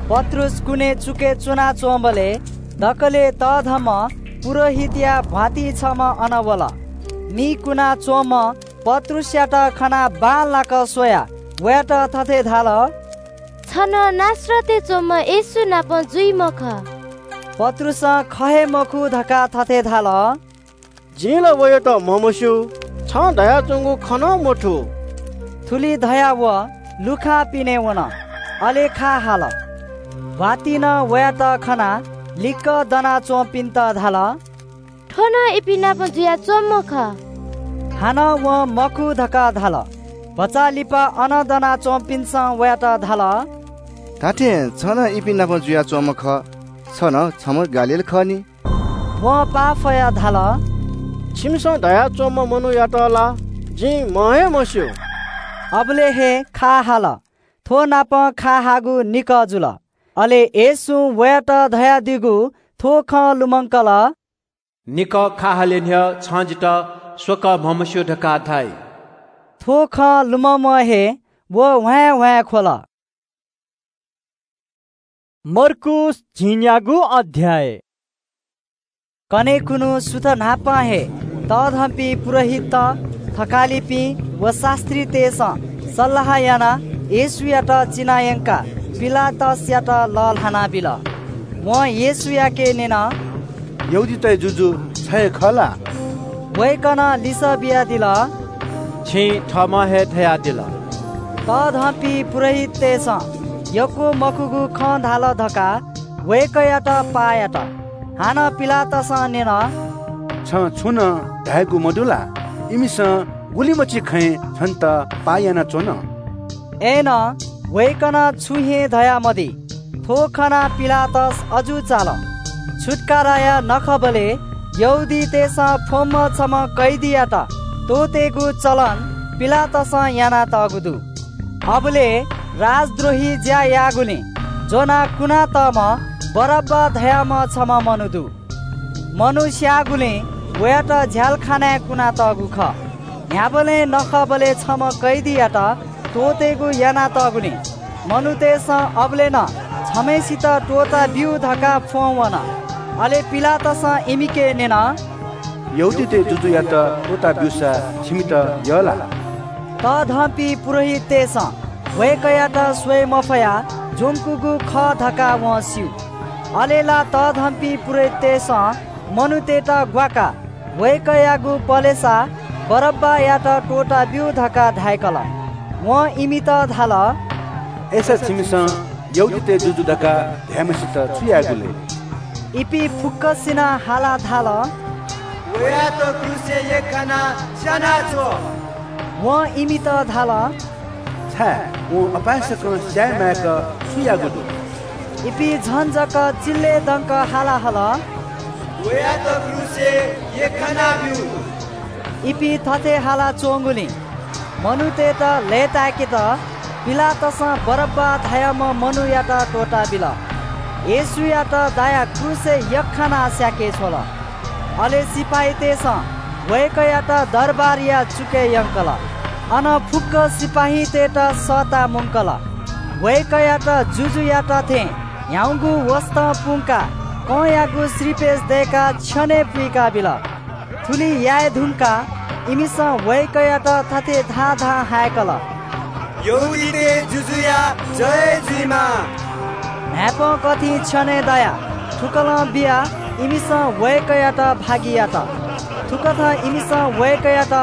पत्रुस कुने चुकय् च्‍वनाच्‍वंबलय् दकलय् तःधंम्‍ह पुजाहारीया भ्‍वातिं छम्‍ह अन वल। मि कुनाच्‍वंम्‍हं पत्रुसयात खनाः बांलाक स्‍वयाः वयात थथे धाल, "छ नं नासरतय् च्‍वंम्‍ह येशू नाप जुइम्‍ह खः।" पत्रुसं खः हे मखु धकाः थथे धाल, "जिं ला वयात म्हमस्‍यू, छं धयाच्‍वंगु खँ नं मथू।" थुलि धयाः व लुखां पिने वन, अले खा हाल। भ्‍वातिं वयात खनाः लिक्‍क दनाच्‍वंपिन्‍त धाल, "थ्‍व नं इपिं नाप जुयाच्‍वंम्‍ह खः।" हानं वं मखु धकाः धाल। भचा लिपा अन दनाच्‍वंपिन्‍सं वयात धाल, "धात्‍थें छ नं इपिं नाप जुयाच्‍वंम्‍ह खः। छ नं छम्‍ह गालील खः नि।" वं पाफयाः धाल, "छिमिसं धयाच्‍वंम्‍ह मनूयात ला जिं म्हं हे मस्‍यू।" अबलय् हे खा हाल। थ्‍व नापं खा हाःगु निकः जुल। अले येशूं वयात धयादीगु थ्‍व खँ लुमंकल, "निकः खा हाले न्‍ह्यः छं जितः स्वकः म्हमस्‍यू धकाः धाइ।" थ्‍व खँ लुमंम्‍ह हे व ह्वाँय् ह्वाँय् ख्‍वल। मर्कूस झिंन्‍यागू अध्‍याय। कन्‍हय् खुन्‍हु सुथ न्‍हापां हे तःधंपिं पुजाहारीत, थकालिपिं व शास्‍त्रीतय्‌सं सल्‍लाह यानाः येशूयात चिनायंकाः पिलातसयात लःल्‍हाना बिल। वं येशूयाके न्‍यन, "यहूदीतय् जुजु छ हे खः ला?" वय्‌कलं लिसः बियादिल, "छिं थःम्‍हं हे धयादिल।" तःधंपिं पुजाहारीतय्‌सं यक्‍व मखुगु खँ धाल धकाः वय्‌कःयात पाः यात। हानं पिलातसं न्‍यन, "छं छुं नं धायेगु मदु ला? इमिसं गुलिमछि खँय् छन्‍त पाः यानाच्‍वन।" अय्‌नं वय्‌कलं छुं हे धयामदी। थ्‍व खनाः पिलातस अजू चाल। छुत्‍काराया नखःबलय् यहूदीतय्‌सं फ्‍वंम्‍ह छम्‍ह कैदीयात त्‍वःतेगु चलन पिलातसं यानातःगु दु। अबलय् राजद्रोही ज्‍या याःगुलिं ज्‍वनाः कुनातःम्‍ह बरब्‍बा धाःम्‍ह छम्‍ह मनू दु। मनू स्‍याःगुलिं वयात झ्‍यालखानाय् कुनातःगु खः। न्‍ह्याबलें नखःबलय् छम्‍ह कैदीयात त्‍वःतेगु यानातःगुलिं मनूतय्‌सं अबलय् नं छम्‍हय्‌सित त्‍वःताब्‍यु धकाः फ्‍वं वन। अले पिलातसं इमिके न्‍यन, "यहूदीतय् जुजुयात त्‍वःताब्‍यूसा छिमित यः ला?" तःधंपिं पुजाहारीतय्‌सं वय्‌कःयात स्‍वये मफयाः ज्‍वंकूगु खः धकाः वं स्‍यू। अले ला तःधंपिं पुजाहारीतय्‌सं मनूतय्‌त ग्‍वाकाः वय्‌कःयागु पलेसा बरब्‍बायात त्‍वःताब्‍यु धकाः धाय्‌कल। वं इमित धाल, "अय्‌सा छिमिसं यहूदीतय् जुजु धकाः धायेम्‍हय्‌सित छु यायेगु लय्?" इपिं फुक्‍कसिनं हालाः धाल, "वयात क्रूसय् यख्‍खानाः स्‍यानाछ्व।" वं इमित धाल, "छाय् वं अपाय्‌सकं स्‍याये माय्‌क छु याःगु दु?" इपिं झन जक चिल्‍लय् दंक हाला हल, "वयात क्रूसय् यख्‍खानाब्‍यु।" इपिं थथे हालाच्‍वंगुलिं मनूतय्‌त लय्‌ताय्‌केत पिलातसं बरब्‍बा धाःम्‍ह मनूयात त्‍वःताबिल। येशूयात दायाः क्रूसय् यख्‍खानाः स्‍याके छ्वल। अले सिपाइँतय्‌सं वय्‌कःयात दरबारया चुकय् यंकल। अन फुक्‍क सिपाइँतय्‌त सःता मुंकल। वय्‌कःयात जुजुयात थें ह्याउँगु वसतं पुंकाः कंयागु श्रीपेच दय्‌काः छ्यनय् पुइका बिल। थुलि याये धुंकाः इमिसं वय्‌कःयात थथे धां धां हाय्‌कल, "यहूदीतय् जुजुया जय जुइमा।" न्हाय्‌पं कथिं छ्यनय् दयाः थुकलं बियाः इमिसं वय्‌कःयात भागि यात। थुकथं इमिसं वय्‌कःयात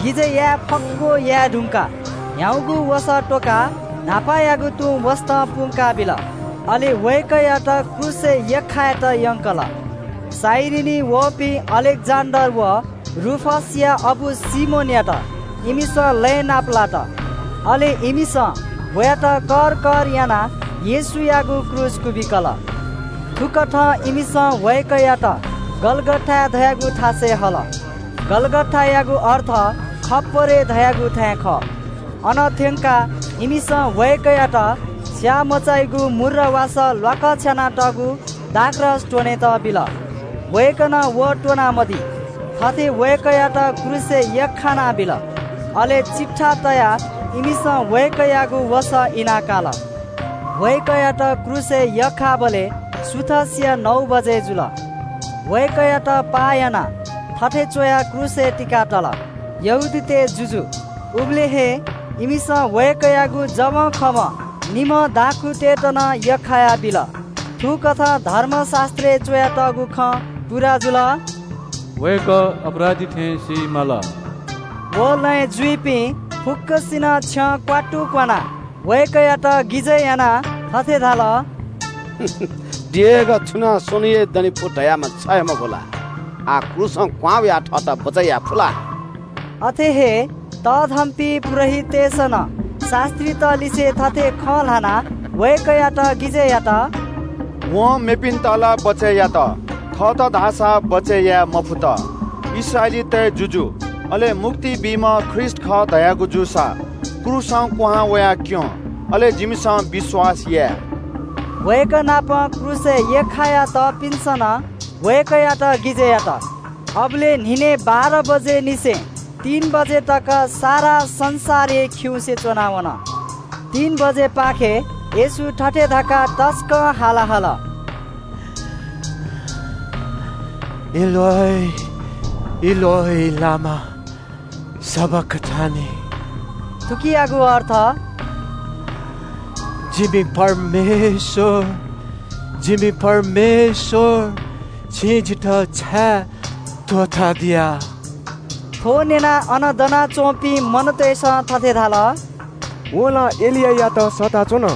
गिजय् याये फक्‍व याये धुंकाः ह्याउँगु वसः त्‍वकाः न्‍हापायागु तुं वसतं पुंका बिल। अले वय्‌कःयात क्रूसय् यख्‍खायेत यंकल। साइरिनी वःपिं अलेक्‍जेन्‍डर व रूफसया अबु सिमोनयात इमिसं लँय् नापलात। अले इमिसं वयात कर कर यानाः येशूयागु क्रूस क्‍वबिकल। थुकथं इमिसं वय्‌कःयात गलगथा धयागु थासय् हल। गलगथायागु अर्थ खप्‍परे धयागु थाय् खः। अन थ्‍यंकाः इमिसं वय्‌कःयात स्‍याः मचाइगु मुर्र वासः ल्‍वाकछ्यानातःगु दाखरस त्‍वनेत बिल। वय्‌कलं व त्‍वनामदी। थथे वय्‌कःयात क्रूसय् यख्‍खाना बिल। अले चिट्ठा तयाः इमिसं वय्‌कःयागु वसः इनाकाल। वय्‌कःयात क्रूसय् यख्‍खाःबलय् सुथसिया नौ बजे जुल। वय्‌कःयात पाः यानाः थथे च्‍वयाः क्रूसय् तिकातल, "यहूदीतय् जुजु।" उबलय् हे इमिसं वय्‌कःयागु जवंखवं निम्‍ह दाखुँतय्‌त नं यख्‍खाया बिल। थुकथं धर्मशास्‍त्रय् च्‍वयातःगु खँ पूरा जुल, "वय्‌कः अपराधी थें सी माल।" व लँय् जुइपिं फुक्‍कसिनं छ्यं क्‍वात्तु क्‍वानाः वय्‌कःयात गिजय् यानाः थथे धाल, "देगः छुनां स्वन्‍हु हे दने फु धयाम्‍ह छ हे मखु ला? आः क्रूसं क्‍वहां वयाः थःत बचय् याये फु ला?" अथे हे तःधंपिं पुजाहारीतय्‌सं नं शास्‍त्रीत लिसे थथे खँ ल्‍हानाः वय्‌कःयात गिजय् यात, "वं मेपिन्‍त ला बचय् यात, थःत धाःसा बचय् याये मफुत। इस्राएलीतय् जुजु, अले मुक्ति बीम्‍ह ख्रीष्‍ट खः धयागु जूसा क्रूसं क्‍वहां वयाः क्‍यँ, अले जिमिसं विश्‍वास याये।" वय्‌कः नाप क्रूसय् यख्‍खायातःपिन्‍सं नं वय्‌कःयात गिजय् यात। अबलय् न्‍हिनय् बाह्र बजे निसें तीन बजे तक सारा संसारय् खिउँसे च्‍वना वन। तीन बजेपाखे येशू थथे धकाः तसकं हाला हल, "एलोय, एलोय, लामा सबखथनी?" थुकियागु अर्थ, "जिमि परमेश्‍वर, जिमि परमेश्‍वर, छिं जितः छाय् त्‍वःतादिया?" थ्‍व न्‍यनाः अन दनाच्‍वंपिं मनूतय्‌सं थथे धाल, "वं ला एलियायात सःताच्‍वन।"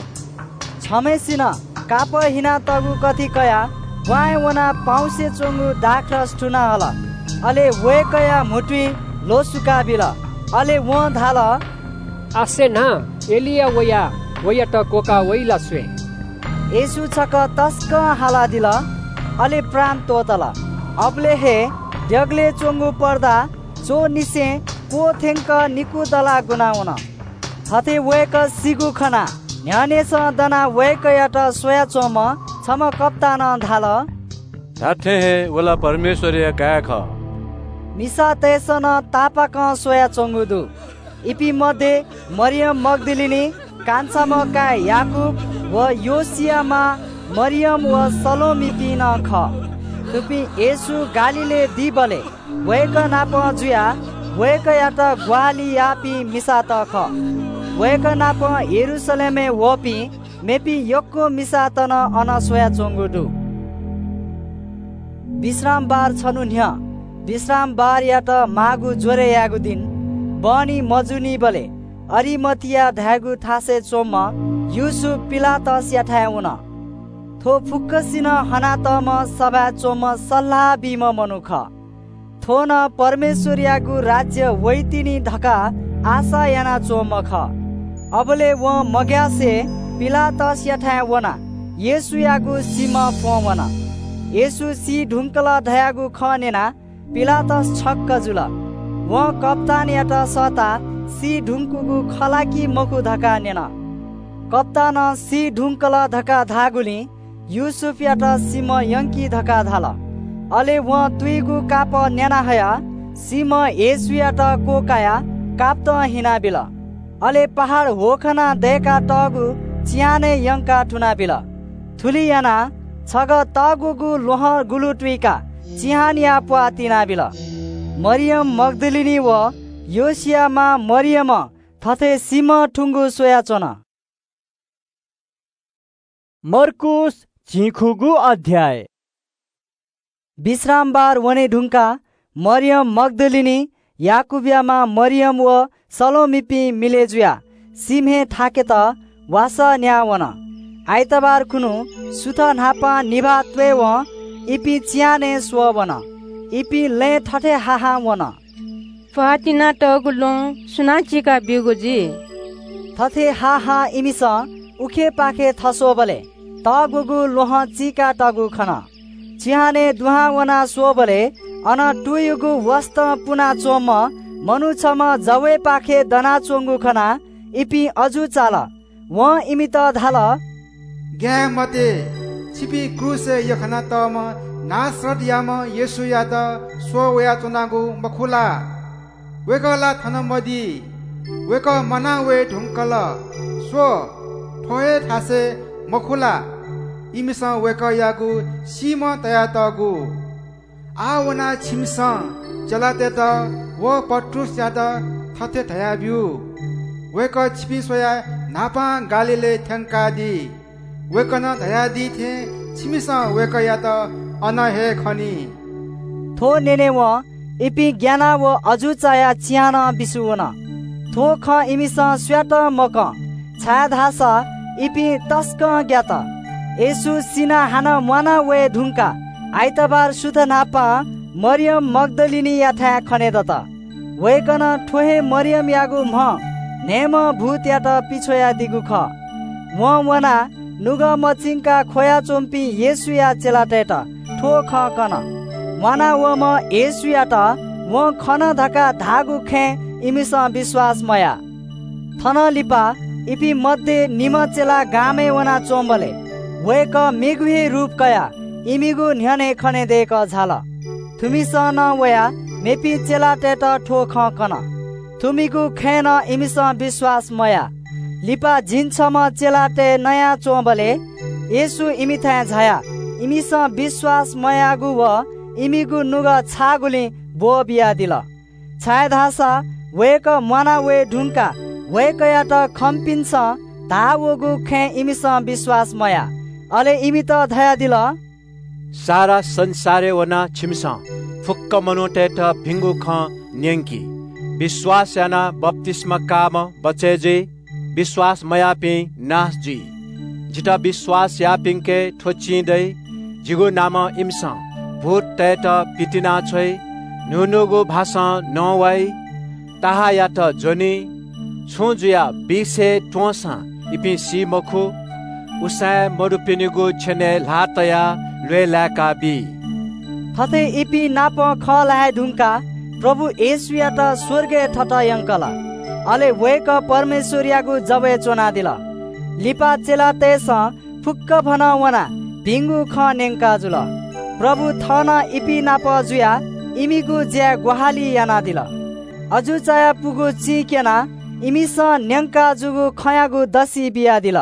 छम्‍हय्‌सिनं कापः हिनातःगु कथि कयाः ब्‍वाँय् वनाः पाउँसे च्‍वंगु दाखरस थुना हल। अले वय्‌कःया म्‍हुतुइ ल्‍वसुका बिल। अले वं धाल, "आसे न्‍हां एलिया वयाः वयात क्‍वकाः वइ ला स्‍वये।" येशू छकः तसकं हालादिल, अले प्राण त्‍वःतल। अबलय् हे देगलय् च्‍वंगु पर्दा च्‍वंनिसें क्‍वथ्‍यंक निकू दलाः गुना वन। थथे वय्‌कः सीगु खनाः न्‍ह्यःनेसं दनाः वय्‌कःयात स्‍वयाच्‍वंम्‍ह छम्‍ह कप्‍तानं धाल, "धात्‍थें हे व ला परमेश्‍वरया काय् खः।" मिसातय्‌सं नं तापाकं स्‍वयाच्‍वंगु दु। इपिं मध्ये मरियम मग्‍दलिनी, कान्छाम्‍ह काय् याकूब व योसिया मां मरियम व सलोमीपिं नं खः। थुपिं येशू गालीलय् दीबलय् वय्‌कः नाप जुयाः वय्‌कःयात ग्‍वाहालि याःपिं मिसात खः। वय्‌कः नाप यरूशलेमय् वःपिं मेपिं यक्‍व मिसात नं अन स्‍वयाच्‍वंगु दु। विश्रामबार छन्‍हु न्‍ह्यः, विश्रामबारयात माःगु ज्‍वरय् यायेगु दिं, बहनी मजूनिबलय् अरिमथिया धायेगु थासय् च्‍वंम्‍ह यूसुफ पिलातसयाथाय् वन। थ्‍व फुक्‍कसिनं हनातःम्‍ह सभाय् च्‍वंम्‍ह सल्‍लाह बीम्‍ह मनू खः। थ्‍व नं परमेश्‍वरयागु राज्‍य वइतिनि धकाः आशा यानाच्‍वंम्‍ह खः। अबलय् वं मग्‍यासे पिलातसयाथाय् वनाः येशूयागु सीम्‍ह फ्‍वं वन। येशू सी धुंकल धयागु खँ न्‍यनाः पिलातस छक्‍क जुल। वं कप्‍तानयात सःताः सी धुंकूगु खः ला कि मखु धकाः न्‍यन। कप्‍तानं सी धुंकल धकाः धाःगुलिं यूसुफयात सीम्‍ह यंकी धकाः धाल। अले वं तुइगु कापः न्याना हयाः सीम्ह येशूयात क्वकायाः कापतं हिनाबिल। अले पहाड ह्वखनाः दय्‌का तःगु चिहानय् यंकाः थुनाबिल। थुलि यानाः छगः तःग्वःगु ल्वहं गुलु तुइकाः चिहानया प्वाः तिनाबिल। मरियम मग्दलिनी व योसिया मां मरियमं थथे सीम्हं थुंगु स्वयाच्वन। मर्कूस झिंखुगू अध्याय। विश्रामबार वने धुंकाः मरियम मग्दलिनी, याकूबया मां मरियम व सलोमीपिं मिलय् जुयाः सीम्हय् थाकेत वासः न्याः वन। आइतबार खुन्हु सुथ न्हापां निभाः त्वयेवं इपिं चिहानय् स्वः वन। इपिं लँय् थथे हाहां वन। प्वाः तिनातःगु ल्वहं सुनां चीका ब्यूगु जुइ? थथे हाहां इमिसं उखेपाखे थस्वःबलय् तःग्वःगु ल्वहं चीकातःगु खन। चिहानय् दुहां वनाः स्वःबलय् अन तुयुगु वसतं पुनाच्वंम्ह मनू छम्ह जवय्‌पाखे दनाच्वंगु खनाः इपिं अजू चाल। वं इमित धाल, "ग्याये मते, छिपिं क्रूसय् यख्खानातःम्ह नासरतयाम्ह येशूयात स्वः वयाच्वनागु मखु ला? वय्‌कः ला थन मदी। वय्‌कः म्वाना वये धुंकल। स्व, थ्व हे थासय् मखु ला इमिसं वय्‌कःयागु सीम्ह तयातःगु? आः वनाः छिमिसं चेलातय्‌त व पत्रुसयात थथे धयाब्यु, वय्‌कः छिपिं स्वयाः न्हापां गालीलय् थ्यंकादी। वय्‌कलं धयादी थें छिमिसं वय्‌कःयात अन हे खनी।" थ्व न्यनेवं इपिं ग्यानाः व अजू चायाः चिहानं बिस्युं वन। थ्व खँ इमिसं स्यातं मकं, छाय्‌धाःसा इपिं तसकं ग्यात। येशू सिनाः हानं म्वाना वये धुंकाः आइतबार सुथ न्हापां मरियम मग्दलिनीयाथाय् खनेदत। वय्‌कलं थ्व हे मरियमयागु म्ह न्हय्‌म्ह भूतयात पिछ्वयादीगु खः। वं वनाः नुगः मचिंकाः ख्वयाच्वंपिं येशूया चेलातय्‌त थ्व खँ कन। म्वाना वःम्ह येशूयात वं खन धकाः धाःगु खँय् इमिसं विश्वास मयाः। थनं लिपा इपिं मध्ये निम्ह चेला गामय् वनाच्वंबलय् वय्‌कः मेगु हे रूप कयाः इमिगु न्ह्यःने खनेदय्‌कः झाल। थुमिसं नं वयाः मेपिं चेलातय्‌त थ्व खँ कन। थुमिगु खँय् नं इमिसं विश्वास मयाः। लिपा झिंछम्ह चेलातय् नयाच्वंबलय् येशू इमिथाय् झायाः इमिसं विश्वास मयाःगु व इमिगु नुगः छाःगुलिं ब्वः बियादिल। छाय्‌धाःसा वय्‌कः म्वाना वये धुंकाः वय्‌कःयात खंपिन्सं धाः वःगु खँय् इमिसं विश्वास मयाः। अले इमित धयादिल, सारा संसारय् वनाः छिमिसं फुक्क मनूतय्‌त भिंगु खँ न्यंकि। विश्वास यानाः बप्तिस्मा काःम्ह बचय् जुइ, विश्वास मयाःपिं नाश जुइ। जितः विश्वास याःपिन्के थ्व चिं दइ, जिगु नामं इमिसं भूततय्‌त पितिना छ्वइ, न्हून्हूगु भाषां नवाइ, ताहाःयात ज्वनी, छुं जुयाः बिसे त्वंसां इपिं सी मखु, उसाँय् मदुपिनिगु छ्यनय् ल्हाः तयाः ल्वय् लाय्‌का बी। थथे इपिं नाप खँ ल्हाये धुंकाः प्रभु येशूयात स्वर्गय् थत यंकल। अले वय्‌कः परमेश्वरयागु जवय् च्वनादिल। लिपा चेलातय्‌सं फुक्कभनं वनाः भिंगु खँ न्यंका जुल। प्रभु थः नं इपिं नाप जुयाः इमिगु ज्याय् ग्वाहालि यानादिल। अजू चायापुगु चिं क्यनाः इमिसं न्यंका जूगु खँयागु दसि बियादिल।